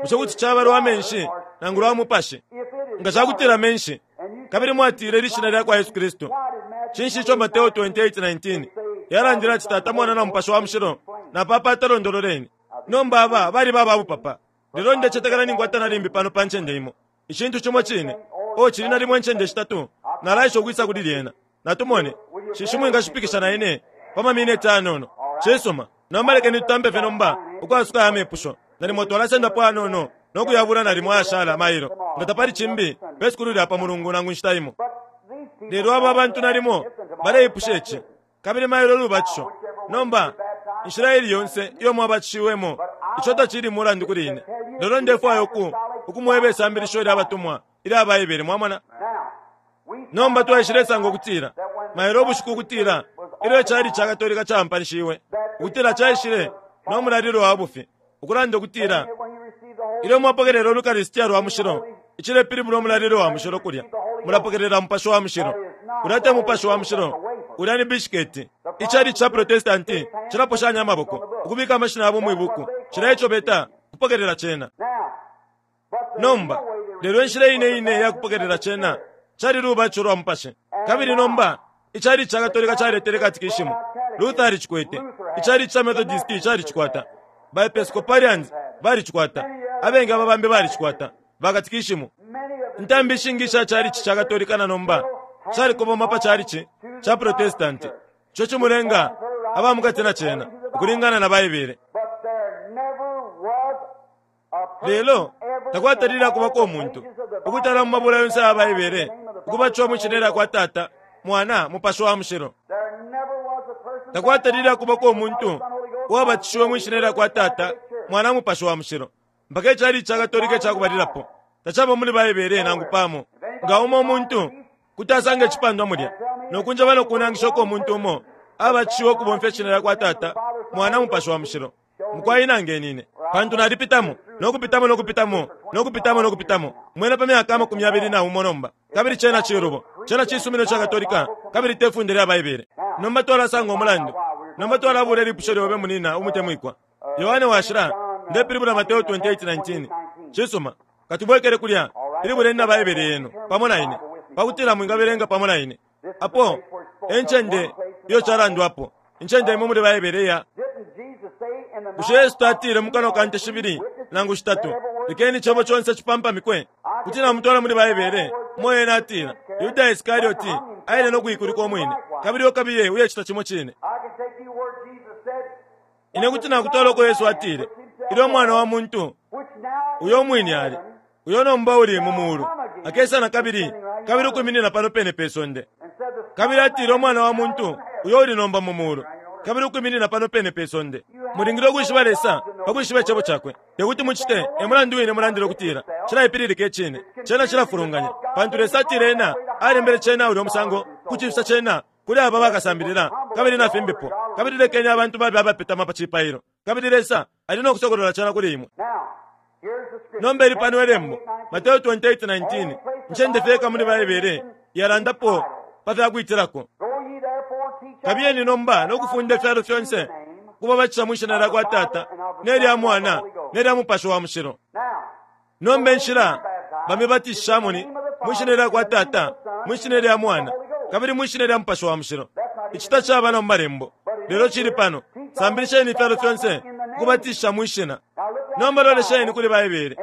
Bushe kuti caba lwa menshi nangu lwa mupashi? if it is Nga ca kutila menshi, kabili mwatile lishina lya kwa Yesu Kristu, why did Matthew cinshi ico Mateo 28:19 yalandile ati Tata, Mwana na Mupashi wa Mushilo? Napapata londololeni. Nomba aba baliba aba bupapa. Lelo ndecetekela ninkwata na limbi pano pa ncende imo. Icintu cimo cine. Oh, cili nalimo incende shitatu. Nalaesha ukwisa kuli lyena. Natumone. Shishi mwingashipikisha na ine pa mamineti ayanono. Cisuma. Nomba lekeni tutampe fye nomba ukwasuka aya mepusho. Nalimo twalasendapo ayanono no kuyabula nalimo ayashala mailo. Nga tapali cimbi, pe sukulu lya pa Mulungu nangu inshita imo. But these people Lelo aba bantu nalimo baleipusha ici, kabili mailo lubatisho. Nomba, inshila ili yonse iyo mwabatishiwemo, ico tacili mulandu kuli ine. Lelo ndefwaya uku, ukumweba isambilisho ilya batumwa ilya Baibele, mwamona. now we Nomba twaishilesanga ukutila, mailo ubushiku ukutila, ilyo icali ca Katolika caampanishiwe, ukutila caishile no mulalilo wa bufi, ukulanda ukutila, when you receive the Holy ilyo mwapokelela Ulukaristiya lwa mushilo, icilepilibula umulalilo wa mushilo kulya, mulapokelela Mupashi wa Mushilo. Ulya te Mupashi wa Mushilo, ulya ni bishiketi. Icali ca Protestanti cilaposhanya amaboko, ukubika amashina yabo mwi buku, cilya eco beta kupokelela cena. now but the Nomba, real way to lelo inshila ine ine ya kupokelela cena cali lubatisho lwa Mupashi. Kabili nomba, icali ca Katolika caletele katikishimu. Luther alicikwete. Icali ca Methodist calicikwata. Ba Episcopalians balicikwata. Abengi aba bambi balicikwata. Ba katikishimu. many of the Intambi ishingi isha calici ca Katolika na nomba shalikoboma pa calici ca Protestanti. Ico cimulenga aba mukati na cena, ukulingana na Baibele. but there never was a person Lelo, ever takwatalile in akubako all the umuntu pages of the Ukutala mu mabula yonse aya Baibele, ukubatishiwa mwi Shina lyakwa Tata, Mwana, Mupashi wa Mushilo. Takwatalile akubako umuntu uwabatishiwe mwi Shina lyakwa Tata, Mwana, Mupashi wa Mushilo, mpaka ichalichi ca Katolika icakubalilapo. Tacaba muli Baibele nangu pamo. Nga umo umuntu kuti asanga icipandwa mulya, no kunjeba no kunangisha uko umuntu umo abatishiwe ukubomfya ishina lyakwa Tata, Mwana, Mupashi wa Mushilo, mukwai nangeni ine, pantu nalipitamo, no kupitamo no kupitamo, no kupitamo no kupitamo, mwena pa myaka 21 nomba, kabili cena cilubo. Cena cisumino ca Katolika, kabili te funde lya Baibele. Nomba twalasanga umulandu. Nomba twalabula ilipusho lyobe, munina umutemwikwa. Yohane Washila, ndepilibula Mateo 28:19. Cisuma, katubwekele kulya, pilibuleni na Baibele yenu pamo na ine, pakutila mwingabelenga pamo na ine. Apo e ncende iyo calandwapo, incende imo muli Baibele iya. Bushe Yesu tatile mu kanwa ka nte shibili nangu shitatu, lekeni icebo conse cipampamikwe? Kuti namutwala muli Baibele umo ena atila, Yuda Iskarioti aile no kuikulika umwine, kabili iwe kabiye uyecita cimo cine. Ine kuti nakutwala uko Yesu atile, ilyo Umwana wa muntu, uyo umwine ali, uyo nomba uli mu mulu, akesa na kabili, kabili ukwiminina pano pene pe sonde. Kabili atile Umwana wa muntu, uyo uli nomba mu mulu, kabili ukwiminina pano pene pe sonde. Mulingile ukwishiba Lesa pa kwishiba Icebo Cakwe. Te kuti mucite, e mulandu wine mulandila ukutila, Cilaipililika icine. Cena cilafulunganya, pantu Lesa atile Ena alembele cena ulyo musango, kucifisa cena kuli aba bakasambilila, kabili na fimbipo. Kabili lekeni abantu babe abapetama pa cipailo, kabili Lesa ali no kusokolola cena kuli imwe. Nomba ili pano Ilembo, Mateo 28:19, incende fye yeka muli Baibele yalandapo pa fya kwitilako. Kabiyeni nomba no kufunda ifyalo fyonse, ukubabatisha mwi shina lya kwa Tata, ne lya Mwana, ne lya Mupashi wa Mushilo. Nomba inshila bamibatishishamo ni mwi shina lya kwa Tata, mwi shina lya Mwana, kabili mwi shina lya Mupashi wa Mushilo. Ici tacaba na mu Malembo, lelo cili pano. Sambilisheni ifyalo fyonse, ukubatisha mwi shina. Nomba lolesheni kuli Baibele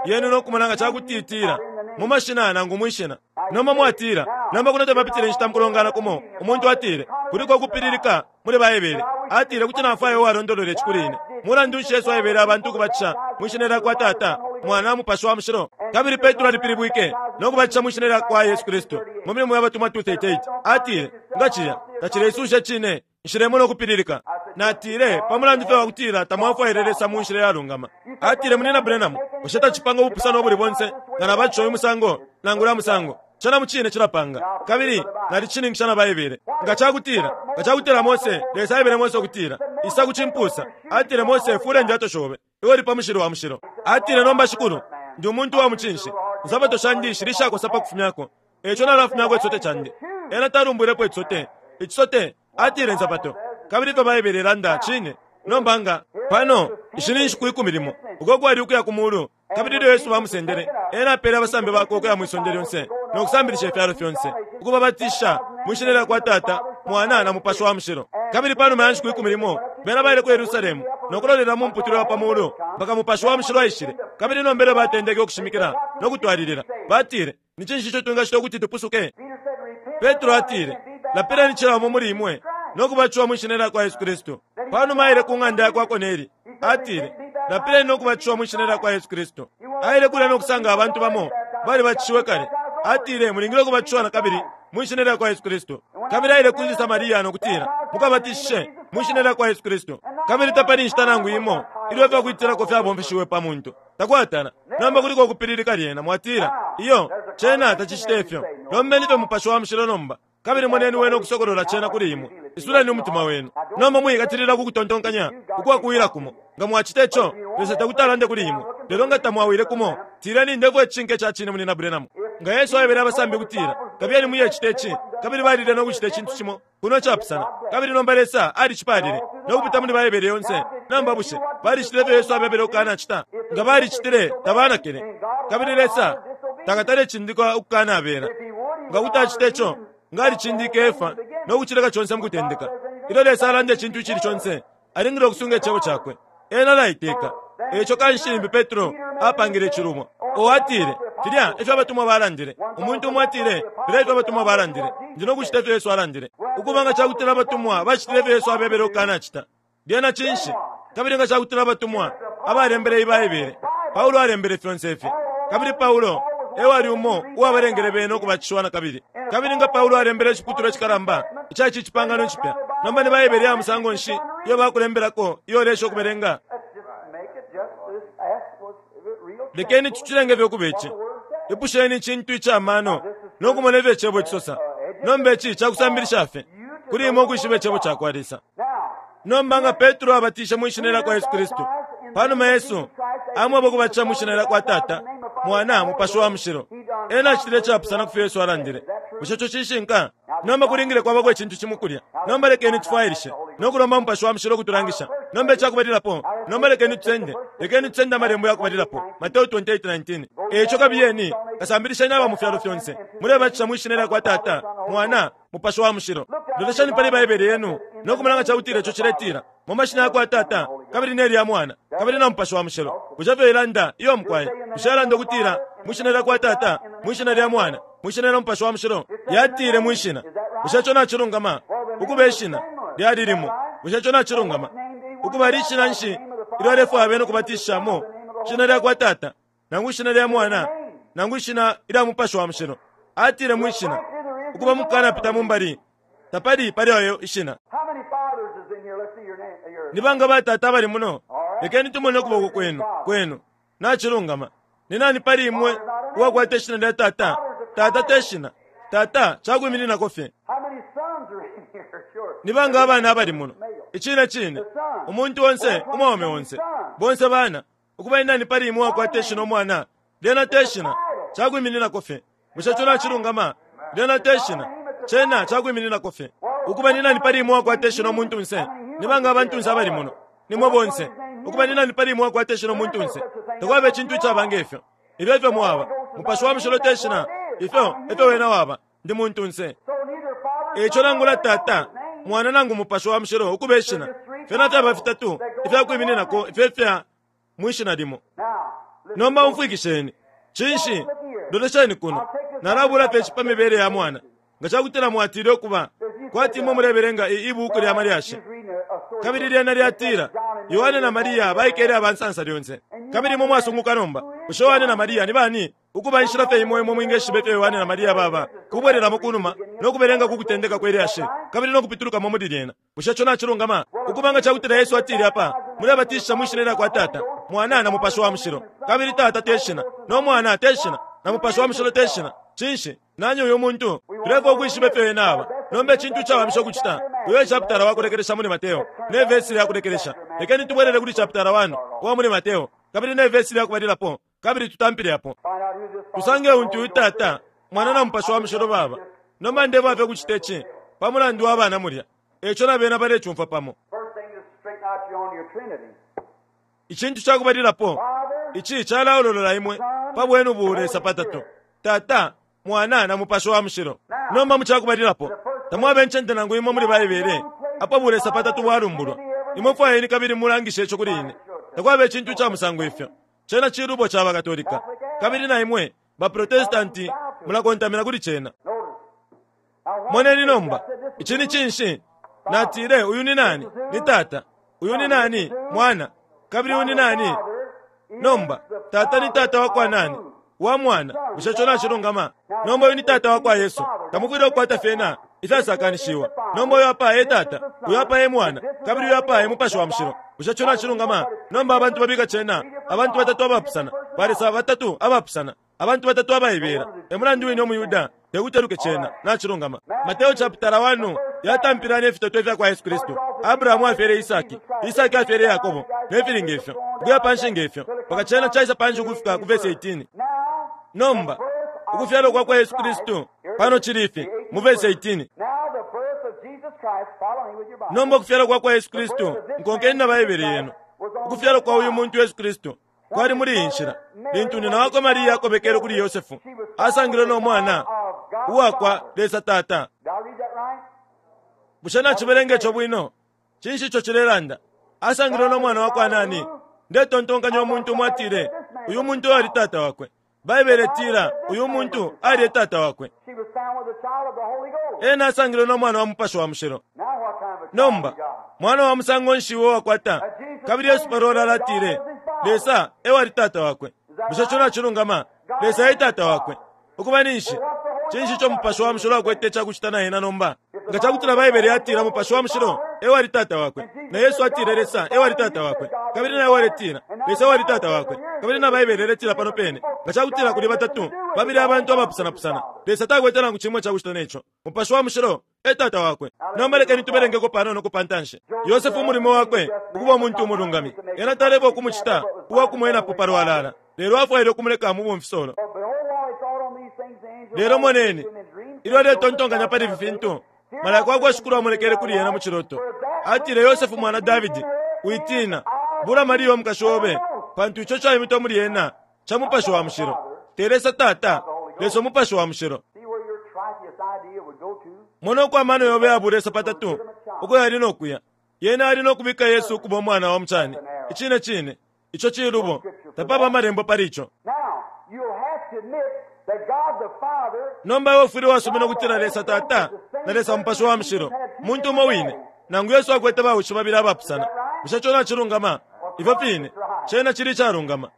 yenu no kumona nga ca kuti itila mu mashina nangu mwi shina. Nomba mwatila, Nomba kuno tapapitile inshita mu kulongana kumo, umuntu atile, Kuliko ukupililika muli Baibele. Atile, Kuti nafwaya uwalondolola ici kuli ine. Mulandu nshi Yesu aebele abantu ukubatisha mwi shina lya kwa Tata, Mwana, Mupashi wa Mushilo? Kabili Petro alipilibwike no kubatisha mwi shina lya kwa Yesu Kristu mu Milimo ya Batumwa 2:38. Atile, Nga cilya tacileisusha icine, nshilemona ukupililika. Natile, Pa mulandu fye wa kutila tamwafwaile Lesa mu nshila iyalungama. Atile, Munyina Branham, bushe tacipanga ubupusano ubuli bonse nga nabatisha uyu musango nangu ulya musango? Cena mucine cilapanga. Kabili nalicishininkisha na Baibele. Nga cakutila, nga cakutila Mose, Lesa aebele Mose ukutila, Isa ku cimpusa. Atile, Mose, fula indyato shobe. Iwe uli pa mushili wa mushilo. Atile, Nomba, Shikulu, ndi umuntu wa mucinshi. Insapato shandi shili ishakosa pa kufumyako, eico nalafumyako icisote candi. Ena talumbwilepo icisote. Icisote, atile insapato. Kabili ifyo Baibele ilanda cine. Nomba nga, pano, ishi ni nshiku ikumi limo, uko kwali ukuya ku Mulu, Kabili ilyo Yesu bamusendele, ena apeele abasambi bakwe ukuya mwi sonde lyonse no kusambilisha ifyalo fyonse, ukubabatisha mwi shina lya kwa Tata, Mwana, na Mupashi wa Mushilo. Kabili pa numa ya nshiku 10, bena baile ku Yerusalemu no kulolela mu muputule wa pa muulu mpaka Mupashi wa Mushilo aishile. Kabili nomba ilyo batendeke ukushimikila no kutwalilila, batile, Ni cinshi ico twingacita ukuti tupusuke? Petro atile, Lapileni cila umo muli imwe no kubatishiwa mwi shina lya kwa Yesu Kristu. Pa numa aile ku ng'anda ya kwa Korneli, atile, Lapileni no kubatishiwa mwi shina lya kwa Yesu Kristu. Aile kulya no kusanga abantu bamo balibatishiwe kale. Atile, Mulingile ukubatishiwa na kabili mwi shina lya kwa Yesu Kristu. Kabili aile kuli Samaria no kutila, Mukabatishe mwi shina lya kwa Yesu Kristu. Kabili tapali inshita nangu imo ilyo ifya kwitilako fyabomfeshiwe pa muntu. Takwatala. Nomba kuliko ukupililika lyena, mwatila, Iyo, cena tacicita ifyo. Lombeni fye Mupashi wa Mushilo nomba, kabili moneni Wene ukusokolola cena kuli imwe. Isuleni umutima wenu. Nomba mwiikatilila ku kutontonkanya ukwa kuwila kumo. Nga mwacita ico, Lesa tekuti alande kuli imwe. Lelo nga tamwawile kumo, tileni, Ndefwaya icishinka ica cine, Munyina Branham. Nga Yesu aebele abasambi ukutila, Kabiyeni muyecita ici, kabili balile no kucita icintu cimo kuno icapusana, kabili nomba Lesa alicipaalile no kupita muli Baibele yonse. Nomba bushe balicitile ifyo Yesu abebele ukukanacita? Nga balicitile, tabanakile, kabili Lesa takatale cindika ukukanabela. Nga kuti acita ico, nga alicindike Efa no kucileka conse mu kutendeka. Ilyo Lesa alanda icintu icili conse, alingile ukusunga Icebo Cakwe. Ena alaiteka. E ico kanshi limbi Petro apangile icilubo. O atile, Filya efyo abatumwa balandile. Umuntu umo atile, Filya efyo abatumwa balandile. Ndi no kucita ifyo Yesu alandile. Ukuba nga cakutila abatumwa bacitile ifyo Yesu abebele ukukanacita, lyena cinshi? Kabili nga cakutila abatumwa abalembele iyi Baibele, Paulo alembele fyonse ifi, kabili Paulo e wali umo uwabalengele bena ukubatishiwa na kabili. Kabili nga Paulo alembele iciputulwa icikalamba ica ici cipangano cipya, nomba ni Baibele ya musango nshi iyo bakulembelako iyo uleesha ukubelenga? Lekeni tucilenge fye ukuba ici. Ipusheni icintu ica mano no kumona ifyo Icebo cisosa. Nomba ici ca kusambilisha fye kuli imwe ukwishiba Icebo ca kwa Lesa. Nomba nga Petro abatishe mwi shina lya kwa Yesu Kristu, pa numa Yesu amweba ukubatisha mwi shina lya kwa Tata, Mwana, Mupashi wa Mushilo, ena acitile icapusana ku fyo Yesu alandile. Bushe ico cishinka? Nomba kulingile kwabako icintu cimo kulya. Nomba lekeni tufwailishe no kulomba Mupashi wa Mushilo ukutulangisha. Nomba icakubalilapo, nomba lekeni tusende, lekeni tusende amalembo ya kubalilapo, Mateo 28:19. E ico kabiyeni, kasambilisheni aba mu fyalo fyonse, mulebatisha mwi shina lya kwa Tata, Mwana, Mupashi wa Mushilo. Lolesheni pali Baibele yenu no kumona nga ca kutila ico ciletila mu mashina ya kwa Tata kabili ne lya Mwana kabili na Mupashi wa Mushilo. Bushe fyo ilanda? Iyo mukwai. Bushe yalanda ukutila mwi shina lya kwa Tata, mwi shina lya Mwana, mwi shina lya Mupashi wa Mushilo? Yatile mwi shina. Bushe ico nacilungama? Ukuba ishina lyali limo. Bushe ico nacilungama? Ukuba lishina nshi ilyo alefwaya bena ukubatishishamo? Shina lya kwa Tata, nangu ishina lya Mwana, nangu ishina ilya Mupashi wa Mushilo? Atile mwi shina. Ukuba mukukanapita mu mbali, tapali pali ayo ishina. Ni banga batata abali muno? Lekeni tumone ukuboko kwenu, kwenu. Nacilungama. Ni nani pali imwe uwakwata ishina lya tata? Tata te shina. Tata cakwimininako fye. Ni banga abana abali muno? Icine cine, umuntu onse, umwaume onse, bonse bana. Ukuba ni nani pali imwe uwakwata ishina umwana? Lyena te shina, cakwimininako fye. Bushe ico nacilungama? Lyena te shina, cena cakwimininako fye. Ukuba ni nani pali imwe uwakwata ishina umuntunse? Ni banga abantunse abali muno? Ni mwe bonse. Ukuba ni nani pali imwe uwakwata ishina umuntunse? Takwaba icintu icaba nge fyo. Ifyo efyo mwaba. Mupashi wa Mushilo te shina. Ifyo efyo wena waba. Ndi muntunse. Eico nangula Tata, Mwana nangu Mupashi wa Mushilo ukuba ishina, fyena fyaba fitatu ifya kwimininako ifyo ifya mwi shina limo. Nomba umfwikisheni. Cinshi? Lolesheni kuno. Nalabula fye ici pa mibele ya mwana. Nga ca kutila mwatile ukuba kwati imwe mulebelenga i, ibuuku lya malyashi, kabili lyena lyatila, Yohane na Maria baikele aba nsansa lyonse. Kabili imwe mwasunguka nomba, bushe Yohane na Maria ni bani? Ukuba inshila fye imo imwe mwingeshiba ifyo Yohane na Maria baba, kubwelelamo kunuma no kubelenga ku kutendeka kwe lyashi, kabili no kupitulukamo muli lyena. Bushe ico nacilungama? Ukuba nga ca kutila Yesu atile apa, Mulebatishisha mwi shina lya kwa Tata, Mwana, na Mupashi wa Mushilo. Kabili Tata te shina, no Mwana te shina, na Mupashi wa Mushilo te shina. Cinshi? Nani uyu muntu? Tulefwaya ukwishiba ifyo ena aba. Nomba icintu icawamisha ukucita, uyo e chapitala wa kulekelesha muli Mateo, ne vesi lya kulekelesha. Lekeni tubwelele kuli chapitala 1 uwa muli Mateo, kabili ne vesi lya kubalilapo, kabili tutampile apo. Tusange untu uyu Tata, Mwana na Mupashi wa Mushilo baba. Nomba ndebwafya ukucita ici pa mulandu wa bana mulya, e ico na bena balecumfwa pamo. Icintu ca kubalilapo, ici calaololola imwe pa bwenu Bulesa patatu, Tata, Mwana, na Mupashi wa Mushilo. Nomba mu ca kubalilapo, tamwaba incende nangu imo muli Baibele apo Bulesa patatu bwalumbulwa. Imwe fwayeni kabili mulangishe ico kuli ine. Takwaba icintu ica musango ifyo. Cena cilubo ca baKatolika, kabili na imwe baProtestanti mulakontamina kuli cena. Moneni nomba, ici ni cinshi? Natile, uyu ni nani? Ni Tata. Uyu ni nani? Mwana. Kabili uyu ni nani? Nomba, Tata ni Tata wa kwa nani? Wa Mwana. Bushe ico nacilungama? Nomba uyu ni Tata wa kwa Yesu. Tamufwile ukukwata fyena ifyasakanishiwa. Nomba uyu apa e Tata, uyu apa e Mwana, kabili uyu apa e Mupashi wa Mushilo. Bushe ico nacilungama? Nomba abantu babika cena, abantu batatu abapusana, balesa batatu abapusana, abantu batatu abaibela. E mulandu wine umuYuda tekuti eluke cena. Nacilungama. Mateo chapitala 1 yatampila ne fitotwe ifya kwa Yesu Kristu. Abrahamu afyele Isaki, Isaki afyele Yakobo, ne fili nge fyo, ukuya panshi nge fyo, mpaka cena caisa panshi ukufika ku vesi 18. Nomba, ukufyalwa kwa kwa Yesu Kristu pano cili ifi, mu vesi 18. Nomba ukufyalwa kwa kwa Yesu Kristu, nkonkeni na Baibele yenu. Ukufyalwa kwa uyu muntu Yesu Kristu kwali muli iyi nshila. Lintu nyina wakwe Maria akobekele kuli Yosefu, asangilwe no mwana uwakwa Lesa Tata. Bushe nacibelenga ico bwino? Cinshi ico cilelanda? Asangilwe no mwana wakwa nani? Ndetontonkanya umuntu umo atile, Uyu muntu ali tata wakwe. Baibele itila uyu muntu ali e tata wakwe. Ena asangilwe no mwana wa Mupashi wa Mushilo. Nomba, mwana wa musango nshi uo wakwata? Kabili Yesu palwalala atile, Lesa e wali tata wakwe. Bushe ico nacilungama? Lesa e Tata wakwe. Ukuba ninshi, cinshi ico Mupashi wa Mushilo akwete icakucita na ena nomba? Nga cakutila Baibele yatila Mupashi wa Mushilo e wali Tata wakwe, na Yesu atile Lesa e wali Tata wakwe, kabili na iwe waletila Lesa e wali Tata wakwe, kabili na Baibele iletila pano pene, nga cakutila kuli batatu, babili abantu abapusanapusana, Lesa takwete nangu cimo icakucita ne co. Mupashi wa Mushilo e Tata wakwe. Nomba lekeni tubelengeko panono ku pantanshi. Yosefe umulimo wakwe ukuba umuntu umulungami, ena taleba ukumucita uwa kumwenapo palwalala, lelo afwaile ukumuleka mu bumfisolo. Lelo moneni, ilyo aletontonkanya pali ifi fintu, malaika wa kwa Shikulu amonekele kuli ena mu ciloto. Atile, Yosefe mwana Davidi, witiina, bula Maria umukashi obe, pantu ico caimitwa muli ena ca Mupashi wa Mushilo. Te Lesa Tata, Lesa Umupashi wa Mushilo. Mona uko amano yobe ya bulesa patatu uko yali no kuya. Yena ali no kubika Yesu ukuba umwana wa mucani. Icine cine, ico cilubo. Tapaba amalembo pali ico. Nomba iwe ufwile wasumina ukutila Lesa Tata na Lesa Mupashi wa Mushilo muntu umo wine, nangu Yesu akwete bawishi babili abapusana. Bushe co nacilungama? Ifyo fine, cena cili icalungama.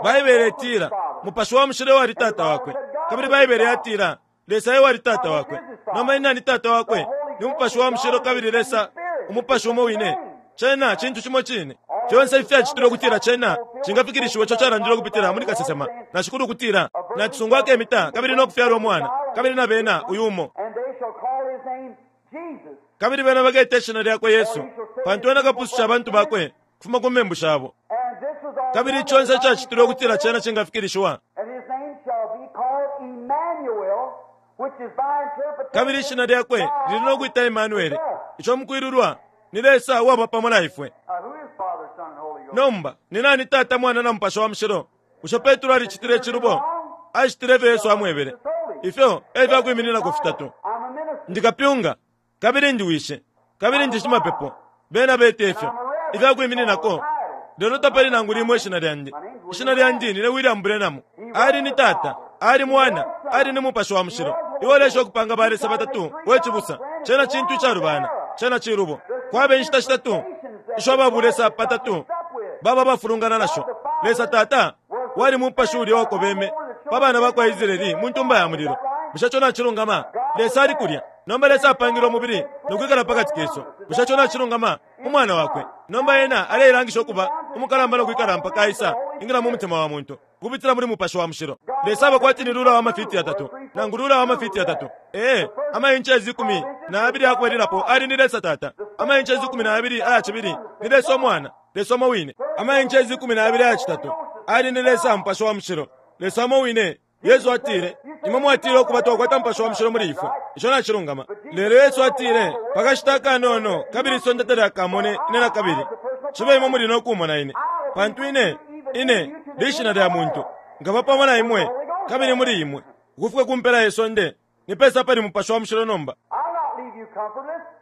Baibele itila, Mupashi wa Mushilo ewali Tata wakwe. Kabili Baibele yatila, Lesa ewali Tata wakwe. Nomba ni nani Tata wakwe? Ni Mupashi wa Mushilo kabili Lesa, Umupashi umo wine. Cena cintu cimo cine. Fyonse ifi fyacitilwe ukutila cena cingafikilishiwa ico calandilwe ukupitila muli kasesema na Shikulu ukutila, Nacisungu akemita kabili no kufyala umwana, kabili na bena uyu umo. Kabili bena baketa ishina lyakwe Yesu, pantu ena akapususha abantu bakwe kufuma ku membu shabo. Kabili conse icacitilwe ukutila cena cingafikilishiwa. Kabili ishina lyakwe lili no kwita Emanuele, ico mukwilulwa ni Lesa uwaba pamo na ifwe. Nomba, ni nani Tata, Mwana, na Mupashi wa Mushilo? Bushe Petro alicitile icilubo? Acitile ifyo Yesu amwebele. Ifyo e fya kwimininako fitatu. Ndi kapyunga, kabili ndi wishi, kabili ndi shimapepo. Bena beta ifyo ifya kwimininako, lelo tapali nangu limo ishina lyandi. Ishina lyandi nine William Branham. Ali ni Tata, ali Mwana, ali ni Mupashi wa Mushilo. Iwe ulesha ukupanga ba Lesa batatu, we cibusa. Cena cintu icalubana. Cena cilubo. Kwaba inshita shitatu isho aba bulesa patatu baba abafulungana nasho. Lesa Tata wali Mupashi ulya uwakobeme pa bana ba kwa Israeli mu ntumba ya mulilo. Bushe ico nacilungama? Lesa ali kulya. Nomba Lesa apangile umubili no kwikala pa kati kesu. Bushe ico nacilungama? Umwana Wakwe. Nomba Ena aleilangisha ukuba umukalamba no kwikala mpaka Aisa ingila mu mutima wa muntu ukupitila muli Mupashi wa Mushilo. Lesa aba kwati ni lula wa mafiti yatatu, nangu lula wa mafiti yatatu. Ee, ama inches 12 ayakubalilapo ali ni Lesa Tata, ama inches 12 aya cibili ni Lesa Umwana, Lesa umo wine. Ama inches 12 aya citatu ali ni Lesa Mupashi wa Mushilo, Lesa umo wine. Yesu atile, Imwe mwatile ukuba twakwata Mupashi wa Mushilo muli ifwe. Ico nacilungama. Lelo Yesu atile, Pa kashita akanono, kabili isonde talyakamone Ine nakabili. Cibe imwe muli no kumona Ine. Pantu Ine, Ine, lishina lya muntu, nkaba pamo na imwe, kabili muli imwe, ukufika ku mpela ye sonde. Ni pesa pali Mupashi wa Mushilo nomba?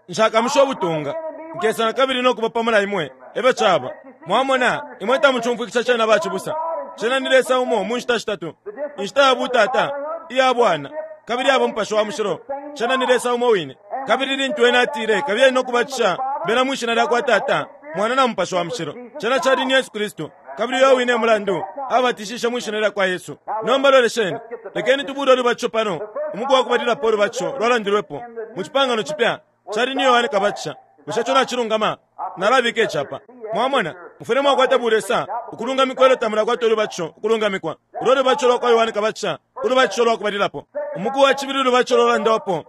Nshakamushe ubutunga. Nkesa na kabili no kuba pamo na imwe. Efyo caba. Mwamona, imwe tamucumfwikisha cena bacibusa. Cena ni Lesa umo mu nshita shitatu. Inshita ya butata, iya bwana, kabili aba Mupashi wa Mushilo. Cena ni Lesa umo wine. Kabili lintu Ena atile, Kabiyeni no kubatisha bena mwi Shina lyakwa Tata, Mwana na Mupashi wa Mushilo, cena cali ni Yesu Kristu. Kabili uyo wine mulandu abatishishe mwi Shina lyakwa Yesu. Nomba lolesheni. Lekeni tubule ulubatisho pano. Umuku wa kubalilapo ulubatisho lwalandilwepo mu Cipangano Cipya cali ni Yohane Kabatisha. Bushe ico nacilungama? Nalabika ici apa. Mwamona, mufwile mwakwata bulesa ukulungamikwa ilyo tamulakwata ulubatisho ukulungamikwa. Ulo lubatisho lwa kwa Yohane Kabatisha, ulubatisho lwa kubalilapo. Umuku wa cibili ulubatisho lwalandwapo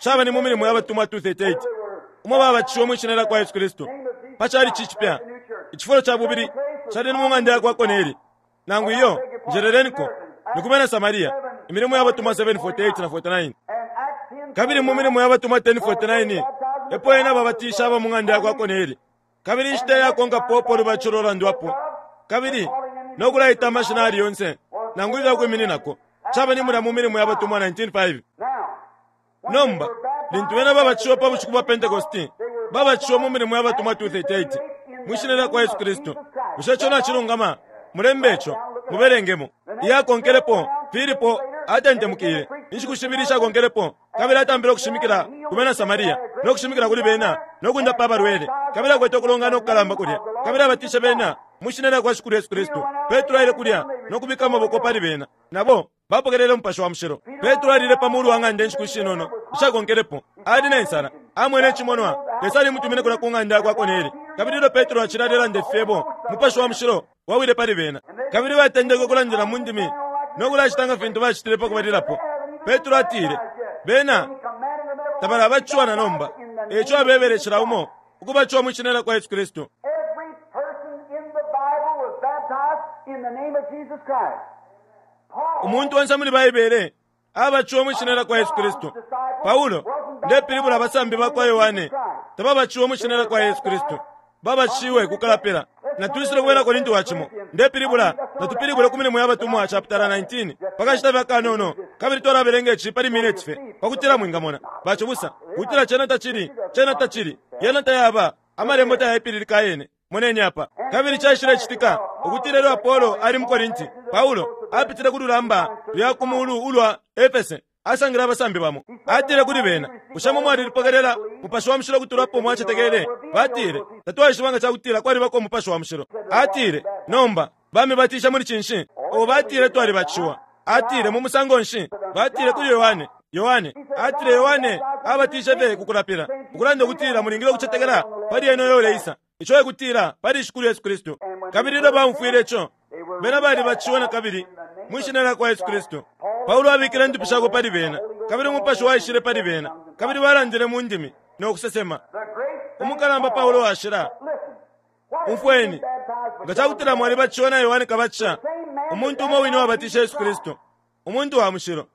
caba ni mu Milimo ya Batumwa 2:38, umo babatishiwe mwi shina lya kwa Yesu Kristu pa calici icipya. Icifulo ca bubili cali ni mu ng'anda ya kwa Korneli. Nangu iyo, njeleleniko, ni ku bena Samaria. Imilimo ya Batumwa 7:48 na 49. Kabili mu Milimo ya Batumwa 10:49 epo ena babatisha aba mu ng'anda ya kwa Korneli. Kabili inshita iyakonkapo upo ulubatisho lwalandwapo kabili no kulaita amashina ayali yonse nangu ifya kwimininako caba ni mulya mu Milimo ya Batumwa 19:5. Nomba, lintu bena babatishiwe pa bushiku bwa Pentekoste, babatishiwe mu Milimo ya Batumwa 2:38 mwi shina lya kwa Yesu Kristu. Bushe ico nacilungama? Mulembe ico, mubelengemo. Iyakonkelepo, Filipo atentemukile inshiku shibili ishakonkelepo kabili atampile ukushimikila ku bena Samaria no kushimikila kuli bena no kundapa abalwele. Kabili akwete ukulongana ukukalamba kulya kabili abatishe bena Mu shina lya kwa Shikulu Yesu Kristu. Petro aile kulya no kubika amaboko pali bena, nabo bapokelele Umupashi wa Mushilo. Petro alile pa mulu wa ng'anda inshiku ishinono ishakonkelepo. Ali ne nsala. Amwene icimonwa. Lesa alimutumine kulya ku ng'anda ya kwa Korneli. Kabili ilyo Petro acili alelanda ifi fyebo, Umupashi wa Mushilo wawile pali bena. Kabili batendeke ukulandila mu ndimi no kulacita nga fintu bacitile pa kubalilapo. Petro atile, Bena tabalabatishiwa na nomba. E ico abebele cila umo ukubatishiwa mwi shina lya kwa Yesu Kristu. Every person in the Bible was baptized in the name of Jesus Christ. Paul, Umuntu onse muli Baibele abatishiwe mwi shina lya kwa Yesu Kristu. Paulo, ndepilibula abasambi ba kwa Yohane, tababatishiwe mwi shina lya kwa Yesu Kristu. Babatishiwe ku kalapila. Natwisile ku Bena Korinti wa cimo. Ndepilibula, natupilibule ku Milimo ya Batumwa chapitala 19, pa kashita fye akanono, kabili twalabelenga ici pali mineti fye, pa kutila mwingamona, bacibusa, ukutila cena tacili, cena tacili, yena tayaba, Amalembo tayaipililika ayene. Moneni apa. Kabili caishilecitika ukutila ilyo Apolo ali mu Korinti, Paulo apitile ku lulamba lwa ku muulu ulwa Efese, asangile abasambi bamo. Atile kuli bena, Bushe imwe mwalilipokelela Mupashi wa Mushilo ukutula apo mwacetekele? Batile, Tatwaishiba nga ca kutila kwalibako Umupashi wa Mushilo. Atile, Nomba, bamibatishe muli cinshi? O batile, Twalibatishiwa. Atile, Mu musango nshi? Batile kuli Yohane. Yohane atile, Yohane abatishe fye ku kulapila, ukulanda ukutila mulingile ukucetekela pali ena uyo uleisa, ico e kutila pali Shikulu Yesu Kristu. Kabili ilyo baumfwile ico, bena balibatishiwe na kabili mwi Shina lya kwa Yesu Kristu. Paulo abikile indupi shakwe pali bena, kabili Umupashi waishile pali bena, kabili balandile mu ndimi no kusesema. Umukalamba Paulo Washila, umfweni, nga ca kutila mwalibatishiwe na Yohane Kabatisha, umuntu umo wine uwabatishe Yesu Kristu, umuntu wa mushilo,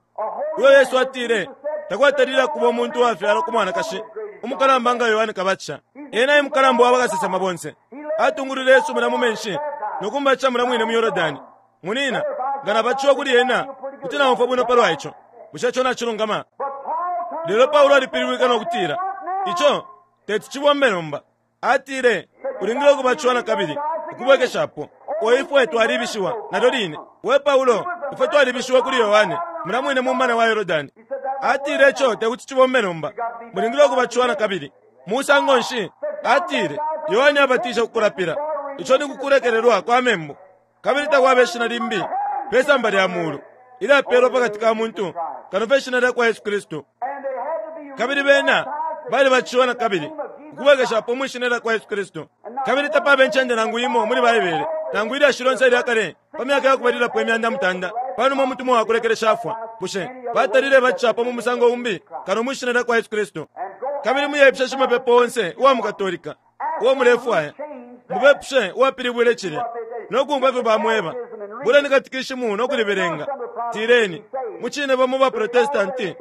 uyo Yesu atile takwatalile akuba umuntu uwafyalwa ku mwanakashi umukalamba nga Yohane Kabatisha. Ena e mukalamba wa bakasesema bonse. Atungulwile Yesu mulya mu menshi no kumubatisha mulya mwine mu Yordani. Munina, nga nabatishiwa kuli ena, kuti naumfwa bwino palwa ico. Bushe ico nacilungama? Lelo Paulo alipilibwike no kutila, Ico teti cibombe nomba. Atile, Ulingile ukubatishiwa na kabili, ukubwekeshapo. O ifwe twalibishiwa, nalyo line. We Paulo, ifwe twalibishiwe kuli Yohane, mulya mwine mu mumana wa Yordani. Atile, Ico tekuti cibombe nomba. Mulingile ukubatishiwa na kabili. Musango nshi? Atile, Yohane abatishe ku kulapila, ico ni ku kulekelelwa kwa membu. Kabili takwaba ishina limbi pe samba lya mulu ilyapelwa pakati ka muntu kano fye ishina lya kwa Yesu Kristu. Kabili bena balibatishiwa na kabili ukubwekeshapo mwi shina lya kwa Yesu Kristu. Kabili tapaba incende nangu imo muli Baibele nangu ilyashi lyonse ilya kale pa myaka ya kubalilapo imyanda mutanda panuma umutumwa wa kulekelesha afwa, bushe batalile batishapo mu musango umbi kano mwi shina lya kwa Yesu Kristu. Kabili muyepusha shimapepo onse uwa mu Katolika uo mulefwaya, mubepushe uwapilibwile cilya no kumfwa ifyo bamweba. Buleni katikishimu no kulibelenga. Tileni, Mucine bamo ba Protestanti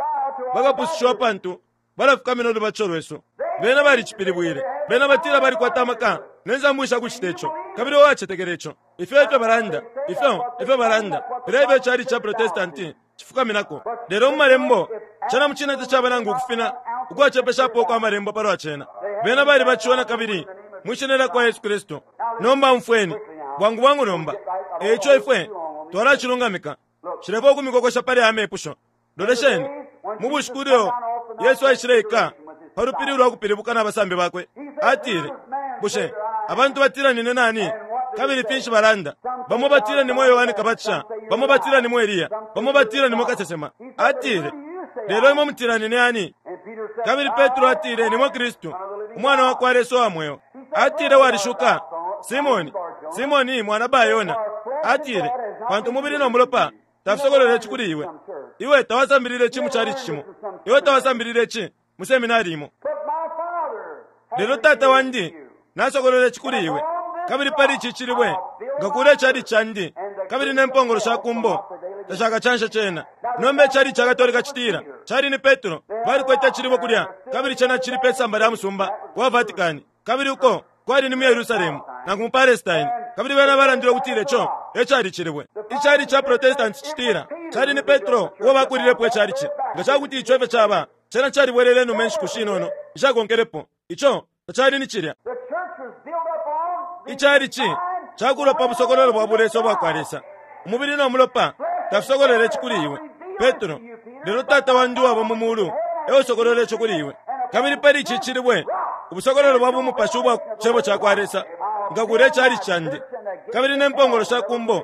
bakapusushiwa pantu balafukamina ulubatisho lwesu. Bena balicipilibwile. Bena batila balikwata amaka ne nsambu isha kucita ico, kabili uwacetekela ico. Ifyo efyo balanda. Ifyo efyo balanda. Filya efyo icalici ca Protestanti cifukaminako. Lelo mu Malembo, cena mucine tacaba nangu ukufina ukwacepeshapo ukwa Malembo palwa cena. Bena balibatishiwe nakabili mwi Shina lyakwa Yesu Kristu. Nomba umfweni, bwangu bwangu nomba. E ico ifwe twalacilungamika. Nshilefwaya ukumikokosha pali aya mepusho. Lolesheni, mu bushiku ilyo Yesu aishileika pa lupili ulwa kupilibuka na basambi bakwe, atile, Bushe abantu batila nine nani? Kabili finshi balanda? Bamo batila nimwe Yohane Kabatisha, bamo batila nimwe Eliya, bamo batila nimwe kasesema. Atile, Lelo imwe mutila nine ani? Kabili Petro atile, Nimwe Kristu, Umwana wa kwa Lesa uwa mweo. Atile, Walishuka, Simone, Simone mwana Ba-Yona. Atile, Pantu umubili no mulopa tafisokolwele ici kuli iwe. Iwe tawasambilile ici mu calici cimo. Iwe tawasambilile ici mu seminari imo. Lelo Tata wandi nasokolola ici kuli iwe. Kabili pali ici cilibwe nkakuula icalici candi, kabili ne mpongolo sha ku mbo tashakacanshe cena. Nomba icalici ca Katolika citila, Cali ni Petro. Balikwete icilibwe kulya, kabili cena cili pe samba lya musumba wa Vatican. Kabili uko kwali ni mu Yerusalemu, nangu mu Palestine. Kabili bena balandile ukutila ico e cali icilibwe. Icalici ca Protestanti citila, Cali ni Petro uo bakuulilepo icalici. Nga ca kuti ico efyo caba, cena calibwelele inuma inshiku shinono ishakonkelepo. Ico tacali ni cilya. Icalici cakuulwa pa busokololo bwa Bulesa ubwa kwa Lesa. Umubili no mulopa tafisokolwele ici kuli iwe, Petro, lelo Tata wandi uwaba mu mulu e usokolwele ico kuli iwe. Kabili pali ici cilibwe, ubusokololo bwa bumupashi ubwa Cebo ca kwa Lesa, nkakuula icalici candi. Kabili ne mpongolo sha kumbo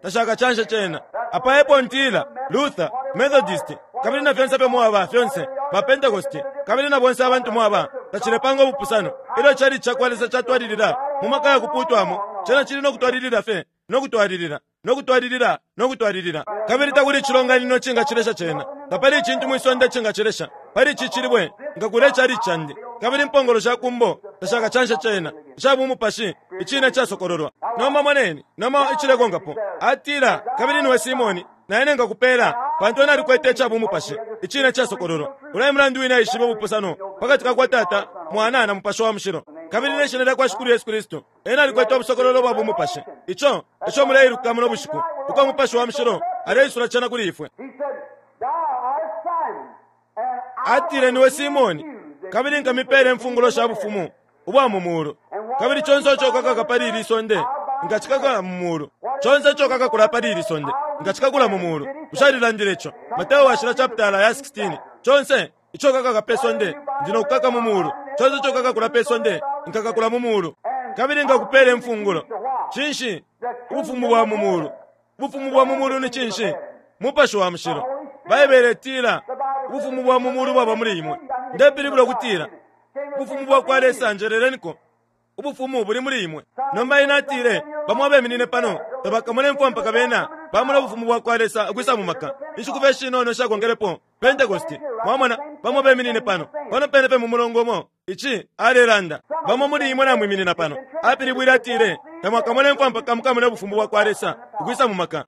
tashakacanshe cena. Apa epo ntila, Luther, Methodist, kabili na fyonse ifyo mwaba, fyonse, ba Pentecost, kabili na bonse abantu mwaba, tacilepanga ubupusano. Ilyo chalichi cakwa Lesa catwalilila mu maka ya kupuutwamo, cena cili no kutwalilila fye no kutwalilila, no kutwalilila, no kutwalilila. Kabili takuli icilonganino icingacilesha cena. Tapali icintu mwi sonde icingacilesha. Pali ici cilibwe nkakula icalichi candi, kabili impongolo sha kumbo tashakacanshe cena. Ica bumupashi, Icine icasokololwa. Nomba moneni, nomba icilekonkapo. Atila, Kabili niwe Simoni, na ine nkakupela, pantu ena alikwete ica bumupashi, Icine icasokololwa. Ulya e mulandu wine aishibe ubupusano pakati ka kwa Tata, Mwana, na Mupashi wa Mushilo, kabili ne Shina lyakwa Shikulu Yesu Kristu. Ena alikwete ubusokololo bwa bumupashi. Ico eco muleiluka muno bushiku, uko Mupashi wa Mushilo aleisula cena kuli ifwe. He said, Thou art Simon, and I Atile, Niwe Simoni, kabili nkamipela imfungulo sha bufumu ubwa mu mulu. Kabili conse ico ukakaka pali ili sonde, nkacikaka mu mulu. Conse ico ukakakula pali ili sonde, nkacikakula mu mulu. Bushe alilandile ico? Mateo Washila chapitala ya 16. Conse ico ukakaka pe sonde, ndi no kukaka mu mulu. Conse ico ukakakula pe sonde, nkakakula mu mulu. Kabili nkakupela imfungulo. Cinshi? Ubufumu bwa mu mulu. Ubufumu bwa mu mulu ni cinshi? Mupashi wa Mushilo. Baibele itila, Ubufumu bwa mu mulu bwaba muli imwe. Ndepilibula ukutila, Ubufumu bwa kwa Lesa, njeleleniko, Ubufumu buli muli imwe. Nomba ena atile, Bamo abeminine pano tabakamone mfwa mpaka bena bamona Ubufumu bwa kwa Lesa ukwisa mu maka. Inshiku fye shinono ishakonkelepo, Pentecost. Mwamona, bamo beminine pano, pano pene fye mu mulongo umo ici alelanda. Bamo muli imwe namwiminina pano. Apilibwile atile, Tamwakamone mfwa mpaka mukamone Ubufumu bwa kwa Lesa ukwisa mu maka.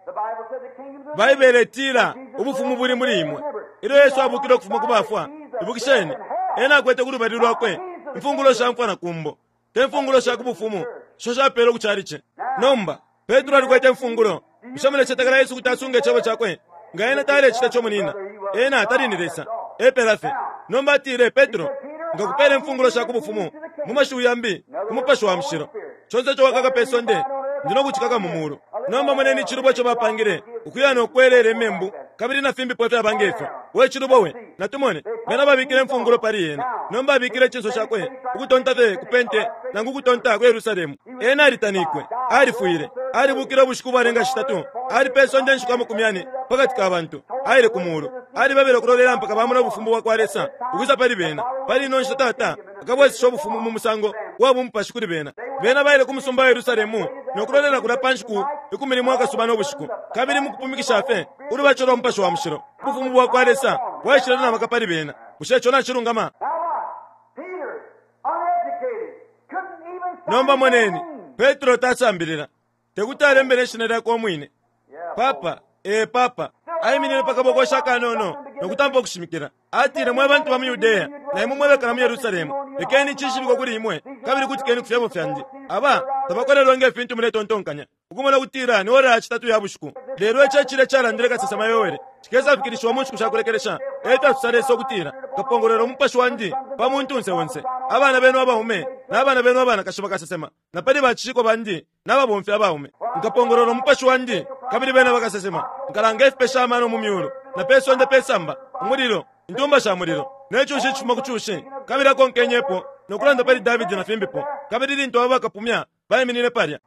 Baibele itila, Ubufumu buli muli imwe. Ilyo Yesu abukile ukufuma ku bafwa, ibukisheni, Ena akwete ku lubali Lwakwe imfungulo sha mfwa na kumbo, te mfungulo sha ku Bufumu isho shapelwe ku chalichi. Nomba, Petro alikwete imfungulo. Bushe mulecetekela Yesu kuti asunga Icebo Cakwe? Nga Ena talecita ico, munyina, Ena tali ni Lesa. Epela fye. Nomba atile, Petro, Nkakupela imfungulo sha ku Bufumu, mu mashiwi yambi, ku Mupashi wa Mushilo. Conse ico wakaka pe sonde, Ndi no kucikaka mu mulu. Nomba moneni icilubo ico bapangile, ukuya no kwelela imembu, kabili na fimbipo ifyaba nge fyo. We cilubo we! Natumone. Bena babikile imfungulo pali ena. Nomba abikile icinso cakwe ukutonta fye ku pente, nangu ukutonta ku Yerusalemu. Ena alitanikwe. Alifwile. Alibukile ubushiku ubwalenga shitatu. Ali pe sonde inshiku amakumi yane, pakati ka bantu. Aile ku mulu. Alibebele ukulolela mpaka bamona Ubufumu bwakwa Lesa ukwisa pali bena. Pali ino nshita Tata akabwesesha Ubufumu mu musango wa bumupashi kuli bena. Bena baile ku musumba wa Yerusalemu no kulolela kulya pa nshiku 10 akasuba no bushiku. Kabili mukupumikisha fye, ulubatisho lwa Mupashi wa Mushilo, Ubufumu bwakwa Lesa bwaishile na maka pali bena. Bushe ico nacilungama? Now watch. Peter, uneducated, couldn't even sign Nomba his moneni, name. Petro tasambilila. Tekuti alembe ne shina lyakwe umwine. Yeah, Papa, ee papa, aiminine pa kabokoshi akanono no kutampa ukushimikila. Atile, Mwe bantu ba mu Yudea, na imwe mwe bekala mu Yerusalemu, lekeni icishibikwe kuli imwe, kabili kutikeni ku fyebo fyandi. Aba tabakolelwe nge fintu muletontonkanya, ukumona ukutila ni ora ya citatu ya bushiku. Lelo ici e cilya icalandile kasesema Yoele, cikesafikilishiwa mu nshiku sha kulekelesha, e fyasosa Lesa ukutila, Nkapongolwela umupashi wandi pa muntunse onse. Abana benu abaume na bana benu abanakashi bakasesema, na pali bacishiko bandi na babomfi abaume nkapongolola umupashi wandi, kabili bena bakasesema. Nkalanga ifipesha amano mu myulu na pe sonde pe samba, umulilo, intumba sha mulilo, ne cushi icifuma ku cushi. Kabili akonkenyepo no kulanda pali Davidi na fimbipo. Kabili lintu aba bakapumya baiminine palya,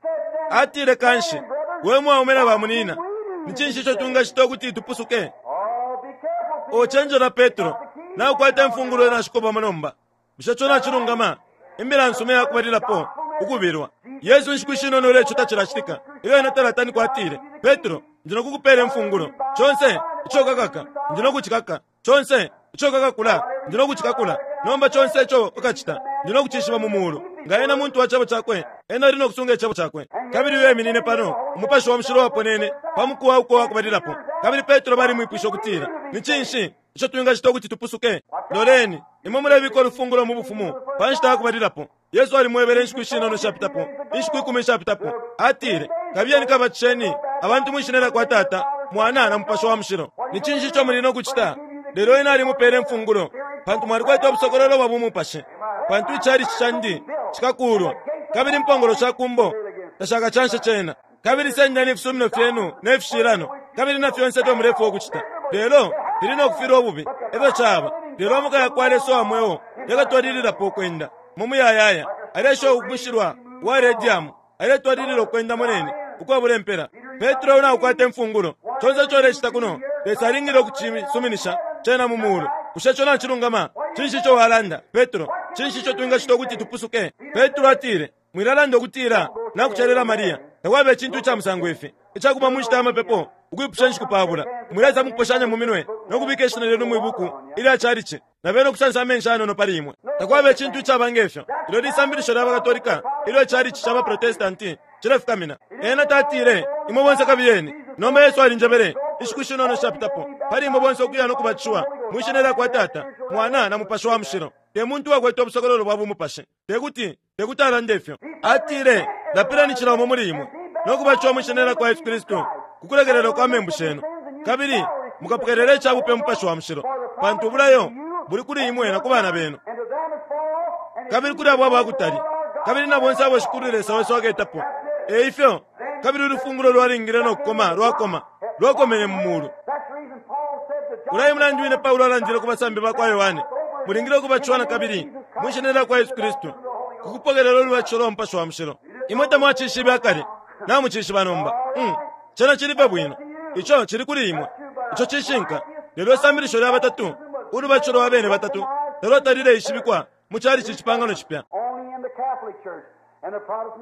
atile, Kanshi, we mwaume na bamunyina, ni cinshi ico twingacita ukuti tupusuke? Oh, be careful, Peter. O cenjela Petro, naukwata imfungulo nashikobamo nomba. Bushe ico nacilungama? Imbila nsuma iya kubalilapo ukubilwa. Yesu inshiku ishinono ilyo ico tacilacitika, ilyo ena talatanikwa atile, Petro, ndi no kukupeela imfungulo. Conse ico ukakaka, ndi no kucikaka. Conse ico ukakakula, ndi no kucikakula. Nomba conse ico ukacita, ndi no kucishiba mu mulu. Nga ena muntu wa Cebo Cakwe, ena ali no kusunga Icebo Cakwe. Kabili uyo eminine pano, Umupashi wa Mushilo waponene pa muku wa uko uwakubalilapo. Kabili Petro balimwipwishe ukutila, Ni cinshi ico twingacita ukuti tupusuke? Loleni, imwe mulebika ulufungulo mu Bufumu pa nshita ya kubalilapo. Yesu alimwebele inshiku ishinono ishapitapo, inshiku ikumi ishapitapo. Atile, Kabiyeni kabatisheni abantu mwi Shina lyakwa Tata, Mwana, na Mupashi wa Mushilo. Ni cinshi ico muli no kucita? Lelo Ena alimupele imfungulo, pantu mwalikwete ubusokololo bwa bumupashi. Pantu ichalichi candi cikakuulwa, kabili impongolo sha kumbo tashakacanshe cena. Kabili sendeni ifisumino fyenu ne fishilano, kabili na fyonse ifyo mulefwaya ukucita, lelo fili no kufilwa ububi. Efyo caba. Lelo amaka yakwa Lesa uwa mweo yakatwalililapo ukwenda mu muyayaya. Alesha umushilwa wa radium Aletwalilila ukwenda, moneni, ukwabula impela. Petro, naukwata imfungulo. Conse ico ulecita kuno, Lesa alingile ukucisuminisha cena mu Mulu. Bushe ico nacilungama? Cinshi ico walanda, Petro? Cinshi ico twingacita ukuti tupusuke? Petro atile, Mwilalanda ukutila, Nakucelela Maria. Takwaba icintu ica musango ifi icakuba mu nshita ya mapepo ukwipusha inshiku pabula. Mwilaisa mukuposhanya mu minwe no kubika ishina lyenu mwi buku ilya calici, na bena ukusansa amenshi ayanono pali imwe. Takwaba icintu icaba nge fyo. Ilyo lisambilisho lya baKatolika ilyo icalici ca baProtestanti cilefukamina. Ena tatile, Imwe bonse kabiyeni. Nomba Yesu alinjebele, inshiku shinono ishapitapo, pali imwe bonse ukuya no kubatishiwa mwi Shina lya kwa Tata, Mwana, na Mupashi wa Mushilo. Te muntu uwakwete ubusokololo bwa bumupashi. Te kuti, te kuti alande ifyo. Atile, Lapileni cila umo muli imwe, no kubatishiwa mwi Shina lya kwa Yesu Kristu ku kulekelelwa kwa membu shenu, kabili mukapokelela ica bupe Mupashi wa Mushilo, pantu ubulayo buli kuli imwe na ku bana benu, kabili kuli abo aba kutali, kabili na bonse abo Shikulu Lesa wesu aketapo. E ifyo, kabili ulufungulo lwalingile no kukoma lwakoma, lwakomene mu mulu. Ulya e mulandu wine Paulo alandile ku basambi ba kwa Yohane, Mulingile ukubatishiwa na kabili mwi shina lya kwa Yesu Kristu ku kupokelela ulubatisho lwa Mupashi wa Mushilo. Imwe tamwacishibe akale, namucishiba nomba. Mm, cena cili fye bwino. Ico cili kuli imwe. Ico cishinka. Lelo isambilisho lya batatu, ulubatisho lwa bene batatu, talwatalileishibikwa mu calici Icipangano Cipya.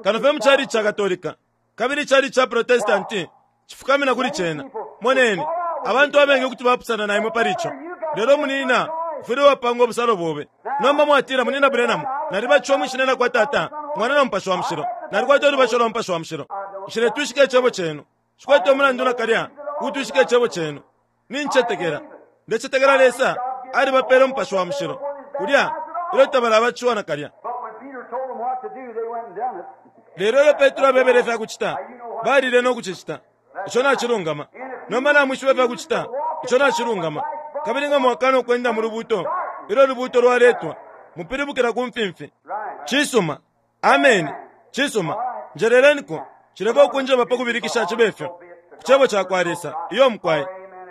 Kano fye mu calici ca Katolika. Kabili icalici ca Protestanti cifukamina kuli cena. Moneni, abantu abengi kuti bapusana na imwe pali ico. Lelo, munina, ufwile wapanga ubusalo bobe. Nomba mwatila, Munina Branham, nalibatishiwa mwi Shina lyakwa Tata, Mwana na Mupashi wa Mushilo. Nalikwata ulubatisho lwa Mupashi wa Mushilo. Nshiletwishika icebo cenu. Nshikwete umulandu nakalya ukutwishika icebo cenu. Nincetekela. Ndecetekela Lesa alibapele Umupashi wa Mushilo kulya ilyo tabalabatishiwa nakalya. Lelo ilyo Petro abebele ifya kucita, balile no kucicita. Ico nacilungama. Nomba namwishiba ifya kucita. Ico nacilungama. Kabili nga mwakana ukwenda mu lubuuto ilyo ulubuuto lwaletwa, mupilibukila ku mfimfi. Cisuma. Ameni. Cisuma. Njeleleniko. Cileka ukunjeba pa kubilikisha cibe fyo. Ku Cebo cakwa Lesa. Iyo, mukwai.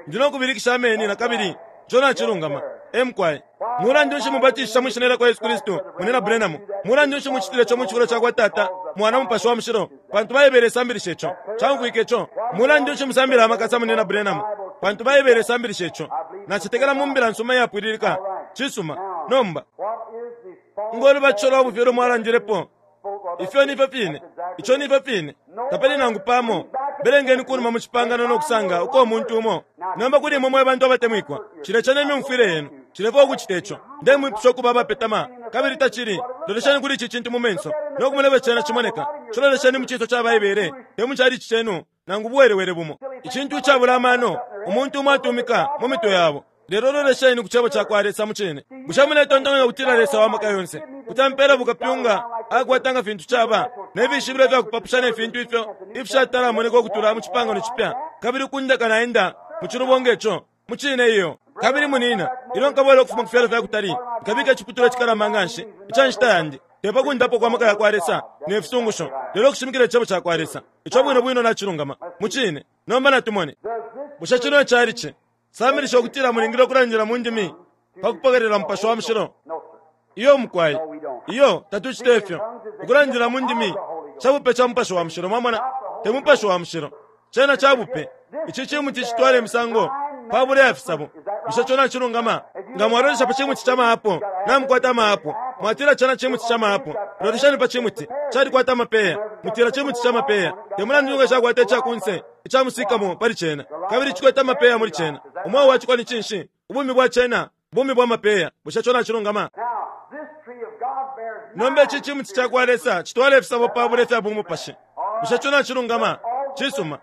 Ndi no kubilikisha ameni nakabili. Ico nacilungama. E mukwai. Mulandu nshi mubatishisha mwi Shina lyakwa Yesu Kristu, Munyina Branham? Mulandu nshi mucitile ico mu cifulo cakwa Tata, Mwana, Mupashi wa Mushilo? Pantu Baibele isambilisha ico. Caumfwika ico? Mulandu nshi musambila amakasa, Munyina Branham? Pantu Baibele isambilisha ico. Nacetekela mu Mbila nsuma iyapwililika. Cisuma. Nomba. Ngo lubatisho lwa bufi ulo mwalandilepo, Ifyo ni fyo fine. Ico ni fyo fine. Tapali nangu pamo. Belengeni kunuma mu cipangano no kusanga uko umuntu umo. Nomba kuli imwe mwe bantu abatemwikwa, cilece ne myumfwile yenu. Cilefwaya ukucita ico. Ndemwipusha ukuba abapetama, kabili tacili. Lolesheni kuli ici cintu mu menso, no kumona ifyo cena cimoneka. Cilolesheni mu cinso ca Baibele, te mu calici cenu, nangu buwelewele bumo. Icintu icabula amano, umuntu umo atumika mu mitwe yabo. Lelo lolesheni ku Cebo ca kwa Lesa mucine. Bushe muletontonkanya ukutila Lesa wa Maka yonse kuti ampeela bukapyunga akwata nga fintu caba, ne fishibilo ifya kupapusha ne fintu ifyo ifishatalamoneka ukutula mu Cipangano Cipya, kabili ukundeka naenda mu cilubo nge co? Mucine iyo. Kabili munina, ilyo nkabwela ukufuma ku fyalo fya kutali, nkabika iciputulwa icikalamba nganshi ica nshita yandi, te pa kundapwa kwa maka ya kwa Lesa ne fisungusho, lelo ukushimikila Icebo ca kwa Lesa. Ico bwino bwino nacilungama. Mucine. Nomba natumone. Bushe cino icalici Sambilisha ukutila mulingile ukulandila mu ndimi pa kupokelela Mupashi wa Mushilo? Iyo mukwai. Iyo, tatucita ifyo. Ukulandila mu ndimi cabupe ca Mupashi wa Mushilo, mwamona, te Mupashi wa Mushilo. Cena cabupe. Ici cimuti citwala imisango pabula ya fisabo. Bushe co nacilungama? Nga mwalolesha pa cimuti ca maapo, namukwata amaapo. Mwatila cena cimuti ca maapo. Lolesheni pa cimuti, calikwata amapeya. Mutila cimuti ca mapeya. Te mulandu nga cakwata ica kunse ica musikamo pali cena, kabili cikwete amapeya muli cena. Umweo wa ciko ni cinshi? Ubumi bwa cena bumi bwa mapeya. Bushe co nacilungama? Nomba ici cimuti ca kwa Lesa citwala ifisabo pabula ifya bumupashi. Bushe co nacilungama? Cisuma.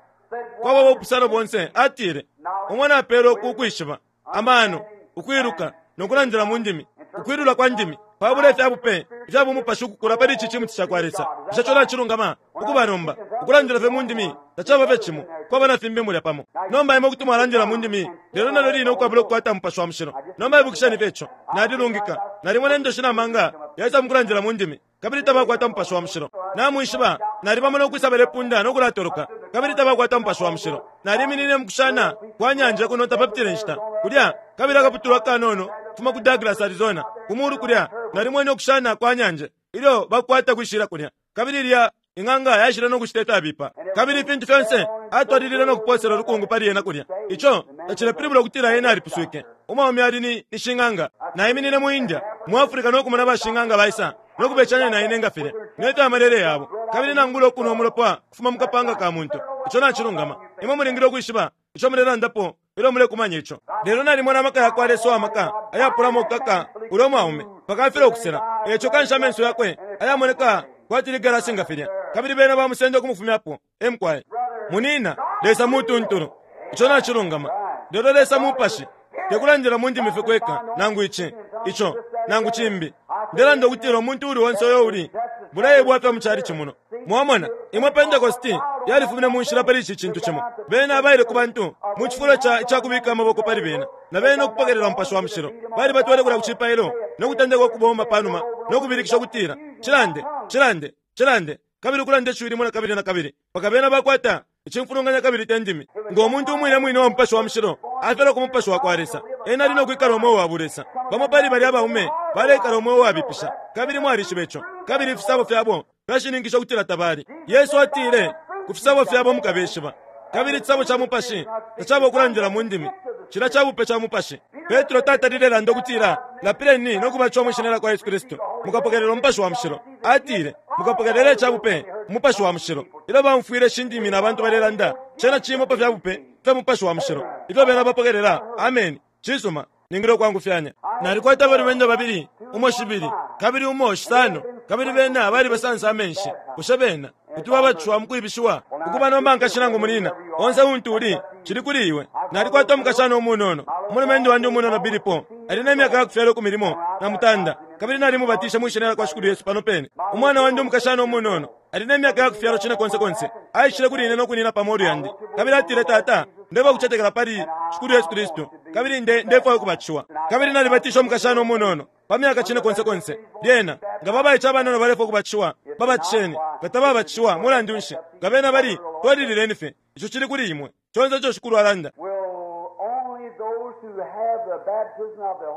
Kwaba ubupusano bonse, atile, Umo napelwe uku kwishiba, amano, ukwiluka, no kulandila mu ndimi, ukwilula kwa ndimi, pabula ifya bupe ifya bumupashi ukukula pali ici cimuti ca kwa Lesa. Bushe co nacilungama? Ukuba nomba, ukulandila fye mu ndimi tacaba fye cimo, kwaba na fimbi mulya pamo. Nomba imwe kuti mwalandila mu ndimi, lelo nalyo line ukwabula ukukwata Mupashi wa Mushilo. Nomba ibukisheni fye ico. Nalilungika. Nalimona indoshi na manga yaisa mu kulandila mu ndimi. kabili tabakwata Mupashi wa Mushilo. Namwishiba, nalibamona ukwisa balepunda no kulatoloka, kabili tabakwata Mupashi wa Mushilo. Naliminine mukushana kwa nyanja kuno tapapitile nshita, kulya, kabili akaputulwa akanono kufuma ku Douglas, Arizona, ku mulu kulya, nalimwene ukushana kwa nyanje ilyo bakwata kwishila kulya. Kabili ilya. Ing'anga yaishile no kucita ifyabipa, kabili ifintu fyonse, atwalilile no kupoosela ulukungu pali ena kulya. Ico tacilepilibula ukutila ena alipuswike. Umwaume ali ni, ni shing'anga. Naiminine mu India, mu Africa no kumona bashing'anga baisa no kubecanya na ine nga filya, ne fya malele yabo, kabili nangula ukunwa umulopa kufuma mu kapanga ka muntu. Ico nacilungama. Imwe mulingile ukwishiba ico mulelandapo ilyo mulekumanya ico. Lelo nalimona amaka ya kwa Lesa uwa maka ayapulamo ukukaka ulya mwaume mpaka afilwa ukusela. E ico kanshi amenso yakwe ayamoneka kwati ligalasi nga filya, kabili bena bamusenda ukumufumyapo. E mukwai. Munina, Lesa mutuntulu. Ico nacilungama. Lelo Lesa Mupashi. Te kulandila mu ndimi fye kweka, nangu ici, ico, nangu cimbi. Ndelanda ukutila umuntu uuli onse uyo uli bulaye bwafya mu chalichi muno. Mwamona, imwe Pentecosti yalifumine mu nshila pali ici cintu cimo. Bena baile ku bantu mu cifulo ca icakubika amaboko pali bena, na bena ukupokelela Mupashi wa Mushilo. Balibatwele kulya ku cipailo no kutendeka ukubomba panuma no kubilikisha ukutila, Cilande! Cilande! Cilande! Kabili ukulanda ishiwi limo na kabili na kabili mpaka bena bakwata icimfulunganya kabili te ndimi. Ngo muntu umwine mwine uwa Mupashi wa Mushilo afyalwa ku Mupashi wa kwa Lesa, ena ali no kwikala umweo wa bulesa. Bamo pali balya baume baleikala umweo uwabipisha, kabili mwalishiba ico, kabili ifisabo fyabo fyashininkisha ukutila tabali. Yesu atile, Ku fisabo fyabo mukabeshiba. Kabili icisabo ca Mupashi tacaba ukulandila mu ndimi. Cilya ca bupe ca Mupashi. Petro tatalile landa ukutila, Lapileni no kubatishiwa mwi Shina lya kwa Yesu Kristu, mukapokelela Umupashi wa Mushilo. Atile, Mukapokelela ica bupe, Umupashi wa Mushilo. Ilyo baumfwile ishi ndimi na bantu balelanda, cena cimo pa fya bupe fya Mupashi wa Mushilo ifyo bena bapokelela. Ameni. Cisuma. Ningile ukwangufyanya. Nalikwata abalumendo babili, umo shibili, kabili umo shisano, kabili bena balibasansa amenshi. Bushe bena kuti babatishiwa mukwibishiwa? Ukuba nomba nkashi nangu munina, onse untu uli, cili kuli iwe. Nalikwata umukashana umunono, umulumendo wandi umunono Billy Paul, ali ne myaka yakufyalwa ikumi limo na mutanda, kabili nalimubatishe mwi Shina lyakwa Shikulu Yesu pano pene. Umwana wandi umukashana umunono, ali ne myaka yakufyalwa cine konse konse, aishile kuli ine no kunina pa molu yandi, kabili atile, Tata, ndeba ukucetekela pali Shikulu Yesu Kristu, kabili nde, ndefwaya ukubatishiwa. Kabili nalibatishe umukashana umunono pa myaka cine konse konse. Lyena, nga babaice abanono balefwaya ukubatishiwa, babatisheni. Nga tababatishiwa, mulandu nshi, nga bena bali, twalilileni fye. Ico cili kuli imwe. Conse ico Shikulu alanda.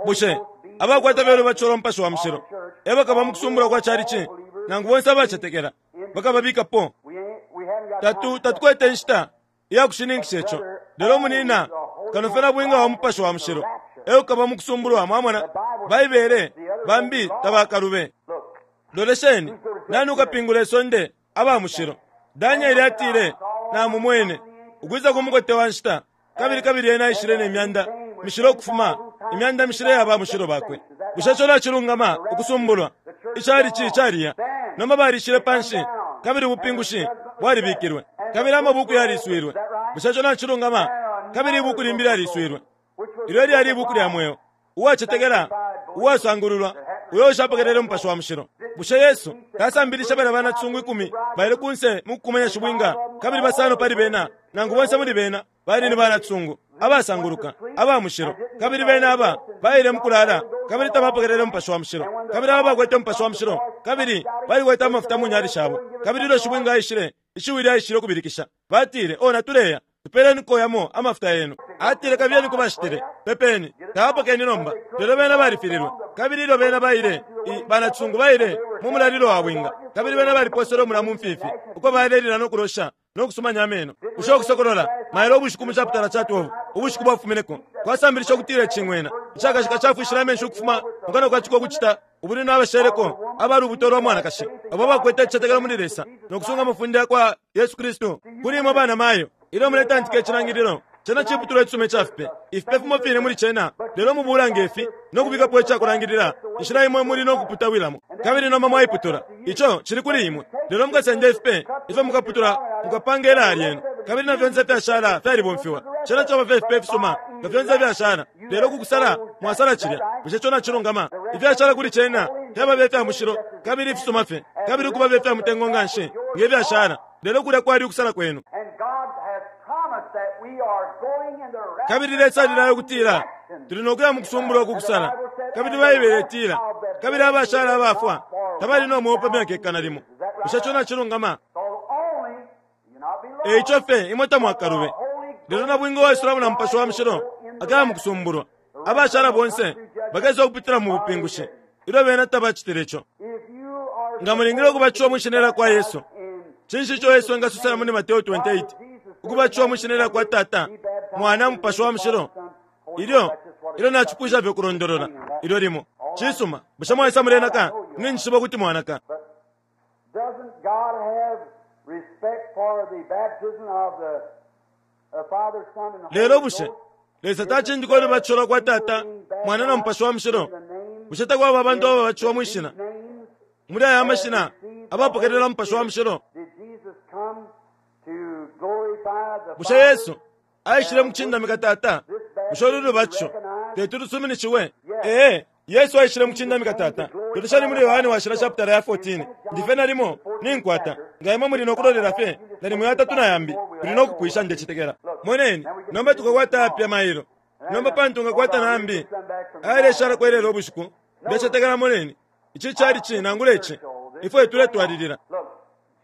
Bushe abakwata belo bacola Umupashi wa Mushilo e bakaba mu kusumbulwa kwa calici, nangu bonse abacetekela bakababikapo? Tatu, tatukwete inshita iya kushininkisha ico. Lelo munina, kano fye nabwinga wa Mupashi wa Mushilo e ukaba mu kusumbulwa. Mwamona? Baibele bambi tabakalube. Lolesheni, nani ukapingula isonde? Aba mushilo. Daniele atile, Namumwene ukwisa ku mukote wa nshita, kabili kabili ena aishile ne myanda mishila ukufuma imyanda mishila ya ba mushilo bakwe. Bushe ico nacilungama? Ukusumbulwa. Icalici caliya. Nomba balishile panshi, kabili ubupingushi bwalibikilwe, kabili amabuku yaliswilwe. Bushe ico nacilungama? Kabili ibuku limbi lyaliswilwe. Ilyo lyali ibuku lya mweo. Uwacetekela, uwasangululwa, uyo ushapokelele Mupashi wa Mushilo. Bushe Yesu tasambilishe balya banacisungu ikumi baile kunse mu kukumanya shibwinga, kabili basano pali bena, nangu bonse muli bena, bali ni banacisungu, abasanguluka, aba mushilo, kabili bena aba baile mu kulala kabili tabapokelele Mupashi wa Mushilo, kabili aba bakwete Mupashi wa Mushilo, kabili balikwete amafuta mu nyali shabo, kabili ilyo shibwinga aishile, ishiwi lyaishile ukubilikisha, batile, O natuleya, Tupeleniko yamo amafuta yenu. Atile, Kabiyeni ku bashitile. Pepeni. Tabapokeni nomba. Lelo bena balifililwe. Kabili ilyo bena baile, i, banacisungu baile mu mulalilo wa bwinga, kabili bena baliposele umula mu mfifi, uko balelila no kulosha no kusumanya ameno. Bushe Ukusokolola, mailo ubushiku mu chaputala ca 12, ubushiku bwafumineko, kwasambilisha ukutila icing'wena icakashika cafwishile amenshi ukufuma mu kanwa ka ciko ukucita ubulwi na basheleko aba lubuto lwa mwanakashi, abo abakwete icitetekelo muli Lesa no kusunga amafunde ya kwa Yesu Kristu. Kuli imwe banamayo, ilyo muletantika icilangililo, cena ciputulwa icisuma ica fipe, ifipe fimo fine muli cena, lelo mubuula nge fi no kubikapo ica kulangilila inshila imwe muli no kuputawilamo, kabili nomba mwaiputula. Ico cili kuli imwe. Lelo mukasende ifipe ifyo mukaputula, mukapanga ilaya lyenu, kabili na fyonse ifyashala fyalibomfiwa. Cena caba fye ifipe ifisuma nga fyonse ifyashala. Lelo ku kusala mwasala cilya. Bushe ico nacilungama? Ifyashala kuli cena fyaba fye ifya mushilo kabili ifisuma fye, kabili ukuba fye ifya mutengo nganshi nge fyashala. Lelo kulya kwali ukusala kwenu. Kabili Lesa alilaya ukutila tuli no kuya mu kusumbulwa ku kusala. Kabili Baibele itila, Kabili abashala abafwa tabali no mweo pa myaka ikana limo. Bushe ico nacilungama? E ico fye imwe tamwakalube. Lelo nabwinga uwaisulamo na Mupashi wa Mushilo akaya mu kusumbulwa. Abashala bonse bakesa ukupitila mu bupingushi ilyo bena tabacitile ico. Nga mulingile ukubatishiwa mwi Shina lya kwa Yesu. Cinshi ico Yesu engasosela muli Mateo 28, ukubatishiwa mwi shina lya kwa Tata, Mwana, Mupashi wa Mushilo? Ilyo, ilyo nacipwisha fye ukulondolola ilyo limo. Cisuma, bushe mwaisa mulenaka? Ninjishiba ukuti mwanaka. Doesn't God have respect for the baptism of the Father, Son, and the Lelo Holy bushe Ghost? Lesa tacindika ulubatisho lwa kwa Tata, Mwana na Mupashi wa Mushilo? Bushe takwaba abantu ababatishiwa mwi shina, muli aya mashina, abapokelela Mupashi wa Mushilo? Did Jesus come to glorify the Bushe Father? Yesu aishile mu kucindamika Tata? Bushe ulu lubatisho teti lusuminishiwe? Ee, Yesu aishile mu kucindamika Tata. Loleshani muli Yohane Washila chapitala ya 14. Ndi fye nalimo ninkwata. Nga imwe muli no kulolela fye nalimo yatatu na yambi, tuli no kupwisha ndecetekela. Moneni, nomba tukakwata yapya mailo. Nomba pantu ngakwata na yambi ayaleshalako ilelo ubushiku, ndecetekela moneni, ici cali nangula ici, ifwe tuletwalilila. Look,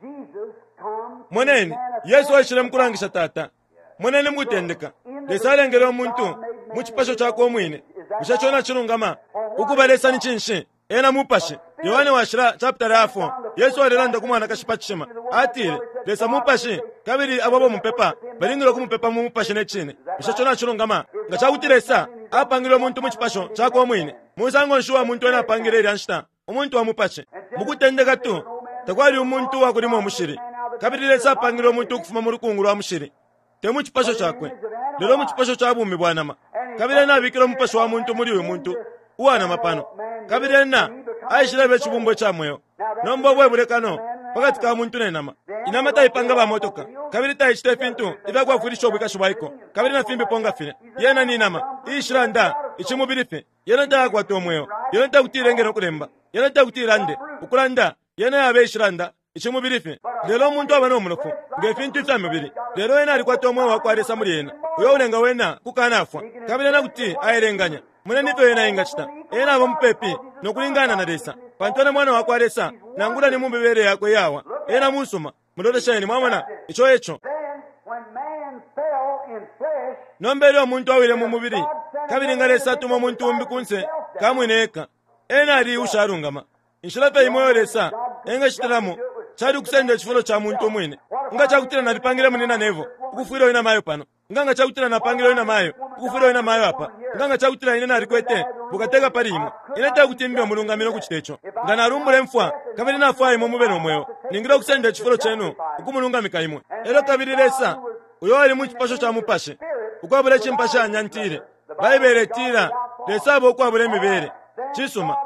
Jesus come to Moneni, Yesu aishile mu kulangisha Tata. Moneni mu kutendeka, Lesa alengele umuntu mu cipasho cakwe umwine. Bushe ico nacilungama? Ukuba Lesa ni cinshi? Ena Mupashi. Yohane Washila chapitala ya 4, Yesu alelanda ku mwanakashi pa cishima. Atile, Lesa Mupashi, kabili abo abamupepa balingile ukumupepa mu Mupashi ne cine. Bushe ico nacilungama? Nga ca kuti Lesa apangile umuntu mu cipasho cakwe umwine, musango nshi uwa muntu ena apangile ilya nshita? Umuntu wa mupashi. Mu kutendeka tu, takwali umuntu uwa kulima umushili. Kabili Lesa apangile umuntu ukufuma mu lukungu lwa mushili, te mu cipasho cakwe, lelo mu cipasho ca bumi bwa nama. Kabili ena abikile umupashi wa muntu muli uyu muntu uwa nama pano. Kabili ena aishileba icibumbwa ica mweo. Nomba ubu e bulekano pa kati ka muntu ne nama. Inama taipanga ba motoka, kabili taicita ifintu ifya kwafwilisha ubwikashi bwa iko, kabili na fimbipo nga filya. Yena ni nama iishilanda icimubili fye. Yena tayakwata umweo. Yena tekuti ilenge no kulemba. Yena tekuti ilande. Ukulanda, yena yaba iishilanda icimubili fye. Lelo umuntu aba no munofu nge fintu ifya mubili, lelo ena alikwata umweo wa kwa Lesa muli ena, uyo ulenga wena kukanafwa, kabili ena kuti aelenganya. Moneni ifyo ena engacita. Ena aba mupepi no kulingana na Lesa, pantu ena mwana wa kwa Lesa, nangula ni mu mibele yakwe iyawa. Ena musuma. Mulolesheni, mwamona, ico eco. Then, when man fell in flesh, Nomba ilyo umuntu awile mu mubili, kabili nga Lesa atuma umuntu umbi kunse ka mwine eka, ena ali ushalungama. Inshila fye imo iyo Lesa engacitilamo cali ukusenda icifulo ca muntu umwine. Nga ca kutila nalipangile munyina Neville ukufwila uyu namayo pano, nga nga ca kutila napangile uyu namayo ukufwila uyu namayo apa, nga nga ca kutila ine nalikwete bukateka pali imwe, ine te kuti mbe umulungami no kucita ico. Nga nalumbula imfwa kabili nafwaya imwe mube no mweo, ningile ukusenda icifulo cenu ukumulungamika imwe. Elyo kabili Lesa, uyo ali mu cipasho ca mupashi, ukwabula icimpashanya ntile, Baibele itila, Lesa aba ukwabula imibele. Cisuma.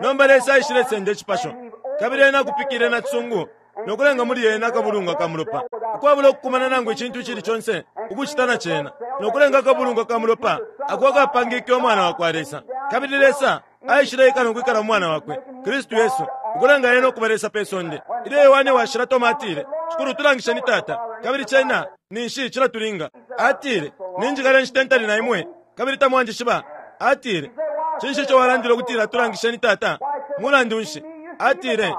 Nomba Lesa aishile senda icipasho, kabili ena akupikile na cisungu no kulenga muli ena akabulungwa ka mulopa, ukwabula ukukumana nangu icintu icili conse ukucita na cena, no kulenga akabulungwa ka mulopa ako akapangike Umwana wa kwa Lesa. Kabili Lesa aishile ikala no kwikala mu Mwana wakwe, Kristu Yesu, ukulenga ena ukuba Lesa pe sonde. Ilyo Yohane Washila Toma atile, Shikulu, tulangisheni Tata, kabili cena ninshi cilatulinga. Atile, Ninjikala inshita ntali na imwe, kabili tamwanjishiba. Atile, Cinshi ico walandile ukutila tulangisheni Tata? Mulandu nshi? Atile,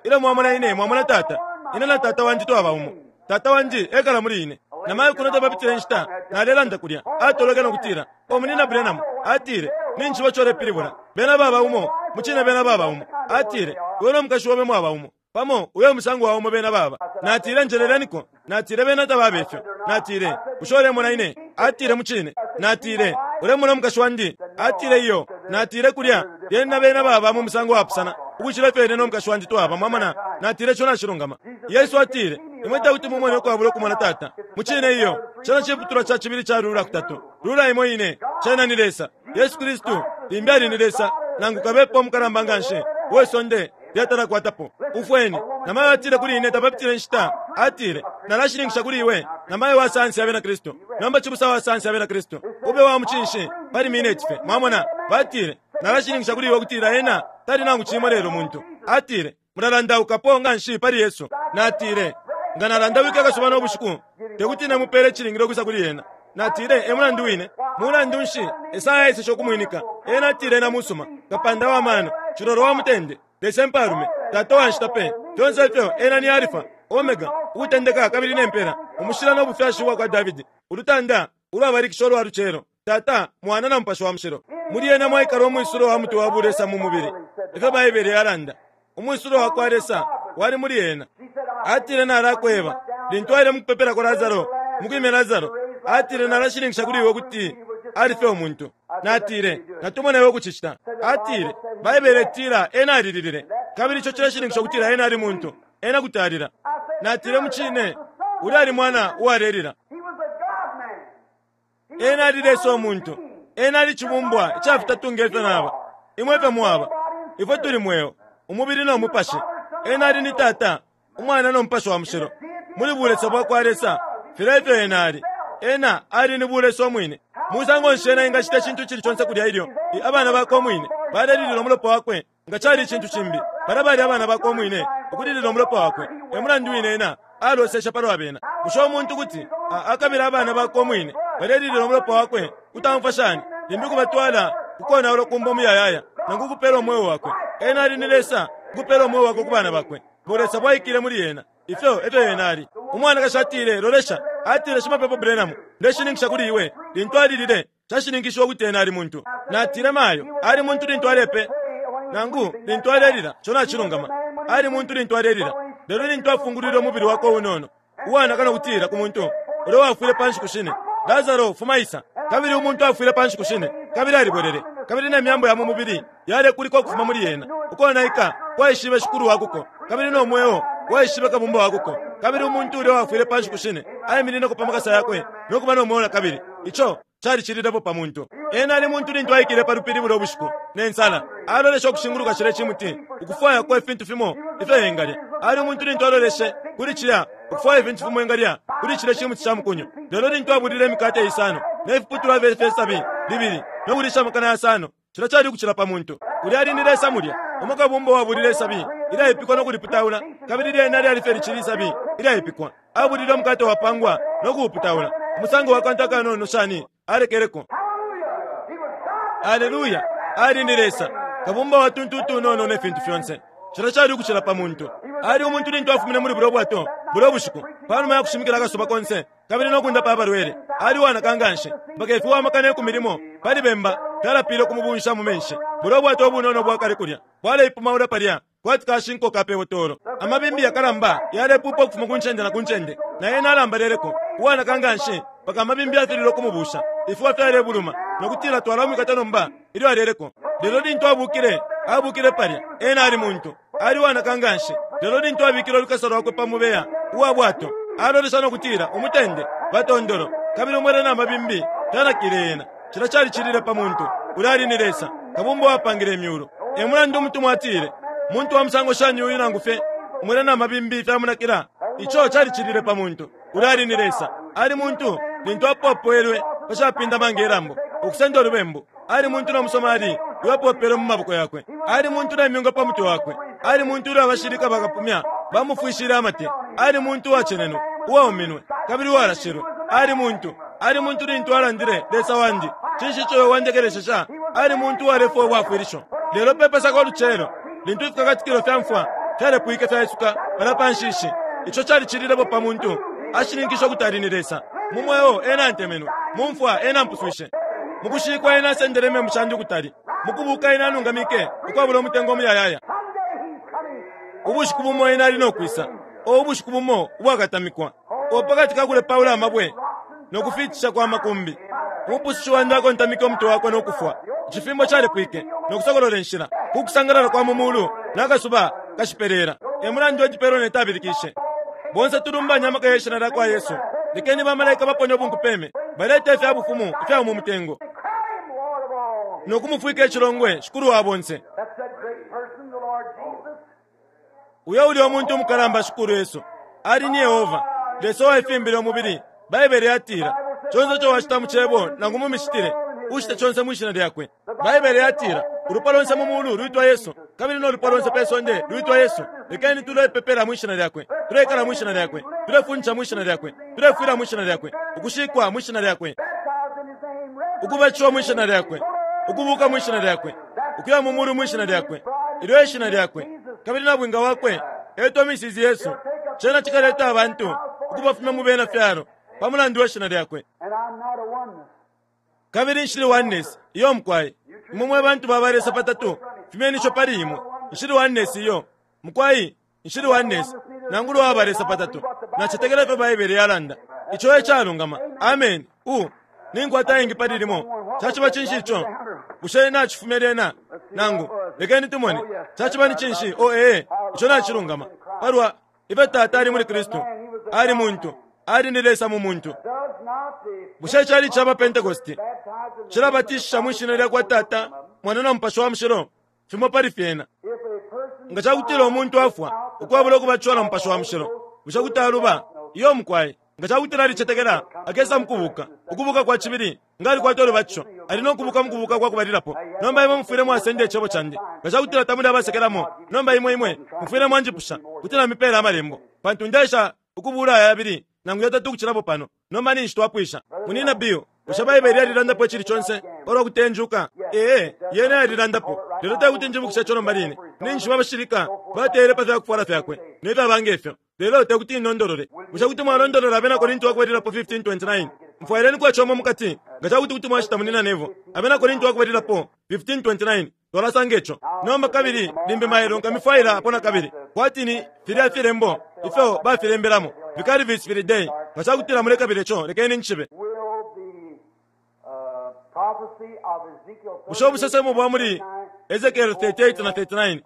Ilyo mwamona ine, mwamona Tata. Ine na Tata wandi twaba umo. Tata wandi ekala muli ine. Na mayo kuno tapapitile inshita, nalelanda kulya. Atolweke no kutila, O Munyina Branham, atile, Ninjishiba ico ulepilibula. Bena baba umo, mucine bena baba umo. Atile, Iwe no mukashi obe mwaba umo. Pamo, uyo e musango wa umo bena baba. Natile, Njeleleniko. Natile, Bena tababa ifyo. Natile, Bushe ulemona ine? Atile, Mucine. Natile, Ulemona umukashi wandi? Atile, Iyo. Natile, Kulya, lyena na bena baba mu musango wapusana ukucila ifyo ine no mukashi wandi twaba. Mwamona? Natile, Ico nacilungama. Yesu atile, Imwe tekuti mumone ukwabula ukumona Tata. Mucine iyo. Cena ciputulwa ca cibili ca lula kutatu. Lula imo ine. Cena ni Lesa. Yesu Kristu limbi ali ni Lesa, nangu kabepa umukalamba nganshi uwe sonde lyatalakwatapo. Umfweni, namayo atile kuli ine tapapitile inshita, atile, Nalashininkisha kuli iwe, namayo wa sayansi ya Bena Kristu. Nomba cibusa wa sayansi ya Bena Kristu, ube wa mucinshi pali mineti fye. Mwamona? Batile, Nalashininkisha kuli iwe ukutila ena tali nangu cimo lelo muntu. Atile, Mulalandaukapo nganshi pali Yesu. Natile, Nga nalandawike akasuba no bushiku, te kuti ine mupeele icilingile ukwisa kuli ena. Natile, E mulandu wine. Mulandu nshi Esaya aeseshe ukumwinika? Ena atile ena musuma, kapanda wa mano, cilolo wa mutende, Lesa impalume, Tata wa nshita pe. Fyonse ifyo ena ni Alifa, Omega, ukutendeka kabili ne mpela, umushila no bufyashi ubwa kwa Davidi, ulutanda ulwabalikisha ulwa lucelo, Tata, Mwana na Mupashi wa Mushilo. Muli ena mwaikala umwisulo wa mutwe wa bulesa mu mubili, ifyo Baibele yalanda. Umwisulo wa kwa Lesa wali muli ena. She said, Atile, Nalakweba, lintu aile mukupepelako Lasaro, mukwimya Lasaro, atile, Nalashininkisha kuli iwe ukuti ali fye umuntu. Natile, Natumone iwe ukucicita. Atile, Baibele itila ena alililile, kabili ico cileshininkisha ukutila ena ali muntu. Ena kuti alila. Natile, Mucine, ulya ali mwana uwalelila. Ena ali Lesa umuntu. Ena ali cibumbwa ica fitatu nge fyo naba, imwe efyo mwaba. Ifwe tuli mweo, umubili no mupashi. Ena ali ni Tata, Umwana no Mupashi wa Mushilo. Muli Bulesa bwakwa Lesa, filya efyo Ena ali. Ena ali ni Bulesa Umwine. Musango nshi Ena engacita icintu icili conse kulya ilyo i, abana Bakwe Umwine balelilila umulopa Wakwe? Nga cali icintu cimbi, palya bali abana Bakwe Umwine ukulilila umulopa Wakwe. E mulandu wine Ena aloseshe palwa bena. Bushe umuntu kuti a, akabila abana bakwe umwine balelilila umulopa wakwe? Kuti aumfwa shani? Limbi kubatwala ku konaulwa kumbo umuyayaya, nangu ukupela umweo wakwe. Ena ali ni Lesa, ukupela umweo wakwe ku bana bakwe. Bulesa bwaikile muli ena. Ifyo efyo ena ali. Umwanakashi atile, Lolesha, atile, Shimapepo Branham, ndeshininkisha kuli iwe, lintu alilile, cashininkishiwe ukuti ena ali muntu. Natile, Mayo, ali muntu lintu alepe, nangu lintu alelila. Co nacilungama. Ali muntu lintu alelila. Lelo lintu afungulwile umubili wakwe unono, uwanaka no kutila ku muntu ulya uwafwile pa nshiku shine, Lasaro, fuma isa! Kabili umuntu afwile pa nshiku shine, kabili alibwelele, kabili ne myambo ya mu mubili yalekulikwa ukufuma muli ena. Ukonaika kwaishibe Shikulu wa kuko, kabili no mweo waishibe Kabumba wa kuko. Kabili umuntu ulya uwafwile pa nshiku shine aiminineko pa makasa yakwe no kuba no mweo na kabili. Ico calicililepo pa muntu. Ena ali muntu lintu aikile pa lupili bulya ubushiku, ne nsala, aloleshe ukushinguluka cilya cimuti, ukufwayako ifintu fimo ifyo engalya. Ali umuntu lintu aloleshe kuli cilya, ukufwaya ifintu fimo engalya kuli cilya cimuti ca mukunyu. Lelo lintu abulile imikate isano ne fiputulwa fye sabi libili no kulisha amakana yasano, Cilya cali ukucila pa muntu. Ulya ali ni Lesa mulya, umo Kabumba uwabulile isabi ilyaipikwa no kuliputaula, kabili lyena lyali fye licili isabi ilyaipikwa. Abulile umukate wapangwa no kuuputaula. Umusango wa kantu akanono shani alekeleko. Aleluya! Ali ni Lesa, Kabumba wa tuntu utunono ne fintu fyonse. Cilya cali ukucila pa muntu. Ali umuntu lintu afumine muli bulya bwato bulya bushiku, panuma ya kushimikila akasuba konse. kabili no kundapa abalwele. Ali uwanaka nganshi mpaka ifiwa amakana 10 pali bemba fyalapile ukumubunsha mu menshi. Bulya ubwato ubunono ubwakale kulya bwaleipumaula palya kwati kashinko ka pe botolo. Amabimbi yakalamba yalepupa ukufuma ku ncende na ku ncende, na ena alambaleleko, uwanaka nganshi mpaka amabimbi yafililwe ukumubusha. Ifiwa fyalebuluma no kutila twalamwikata nomba ilyo aleleko. Lelo lintu abukile, abukile palya, ena ali muntu. Ali uwanaka nganshi, lelo lintu abikile ulukasa lwakwe pa mubeya uwa bwato, alolesha no kutila, Umutende, ba tondolo, kabili umwela na mabimbi fyanakile ena. Cilya calicilile pa muntu. Ulya ali ni Lesa, Kabumba uwapangile imyulu. E mulandu umutumwa atile, Muntu wa musango shani uyu nangu fye umwela na mabimbi fyamunakila? Ico calicilile pa muntu. Ulya ali ni Lesa. Ali muntu lintu apopwelwe pa capindama nge lambo, ukusenda ulubembu. Ali muntu no musomali uyo mu maboko yakwe. Ali muntu ne myunga pa mutwe wakwe. Ali muntu ilyo abashilika bakapumya bamufwishile amate. Ali muntu uwacenenwe, uwauminwe, kabili uwalashilwe. Ali muntu. Ali muntu lintu alandile, Lesa wandi, cinshi ico iwe wandekeleshesha? Ali muntu uwalefwaya ubwafwilisho. Lelo pe Pasaka ulucelo, lintu ifikakatikilo fya mfwa fyalepwike fyaisuka palya pa nshishi, ico calicililepo pa muntu. Ashininkishe ukuti ali ni Lesa. Mu mweo ena antemenwe, mu mfwa ena ampuswishe. Mu kushikwa ena asendele imembu shandi ukutali, mu kubuuka ena anungamike ukwabula umutengo umuyayaya. Ubushiku bumo ena ali no kwisa, o ubushiku bumo ubwakatamikwa, o pakati ka kulepaula amabwe no kufiitisha kwa makumbi, Umupusushi wandi akontamike umutwe wakwe no kufwa. Icifimbo calepwike no kusokolola inshila ku kusangalala kwa mu mulu na kasuba kashipeleela. E mulandu Edi Perronet abilikishe, Bonse tulumbanye amaka ye shina lya kwa Yesu! Lekeni bamalaika baponye ubunkupeme, balete ifya bufumu ifyaumo mutengo, no kumufwika icilongwe Shikulu wa bonse. Uyo uli umuntu umukalamba Shikulu Yesu ali ni Yehova, Lesa uwaifimbile umubili. Baibele yatila, Conse ico wacita mu cebo nangu mu micitile, ucite conse mwi shina lyakwe. Baibele yatila, Ulupwa lonse mu mulu lwitwa Yesu, kabili no lupwa lonse pe sonde lwitwa Yesu. Lekeni tulepepela mwi shina lyakwe, tuleikala mwi shina lyakwe, tulefundisha mwi shina lyakwe, tulefwila mwi shina lyakwe, ukushikwa mwi shina lyakwe, ukubatishiwa mwi shina lyakwe, ukubuka mwi shina lyakwe, ukuya mu mulu mwi shina lyakwe. Ilyo e shina lyakwe, kabili nabwinga wakwe etwa Mrs. Yesu. Cena cikaleta abantu ukubafumya mu bena fyalo pa mulandu we shina lyakwe. Kabili nshili Oneness iyo mukwai. Imwe mwe bantu ba balesa patatu, fumyeni ico pali imwe. Nshili Oneness iyo. Mukwai, nshili Oneness. nangula uwa balesa patatu. Nacetekela ifyo Baibele yalanda. Ico e calungama. Ameni. U. Ninkwata ingi pali limo. Caciba cinshi ico? Bushe nacifumya lyena? Nangu, lekeni tumone. Caciba ni cinshi? O ee, ico nacilungama. Palwa ifyo Tata ali muli Kristu, ali muntu, ali ni Lesa mu muntu. Bushe cali caba Pentecost cilabatisha mwi shina lya kwa Tata, Mwana na Mupashi wa Mushilo? Fimo pali fyena. Nga ca kutila umuntu afwa ukwabula ukubatishiwa na Mupashi wa Mushilo, bushe kuti aluba? Iyo mukwai. Nga ca kutila alicetekela, akesa mu kubuka, ukubuka kwa cibili. Nga alikwata ulubatisho, ali no kubuka mu kubuka kwa kubalilapo. Nomba imwe mufwile mwasenda icebo candi. Nga ca kutila tamuli abasekelamo, nomba imwe imwe mufwile mwanjipusha kuti namipeela amalembo, pantu ndeesha ukubuula aya yabili nangu yatatu ukucilapo pano. Nomba ninshi twapwisha. Munyina Bill, bushe Baibele yalilandapo icili conse palwa kutenjuka? Ee, yena yalilandapo, lelo te kuti njibukishe ico nomba line. Ninshi abashilika bateyele pa fya kufwala fyakwe ne fyaba nge fyo, lelo te kuti nondolole. Bushe kuti mwalondolola Abena Korinti wa Kubalilapo 15:29? Mfwaileniko ico umo mu kati, nga ca kuti kuti mwacita, Munyina Neville. Abena Korinti wa Kubalilapo 15:29. Twalasanga ico nomba, kabili limbi mailo nkamifwaila apo nakabili, kwati ni filya filembo ifyo bafilembelamo Vicarivis Filii Dei. Nga ca kutila mulekabila ico, lekeni ncishibe. Bushe ubusesemo bwa muli Esekiele 38 na 39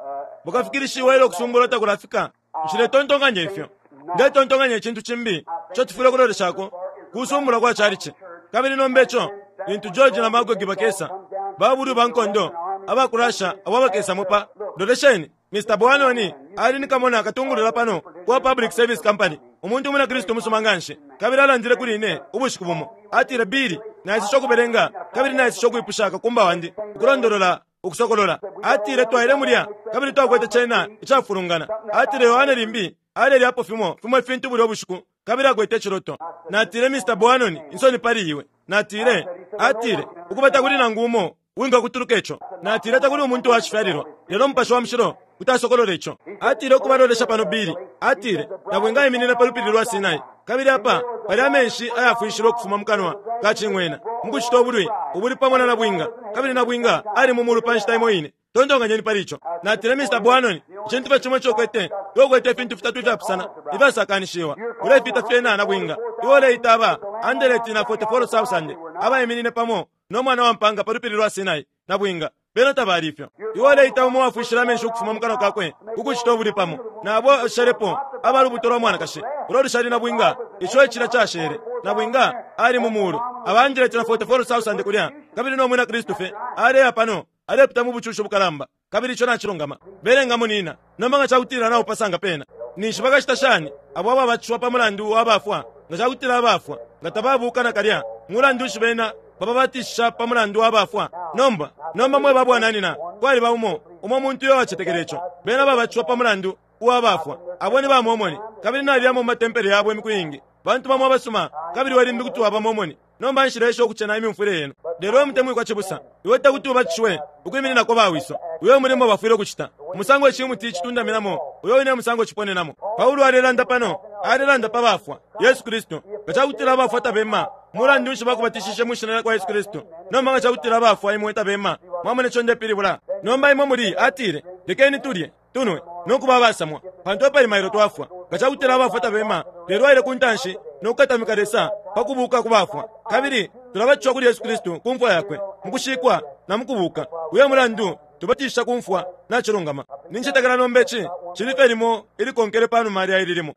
bukafikilishiwa ilyo ukusumbulwa takulafika? Nshiletontonkanya ifyo. Ndetontonkanya icintu cimbi ico tufwile ukuloleshako kusumbulwa kwa calici. Kabili nomba ico, lintu George na Magogi bakesa, babulwi ba nkondo aba ku Russia abo abakesamo pa. Lolesheni, Mr. Boanoni ali ni kamona katungulula pano uwa Public Service Company, umuntu umwina Kristu umusuma nganshi. Kabili alandile kuli ine ubushiku bumo, atile, Billy, naiseshe ukubelenga kabili naiseshe ukwipusha kakumba wandi ukulondolola Ukusokolola. Atile, Twaile mulya kabili twakwete cena icafulungana. Atile, Yohane limbi alelyapo fimo fimo ifintu bulya ubushiku kabili akwete iciloto. Natile, Mr. Boanon, insoni pali iwe. Natile, atile, Ukuba takuli nangu umo uwingakutuluka ico. Natile, Takuli umuntu wacifyalilwa, lelo Mupashi wa Mushilo kuti asokolola ico. Atile, Ukuba lolesha pano, Billy. Atile, Nabwinga aiminine pa Lupili lwa Sinai, kabili apa pali amenshi ayafwishilwe ukufuma mukanwa ka cing'wena, mukucita ubulwi ubuli pamo na nabwinga, kabili nabwinga ali mu mulu pa nshita imo ine. Tontonkanyeni pali ico. Natile, Mr. Boanon, icintu fye cimo ico ukwete, iwe ukwete ifintu fitatu ifyapusana ifyasakanishiwa. Ulefita fyena nabwinga. Iwe uleita aba andeleti na 44,000 abaiminine pamo no mwana wa mpanga pa lupili lwa Sinai, nabwinga. Bena tabali ifyo. Iwe uleita umo uwafwishile amenshi ukufuma mu kanwa kakwe ku kucita ubulwi pamo na abo abashelepo aba lubuto lwa mwanakashi, ulo lushali nabwinga, ico icilya cashele. Nabwinga ali mu mulu, aba 144,000 kulya, kabili no mwina Kristu fye aleya pano alepita mu bucushi bukalamba. Kabili ico nacilungama. Belenga munina. Nomba nga ca kutila naupasanga pena, ninshi bakacita shani abo ababatishiwa pa mulandu wa bafwa? Nga ca kutila abafwa nga tababuuka nakalya, mulandu nshi bena bababatishisha pa mulandu wa bafwa? Nomba, nomba mwe ba bwananyina, kwaliba umo, umo muntu uyo wacetekela ico. Bena babatishiwa pa mulandu uwa bafwa. Abo ni ba Mormoni, kabili naliyamo mu matempele yabo imiku iingi. Bantu bamo abasuma, kabili iwe limbi kuti waba Mormoni. Nomba nshileesha ukucena imyumfwile yenu. Lelo we mutemwikwa cibusa, iwe te kuti ubatishiwe ukwimininako bawiso. Uyo e mulimo bafwile ukucita. Umusango icimuti citundaminamo, uyo wine e musango ciponenamo. Paulo alelanda pano, alelanda pa bafwa, Yesu Kristu. Nga ca kutila abafwa tabema, mulandu nshi bakubatishishe mwi shina lya kwa Yesu Kristu? Nomba nga ca kutila abafwa imwe tabema, mwamona ico ndepilibula? Nomba imwe muli, atile, Lekeni tulye, tunwe, no kuba abasamwa, pantu epali mailo twafwa. Nga ca kutila abafwa tabema, lelo aile ku ntanshi no kukatamika Lesa pa kubuuka ku bafwa. Kabili tulabatishiwa kuli Yesu Kristu ku mfwa yakwe, mu kushikwa, na mu kubuuka. Uyo e mulandu tubatishisha ku mfwa. Nacilungama. Nincetekela nomba ici cili fye limo ilikonkele pa numa lya ili limo.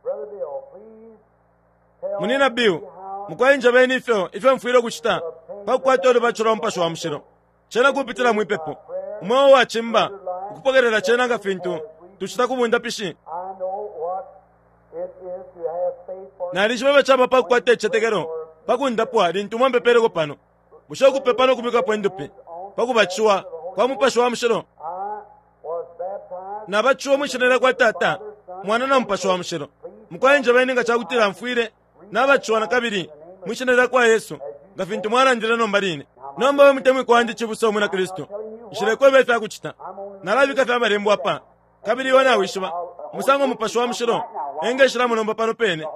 Munyina Bill, mukwai njebeni ifyo ifyo mfwile ukucita pa kukwata ulubatisho lwa Mupashi wa Mushilo. Cena kupitila mwi pepo, umweo uwacimba, ukupokelela cena nga fintu tucita ku bundapishi. Nalishiba ifyo caba pa kukwata icicetekelo pa kundapwa lintu mwampepeleko pano. Bushe ukupepa no kubikapo indupi pa kubatishiwa kwa Mupashi wa Mushilo? Nabatishiwa mwi shina lya kwa Tata, Mwana na Mupashi wa Mushilo. Mukwai njebeni nga ca kutila mfwile Nabatishiwa na kabili mwi shina lya kwa Yesu, nga fintu mwalandile nomba line. Nomba we mutemwikwa wandi cibusa umwina Kristu, nshilekweba ifya kucita. Nalabika fye amalembo apa, kabili iwe nawishiba umusango Mupashi wa Mushilo engeshilamo nomba pano pene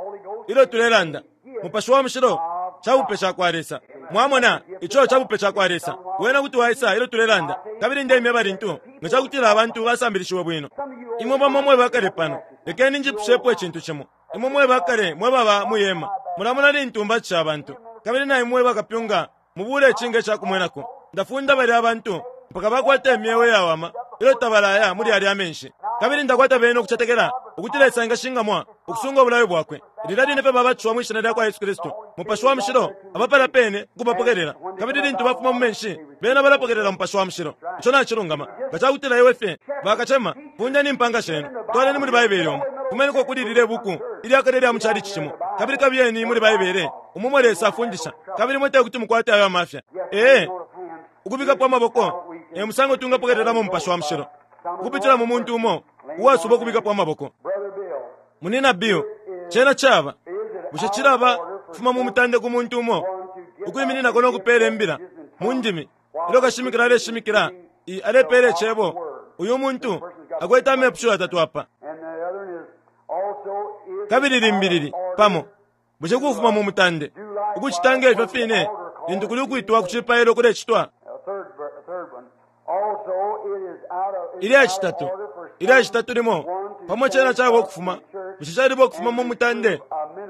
ilyo tulelanda. Mupashi wa Mushilo ca bupe ca kwa Lesa. Mwamona, ico cabupe cakwa Lesa. Wena kuti waisa ilyo tulelanda. Kabili ndeimyeba lintu, nga cakutila abantu basambilishiwe bwino. Imwe bamo mwe bakale pano, lekeni njipushepo icintu cimo. Imwe mwe bakale mwe baba mwi hema, mulamona lintu mbatisha abantu. Kabili na imwe bakapyunga mubuule ici nge ca kumwenako. Ndafunda balya bantu mpaka bakwata imyeo iyawama ilyo tabalaya muli yalya amenshi. Kabili ndakwata bene ukucetekela ukuti Lesa engashingamwa ukusunga ubulayo Bwakwe. Lilya line fye babatishiwa mwi Shina lyakwa Yesu Kristu, Mupashi wa Mushilo aba palya pene ukubapokelela. Kabili lintu bafuma mu menshi, bena balapokelela Mupashi wa Mushilo. Ico nacilungama. Nga cakutila iwe fye, bakacema, fundeni impanga shenu, twaleni muli Baibele umu, fumeniko kuli lilye buku ilya kale ilya mu chalichi cimo, kabili kabiyeni muli Baibele umo umo Lesa afundisha, kabili imwe tekuti mukwate ayo amafya. Ee. Ukubikapo amaboko e musango twingapokelelamo Mupashi wa Mushilo, ukupitila mu muntu umo uwasuba ukubikapo amaboko. Munina Bill, cena caba, bushe cilaba kufuma mu mutande ku muntu umo ukwimininako no kupela imbila mu ndimi ilyo kashimikila aleshimikila i alepela icebo? Uyu muntu akwete amepusho yatatu apa. Kabili limbi lili, pamo, Bushe kufuma mu mutande ukucita nge fyo fine lintu kuli ukwitwa ku cipailo kulecitwa? Ilya citatu, ilya citatu limo pamo cena caba ukufuma. Bushe caliba ukufuma mu mutande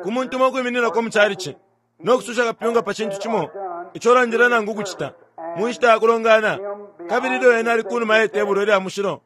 ku muntu umo ukwimininako mu calici no kususha kapyunga pa cintu cimo ico ulandile nangu ukucita mu nshita ya kulongana, kabili ilyo ena ali ku numa ye tebulo ilya mushilo?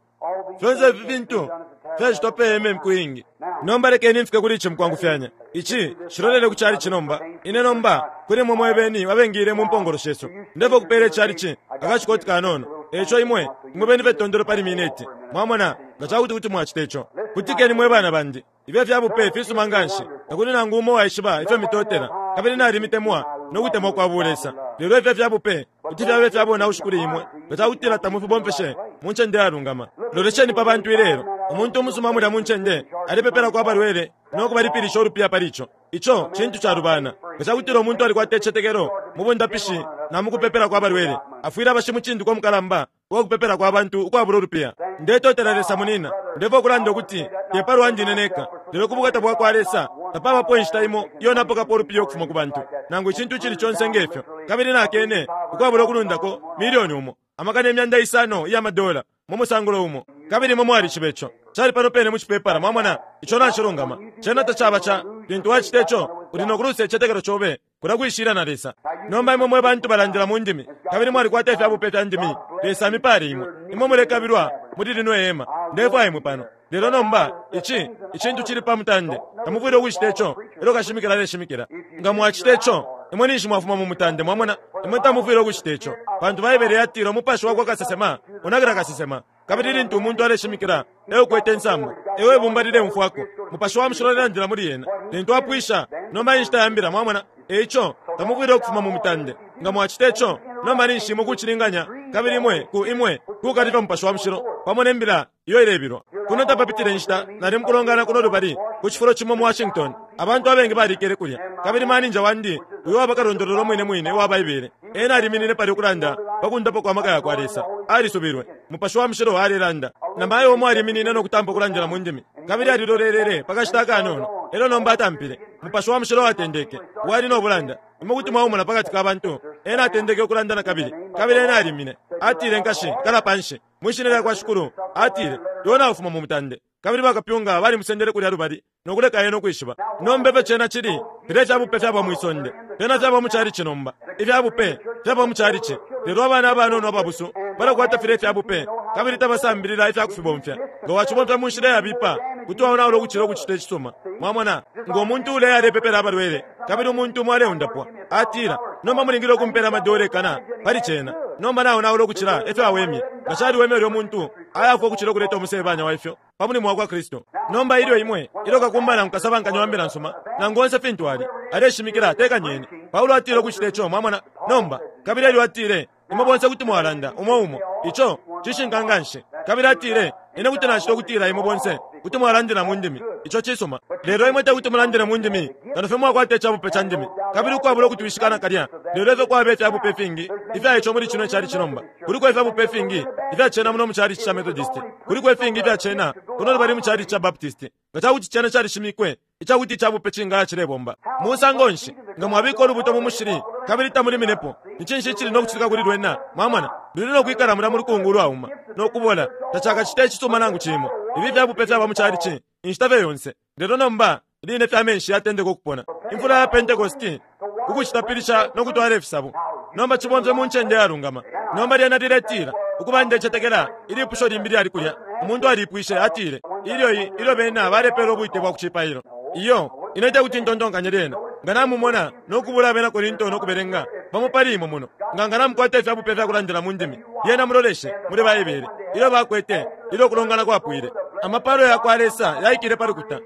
Fyonse ifi fintu fyacitwa pe hema imiku iingi. Nomba lekeni mfike kuli ici mukwangufyanya. Ici cilolele ku chalichi nomba. Ine nomba, kuli imwe mwe beni abengiile mu mpongolo shesu, ndefwaya ukupeela ichalichi akashikoti kanono. Eico imwe, imwe beni fye tondolo pali mineti, mwamona, nga ca kuti kuti mwacita ico. Kutikeni mwe bana bandi. Ifyo fya bupe fisuma nganshi, takuli nangu umo uwaishiba ifyo mitotela, kabili nalimitemwa no kutemwa kwa bulesa. Lelo ifyo fya bupe kuti fyaba ifya bonaushi kuli imwe nga ca kutila tamufibomfeshe mu ncende yalungama. Lolesheni pa bantu ilelo. Umuntu umusuma mulya mu ncende alepepelako abalwele no kubalipilisha ulupiya pali ico. Ico cintu calubana. Nga ca kutila umuntu alikwata icitetekelo mu bundapishi na mu kupepelako abalwele, afwile aba shimucindikwa mukalamba uwa kupepelako abantu ukwabula ulupiya. Ndetotela Lesa munina. Ndefwaya ukulanda ukuti te pa lwandi ine neka, lelo ku bukata bwa kwa Lesa, tapabapo inshita imo iyo napokapo ulupiya ukufuma ku bantu, nangu icintu icili conse nge fyo, kabili nakene, ukwabula ukulundako, milioni umo, 500,000 iya madola, mu musangulo umo. Kabili imwe mwalishiba ico. Cali pano pene mu cipepala, mwamona. Ico nacilungama. Cena tacaba ca. Lintu wacita ico, uli no kulusa icitetekelo cobe. Kulya kwishila na Lesa. Nomba imwe mwe bantu balandila mu ndimi, kabili mwalikwata ifya bupe fya ndimi, Lesa amipale imwe. Imwe mulekabilwa muli lino ihema. Ndefwaya imwe pano. Lelo nomba, ici, icintu cili pa mutande. Tamufwile ukucita ico ilyo kashimikila aleshimikila. Nga mwacita ico, imwe ninshi mwafuma mu mutande, mwamona. Imwe tamufwile ukucita ico. Pantu Baibele yatila umupashi wakwa kasesema unakila kasesema. Kabili lintu umuntu aleshimikila, e ukwete insambu, e o ibumba lileumfwako. Mupashi wa Mushilo alelandila muli ena. Lintu apwisha, nomba e nshita ya mbila, mwamona. E ico, tamufwile ukufuma mu mutande. Nga mwacita ico, nomba ninshi imwe kucilinganya, kabili imwe ku, imwe kukalifya Mupashi wa Mushilo, pamo ne mbila iyo ilebilwa. Kuno tapapitile inshita, nali mukulongana kuno lubali, ku cifulo cimo mu Washington. Abantu abengi balikele kulya. Kabili maninja wandi, uyo waba kalondolola umwine mwine uwa Baibele, ena aliminine palya ukulanda pa kundapwa kwa maka yakwa Lesa. Alisubilwe. Mupashi wa Mushilo alelanda. Na mayo umo aliminine no kutampa ukulandila mu ndimi, kabili alilolelele pa kashita akanono, elyo nomba atampile. Mupashi wa Mushilo atendeke. Wali no bulanda. Imwe kuti mwaumona pakati ka bantu. Ena atendeke ukulanda nakabili, kabili ena alimine. Atile, Nkashi, kala panshi. Mwi Shina lyakwa Shikulu, atile, iwe naufuma mu mutande. Kabili bakapyunga balimusendele kulya lubali no kuleka ena ukwishiba. Nomba ifyo cena cili, filya ifya bupe fyaba mwi sonde, fyena fyaba mu chalichi nomba. Ifya bupe fyaba mu chalichi. Lelo abana abanono ababusu balakwata filya ifya bupe kabili tabasambilila ifya kufibomfya. Nga wacibomfya mu nshila iyabipa, kuti waonaula ukucila ukucita icisuma. Mwamona? Ngo muntu uleya alepepela abalwele, kabili umuntu umo aleundapwa, atila, Nomba mulingile ukumpela amadola ikana pali cena. Nomba naonaula ukucila ifyo awemye. Nga caliweme ulyo muntu ayafwa ukucila ukuleta umusebanya wa ifyo pa mulimo wakwa Kristu. Nomba ilyo imwe, ilyo kakumba nangu kasabankanya wa mbila nsuma, nangu onse fintu ali, aleshimikila, tekanyeni. Paulo atile ukucita ico, mwamona. Nomba, kabili elyo atile, Imwe bonse kuti mwalanda, umo umo. Ico cishinka nganshi. Kabili atile, Ine kuti nacita ukutila imwe bonse kuti mwalandila mu ndimi. Ico cisuma. Lelo imwe tekuti mulandile mu ndimi kano fye mwakwata icabupe ca ndimi. Kabili ukwabula ukutwishika nakalya, lelo ifyo kwaba ifyabupe ifingi ifya ico muli cino icalici nomba. Kuliko ifyabupe ifingi ifya cena muno mu chalichi ca Methodist. Kuliko ifingi ifya cena kuno lubali mu chalichi ca Baptist. Nga ca kuti cena calishimikwe. icakuti icabupe cingaya cilebomba. Musango nshi, nga mwabika ulubuto mu mushili kabili tamuliminepo, ni cinshi icili no kucitika kuli lwena? Mwamona, luli no kwikala mulya mu lukungu ulwauma no kubola, tacakacite icisuma nangu cimo. Ifi fyabupe fyaba mu chalichi inshita fye yonse, lelo nomba line fye amenshi yatendeka ukupona, imfula ya Pentecost, ku kucitapilisha no kutwala ifisabo. Nomba cibomfye mu ncende yalungama. Nomba lyena liletila, Ukuba, ndecetekela ilipusho limbi lyali kulya. Umuntu aliipwishe, atile, Ilyo i, ilyo bena balepela ubwite bwa kucipailo. Iyo, ine tekuti ntontonkanye lyena. Nga namumona no kubula Abena Korinto no kubelenga, bamo pali imwe muno, nga, nga namukwata ifya bupe fya kulandila mu ndimi, lyena muloleshe muli Baibele. Ilyo bakwete, ilyo ukulongana kwapwile, amapalo yakwa Lesa yaikile pa lukuta.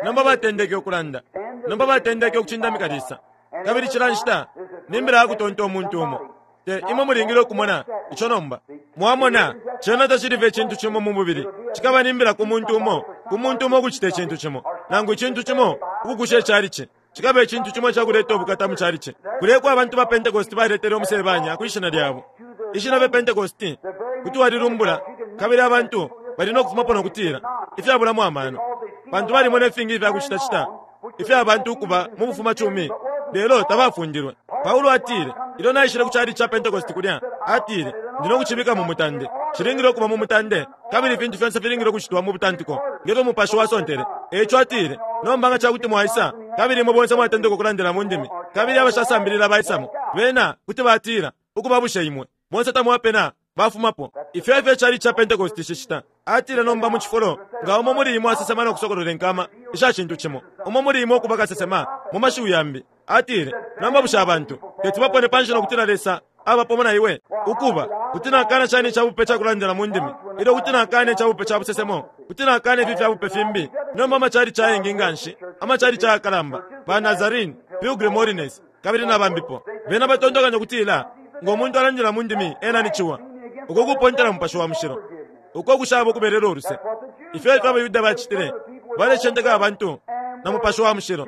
Nomba batendeke ukulanda. Nomba batendeke ukucindamika Lesa. Kabili cila nshita ni mbila ya kutonta umuntu umo. Te imwe mulingile ukumona ico nomba. Mwamona, cena tacili fye icintu cimo mu mubili. Cikaba ni mbila ku muntu umo, ku muntu umo ukucita icintu cimo, nangu icintu cimo ukukusha icalici. Cikaba icintu cimo icakuleta ubukata mu calici. Kulya eko abantu ba Pentecost baletele umusebanya kwi shina lyabo. Ishina fye Pentecost kuti walilumbula kabili abantu bali no kufumapo no kutila, Ifyabulamo amano. Pantu balimona ifingi ifya kucitacita ifya bantu ukuba mu bufumacumi, lelo tabafundilwe. Paulo atile, ilyo naishile ku chalichi ca Pentecost kulya, atile, Ndi no kucibika mu mutande. Cilingile ukuba mu mutande, kabili ifintu fyonse filingile ukucitwa mu butantiko, nge fyo Mupashi wasontele. E ico atile, Nomba nga ca kuti mwaisa, kabili imwe bonse mwatendeka ukulandila mu ndimi, kabili abashasambilila baisamo, bena kuti batila, Ukuba, bushe imwe bonse tamwapena? Bafumapo. Ifyo efyo icalici ca Pentecost cicita. Atile, Nomba, mu cifulo, nga umo muli imwe asesema no kusokolola inkama isha cintu cimo, umo muli imwe ukuba kasesema, mu mashiwi yambi. Atile, Nomba bushe abantu teti bapone panshi no kutila Lesa aba pamo na iwe? Ukuba, kuti nakana shani icabupe ca kulandila mu ndimi, ilyo kuti nakana icabupe ca busesemo? Kuti nakana ifi fyabupe fimbi? Nomba amacalici ayengi nganshi, amacalici ayakalamba, ba Nazarene, Pilgrim Holiness, kabili na bambipo, bena batontonkanya ukutila ngo muntu alandila mu ndimi ena ni ciwa. Uko kupontela Mupashi wa Mushilo, uko kushaba ukubelelwo luse. Ifyo efyo abaYuda bacitile, balecenteka abantu na Mupashi wa Mushilo,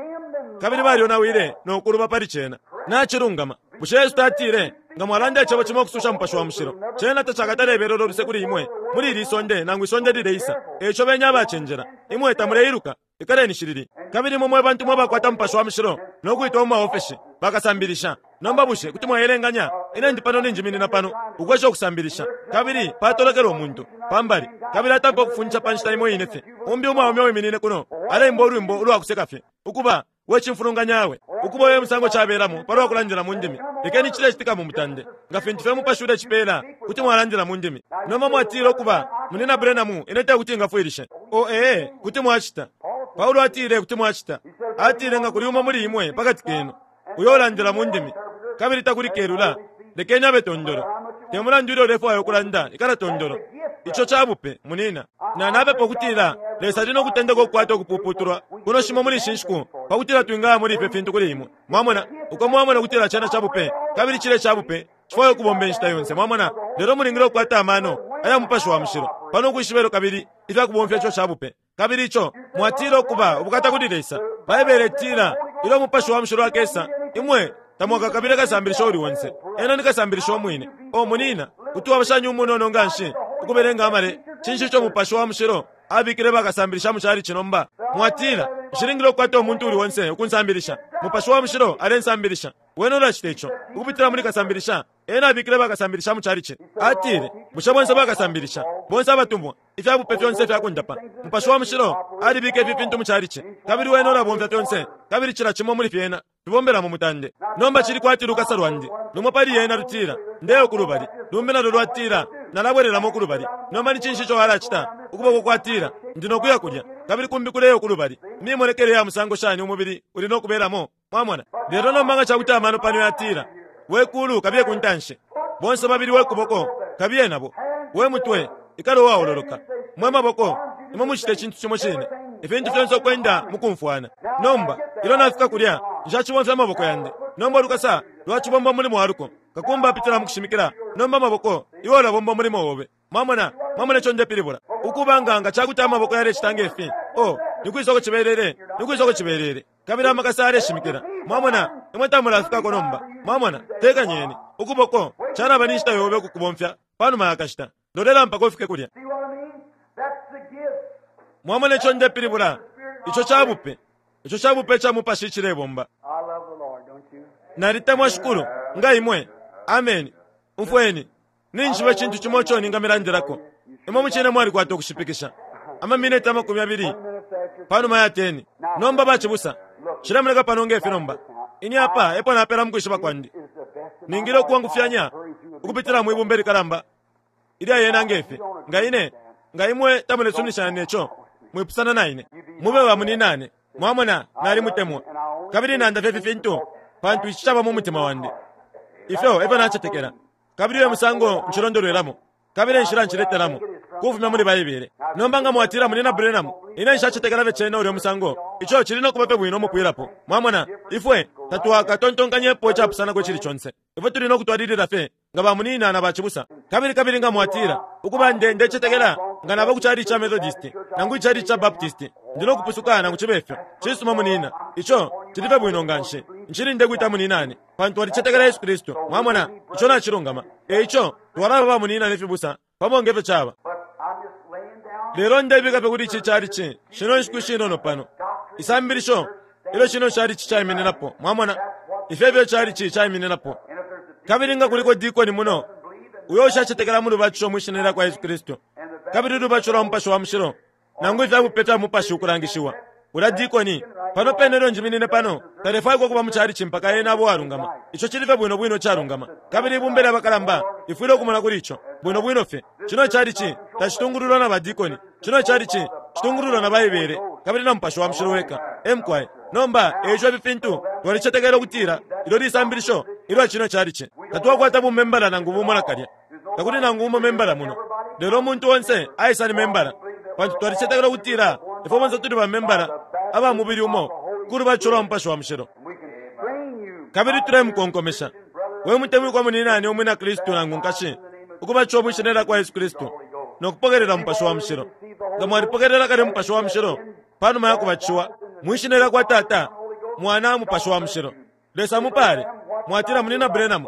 kabili balyonawile no kuluba pali cena. Nacilungama. Bushe Yesu tatile, Nga mwalanda icebo cimo ukususha Mupashi wa Mushilo, cena tacakatale belelwo luse kuli imwe muli ili isonde nangu isonde lileisa. E ico beni abacenjela. Imwe tamuleiluka. Ikaleni shilili. Kabili imwe mwe bantu mwe bakwata Mupashi wa Mushilo no kwitwa mu maofeshi, bakasambilisha. Nomba bushe kuti mwaelenganya, ine ndi pano ninjiminina pano, ukwesha ukusambilisha, kabili patolokela umuntu, pa mbali, kabili atampa ukufundisha pa nshita imo ine fye, umbi umwaume uwiminine kuno aleimba ulwimbo ulwa kuseka fye, ukuba, We cimfulunganya we! Ukuba uyo e musango cabelamo pa lwa kulandila mu ndimi. Lekeni cilecitika mu mutande. Nga fintu fye Mupashi ulecipela, kuti mwalandila mu ndimi. Nomba mwatila, Ukuba, Munyina Branham, ine tekuti ngafwilishe. Oh, ee, kuti mwacita. Paulo atile kuti mwacita. Atile, Nga kuli umo muli imwe pakati kenu, uyo ulandila mu ndimi, kabili takuli kelula, lekeni abe tondolo. Te mulandu ilyo ulefwaya ukulanda, ikala tondolo. Ico ca bupe, munina. Na napepa ukutila Lesa ali no kutendeka ukukwata ukupuputulwa kuno shimo muli ishi nshiku, pa kutila twingaya muli ifyo fintu kuli imwe. Mwamona? Uko mwamona ukutila cena ca bupe, kabili cilya ica bupe cifwaya ukubomba inshita yonse, mwamona. Lelo mulingile ukukwata amano aya Mupashi wa Mushilo pano ukwishiba elyo kabili ifya kubomfya ico ca bupe. Kabili ico mwatila ukuba ubukata kuli Lesa, Baibele itila, Ilyo Umupashi wa Mushilo akesa, imwe tamwakakabile kasambilisha uuli onse. Ena ni kasambilisha umwine. Oh, munina, kuti waba shani umunono nganshi ukubelenga amale? Cinshi ico Mupashi wa Mushilo abikile bakasambilisha mu chalichi nomba? Mwatila, Nshilingile ukukwata umuntu uuli onse ukunsambilisha. Mupashi wa Mushilo alensambilisha. Wene ulacita ico ukupitila muli kasambilisha. Ena abikile bakasambilisha mu chalichi. Atile, Bushe bonse bakasambilisha, bonse abatumwa, ifya bupe fyonse ifya kundapa, Mupashi wa Mushilo alibika ifi fintu mu chalichi, kabili Wene ulabomfya fyonse, kabili cila cimo muli fyena fibombela mu mutande. Nomba cili kwati lukasa lwandi, lumo pali yena lutila, Ndeya uku lubali, lumbi nalyo lwatila, Nalabwelelamo uku lubali. Nomba ni cinshi ico walacita? Ukuboko kwatila, Ndi no kuya kulya, kabili kumbi kuleya uku lubali. Mimonekele ya musango shani umubili uli no kubelamo? Mwamona? Lelo nomba nga ca kuti amano pano yatila, We kulu, kabiye ku ntanshi. Bonse babili we kuboko, kabiye nabo. We mutwe, ikala uwaololoka. Mwe maboko, imwe mucite icintu cimo cine. Ifintu fyonse ukwenda mu kumfwana. Nomba, ilyo nafika kulya, nshacibomfya amaboko yandi. Nomba ulukasa lwacibomba umulimo wa luko. Kakumba apitila mu kushimikila. Nomba amaboko, iwe ulabomba umulimo obe. Mwamona? Mwamona ico ndepilibula? Ukuba nga nga ca kuti amaboko yalecita nge fi, oh, ni kwisa uko cibelele? Ni kwisa uko cibelele? Kabili amakasa yaleshimikila. Mwamona, imwe tamulafikako nomba. Mwamona? Tekanyeni. Ukuboko, calaba ni nshita yobe ukukubomfya panuma ya kashita. Lolela mpaka ufike kulya. See what I mean? That's the gift. Mwamona ico ndepilibula? Ico ca bupe. Ico cabupe ca mupashi icilebomba. I love the Lord, don't you? Nalitemwa Shikulu, nga imwe. Ameni. Umfweni. Ninjishiba icintu cimo ico ningamilandilako. Imwe mucine mwalikwata ukushipikisha. Amamineti 20 Minutes after panuma ya 10. Nomba bacibusa, cilemoneka pano nge fi nomba. Ini apa epo napela mukwishiba kwandi. is the best of my Ningile knowledge. ukwangufyanya Hurry through a big ukupitila mwi bumba likalamba ilya yena ngefi. Nga ine, nga imwe tamulesuminishana neco, mwipusana na ine. Mube ba muninane. Mwamona, nalimutemwa. Kabili nanda fye ifi fintu, pantu ici caba mu mutima wandi. Ifyo efyo nacetekela. Kabili uyo musango ncilondolwelamo. Kabili enshila nciletelamo. Kufumya muli Baibele. Nomba nga mwatila munina Branham, ine nshacetekela fye cena ulya musango. Ico cili no kuba fye bwino umupwilapo. Mwamona, ifwe tatwakatontonkanyepo icapusanako icili conse. Ifwe tuli no kutwalilila fye nga bamunina na bacibusa. Kabili kabili nga mwatila, ukuba nde ndecetekela nga naba ku chalichi ca Methodist, nangu ichalichi ca Baptist, ndi no kupusuka nangu cibe fyo. Cisuma munina. Ico cili fye bwino nganshi. Nshili ndekwita muninane, pantu walicetekela Yesu Kristu. Mwamona, ico nacilungama. E ico, twalaba bamunina ne fibusa, pamo nge fyo caba. But I'm just laying down Lelo ndebika fye kuli ici chalichi, shino nshiku ishinono pano. Isambilisho, ilyo shino chalichi caimininapo. Mwamona, ifyo efyo chalichi caimininapo. and if there's a Kabili nga kuliko dikoni muno, uyo ushacetekela mu lubatisho mwi shina lya kwa Yesu Kristu, kabili ulubatisho lwa Mupashi wa Mushilo, nangu ifya bupe fya Mupashi ukulangishiwa. Ulya dikoni, pano pene ilyo njiminine pano, talefwaikwa ukuba mu chalichi mpaka ena abe uwalungama. Ico cili fye bwino bwino icalungama. Kabili ibumba lya bakalamba lifwile ukumona kuli ico, bwino bwino fye. Cino chalichi tacitungululwa na badikoni. Cino chalichi citungululwa na Baibele, kabili na Mupashi wa Mushilo weka. Emkwai. Nomba, eico ifi fintu, twalicetekela ukutila ilyo lisambilisho ilwa cino chalichi. Tatwakwata bumembala nangu bumo nakalya. Takuli nangu umo membala muno. Lelo umuntu onse aisa ni membala. Pantu twalicetekela ukutila ifwe bonse tuli bamembala aba mubili umo ku lubatisho lwa Mupashi wa Mushilo. we can strain you Kabili tulemukonkomesha. We mutemwikwa muninane umwina Kristu nangu nkashi, ukubatishiwa mwi shina lya kwa Yesu Kristu no kupokelela Mupashi wa Mushilo. Nga mwalipokelela kale Mupashi wa Mushilo panuma ya kubatishiwa mwi shina lya kwa Tata, Mwana, Mupashi wa Mushilo. Lesa mupale. Mwatila munina Branham,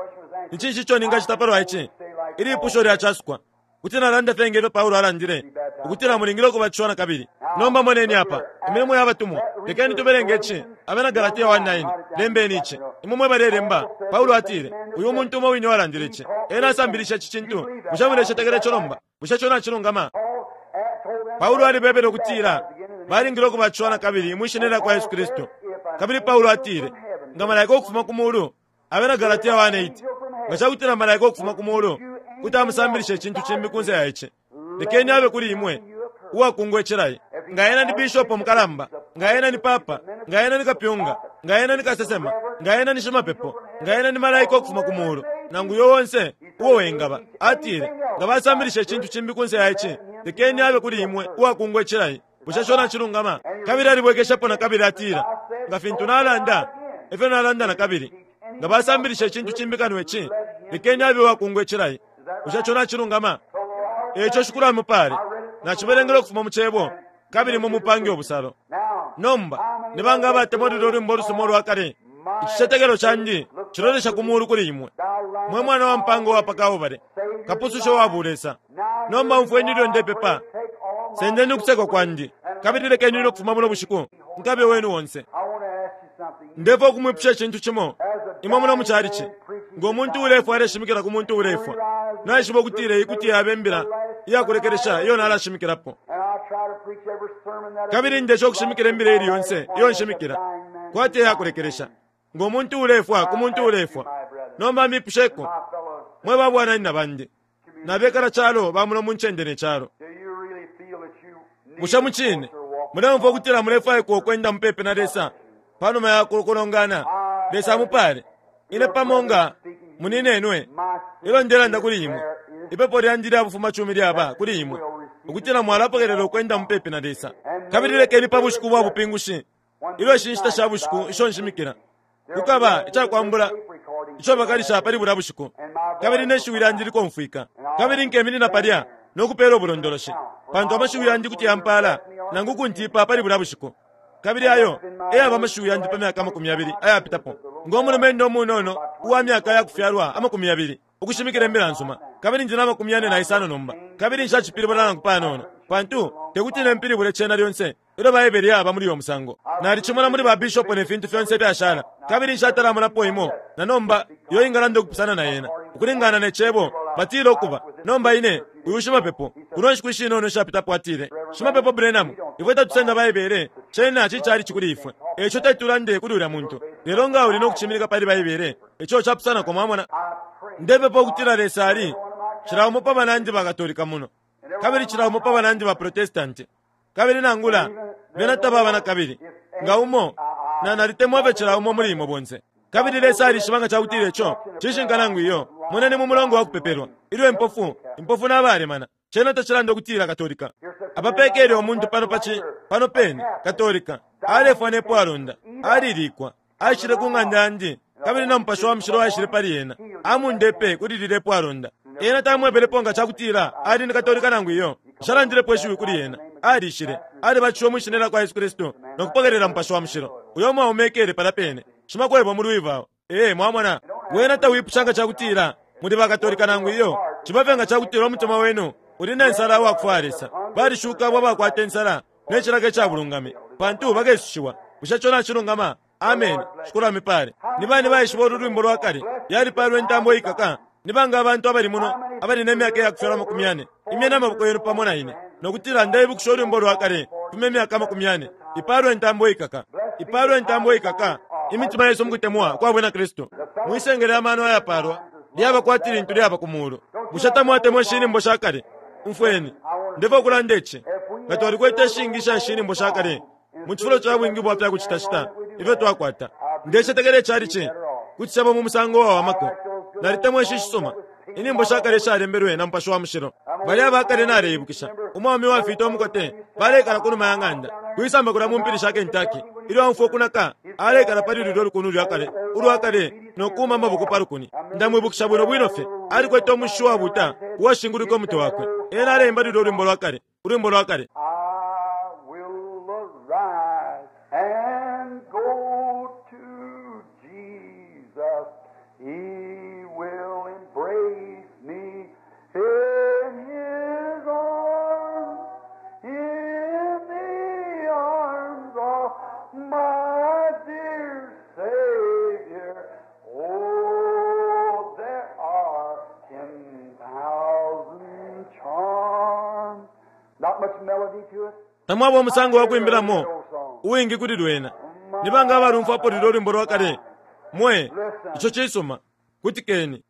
ni cinshi ico ningacita palwa ici? Ili ipusho lyacasukwa. Kuti nalanda fye ngefyo Paulo alandile, ukutila mulingile ukubatishiwa na kabili. Nomba moneni apa, Imilimo ya Batumwa. Lekeni tubelenge ici, Abena Galatia 1:9. Lembeni ici. Imwe mwe balelemba, Paulo atile, uyu umuntu umo wine walandile ici. Ena asambilishe ici cintu. Bushe mulecetekela ico nomba? Bushe ico nacilungama? Paul told them Paulo alibebele ukutila balingile ukubatishiwa na kabili mwi shina lya kwa Yesu Kristu. Kabili Paulo atile, nga malaika ukufuma ku mulu, Abena Galatia 1:8, nga ca kutila malaika ukufuma ku mulu kuti amusambilisha icintu cimbi kunse ya ici, lekeni abe kuli imwe uwakungwa icilayi. Nga ena ni bishopo mukalamba, nga ena ni papa, nga ena ni kapyunga, nga ena ni kasesema, nga ena ni shimapepo, nga ena ni malaika ukufuma ku mulu, nangu uyo onse uo wengaba. Atile, nga basambilisha icintu cimbi kunse ya ici, lekeni abe kuli imwe uwakungwa icilayi. Bushe ico nacilungama? Kabili alibwekeshapo na kabili atila, nga fintu nalanda, efyo nalanda na kabili. Nga basambilisha icintu cimbi kano ici, lekeni abe uwakungwa icilayi. Bushe ico nacilungama? Eico Shikulu amupale. Nacibelengela ukufuma mu cebo, kabili mumupange ubusalo. now Nomba, ni banga abatemwa lulyo lwimbo lusuma ulwa kale? Icicetekelo candi cilolesha ku mulu kuli imwe. Mwe mwana wa mpanga uwa pa Kalbale, kapususha uwa bulesa. Nomba umfweni ilyo ndepepa. take all my Sendeni ukusekwa kwandi, kabili lekeni ine ukufuma muno bushiku, nkabe wenu onse. I want to ask you something. Ndefwaya ukumwipusha icintu cimo. Imwe muno mu chalichi, ngo muntu ulefwa aleshimikila ku muntu ulefwa. Naishiba ukutila iyi kuti yabe imbila iyakulekelesha iyo nalashimikilapo. And I'll try to preach every sermon that I Kabili ndesha ukushimikila imbila ili yonse iyo nshimikila, kwati eyakulekelesha. Ngo muntu ulefwa ku muntu ulefwa. Nomba mbipusheko, my fellow, mwe babwananyina bandi, nabekala calo ba muno mu ncende ne calo. do you really feel that you need Bushe mu cine muleumfwa ukutila mulefwaikwa ukwenda mupepi na Lesa panuma ya kulongana? Lesa amupale. Ine pamo nga muninenwe, ilyo ndelanda kuli imwe, ipepo lyandi lya bufumacumi lyaba kuli imwe, ukutila mwalapokelela ukwenda mupepi na Lesa. Kabili lekeni pa bushiku bwa bupingushi, ilyo ishi nshita sha bushiku isho nshimikila, kukaba icakwambula ico bakalisha pali bulya bushiku, kabili ne shiwi lyandi likomfwika, kabili nkeminina palya no kupeela ubulondoloshi, pantu amashiwi yandi kuti yampala nangu kuntipa pali bulya bushiku. Kabili ayo eyaba amashiwi yandi pa myaka 20 ayapitapo, ngo mulumendo umunono uwa myaka ya kufyalwa 20 ukushimikila imbila nsuma, kabili ndi na 45 nomba, kabili nshacipilibula nangu panono, pantu tekuti nempilibule cena lyonse. Ilyo Baibele yaba muli uyo musango. Nalicimona muli ba bishopo ne fintu fyonse ifyashala, kabili nshatalamonapo imo na nomba iyo ingalanda ukupusana na yena. Ukulingana ne Cebo, batila ukuba. Nomba ine, uyu shimapepo, kuno nshiku ishinono ishapitapo atile, Shimapepo Branham, ifwe tatusenda Baibele, cena ci chalichi kuli ifwe. Eico teti tulande kuli ulya muntu. Lelo nga uli no kucimilika pali Baibele, ico capusanako, mwamona. Ndepepa ukutila Lesa ali, cila umo pa banandi ba Katolika muno, kabili cila umo pa banandi ba Protestanti, Kabili nangula bena tababa na kabili nga umo, na nalitemwa fye cila umo muli imwe bonse. Kabili Lesa alishiba nga cakutila ico cishinka nangu iyo. Moneni mu mulongo wa kupepelwa, ilyo impofu, impofu na balemana, cena tacilanda ukutila Katolika. Apa pekele umuntu pano pa ci, pano pene, Katolika, alefwa ne pwalonda, alilikwa, aishile ku ng'anda yandi, kabili na Mupashi wa Mushilo aishile pali ena, amundepe kuli lilye pwalonda. Ena tamwebelepo nga cakutila ali ni Katolika nangu iyo. Nshalandilepo ishiwi kuli ena. Alishile, alibatishiwe mwi Shina lyakwa Yesu Kristu no kupokelela Mupashi wa Mushilo. Uyo mwaume ekele palya pene, shimakwebo mu Louisville. Ee, mwamona. Wena tawipusha nga cakutila muli ba Katolika nangu iyo. Ciba fye nga cakutila umutima wenu uli ne nsala uwakufwaya Lesa. Balishuka abo abakwata insala ne cilaka ica bulungami, pantu bakesushiwa. Bushe ico nacilungama? Ameni. Shikulu amipale. Ni bani baishiba ulu lwimbo lwa kale, Yalipalwa Intambo Iikaka? Ni banga abantu abali muno abali ne myaka iyakufyalwa 40? Imyeni amaboko yenu pamo na ine, no kutila, Ndeibukisha ulwimbo lwa kale kufuma imyaka 40. Ipalwe intambo iikaka. Ipalwe intambo iikaka imitima yesu mukutemwa kwa bwina Kristu. Mwisengele amano ayapalwa lyaba kwati lintu lyaba ku mulu. Bushe tamwatemwa ishi nyimbo sha kale? Umfweni, ndefwaya ukulanda ici. Nga twalikwete ishingi isha ishi nyimbo sha kale mu cifulo ca bwingi bwa fya kucitacita ifyo twakwata, ndecetekela icalici kuti caba mu musango uwawamako. Nalitemwa ishi shisuma inyimbo sha kale ishalembelwe na Mupashi wa Mushilo. Balya aba kale naleibukisha, umwaume uwafiita umukote baleikala ku numa ya ng'anda, kwisamba kulya mu mpili sha Kentucky. Ilyo aumfwa ukunaka, aleikala pali lulyo lukuni ulwa kale, ulwa kale no kuuma amaboko pa lukuni. Ndamwibukisha bwino bwino fye. Alikwete umushishi uwabuuta uwashingulwike umutwe wakwe. Ena aleimba lulyo lwimbo lwa kale, ulwimbo lwa kale. I will arise and go to Jesus. He will embrace me in His arms, in the arms of my dear Savior. Oh, there are 10,000 charms. Not much melody to it. Tamwaba umusango wa kwimbilamo uwingi kuli lwena. Ni banga abalumfwapo lulyo lwimbo lwa kale? Mwe, ico cisuma. Kutikeni.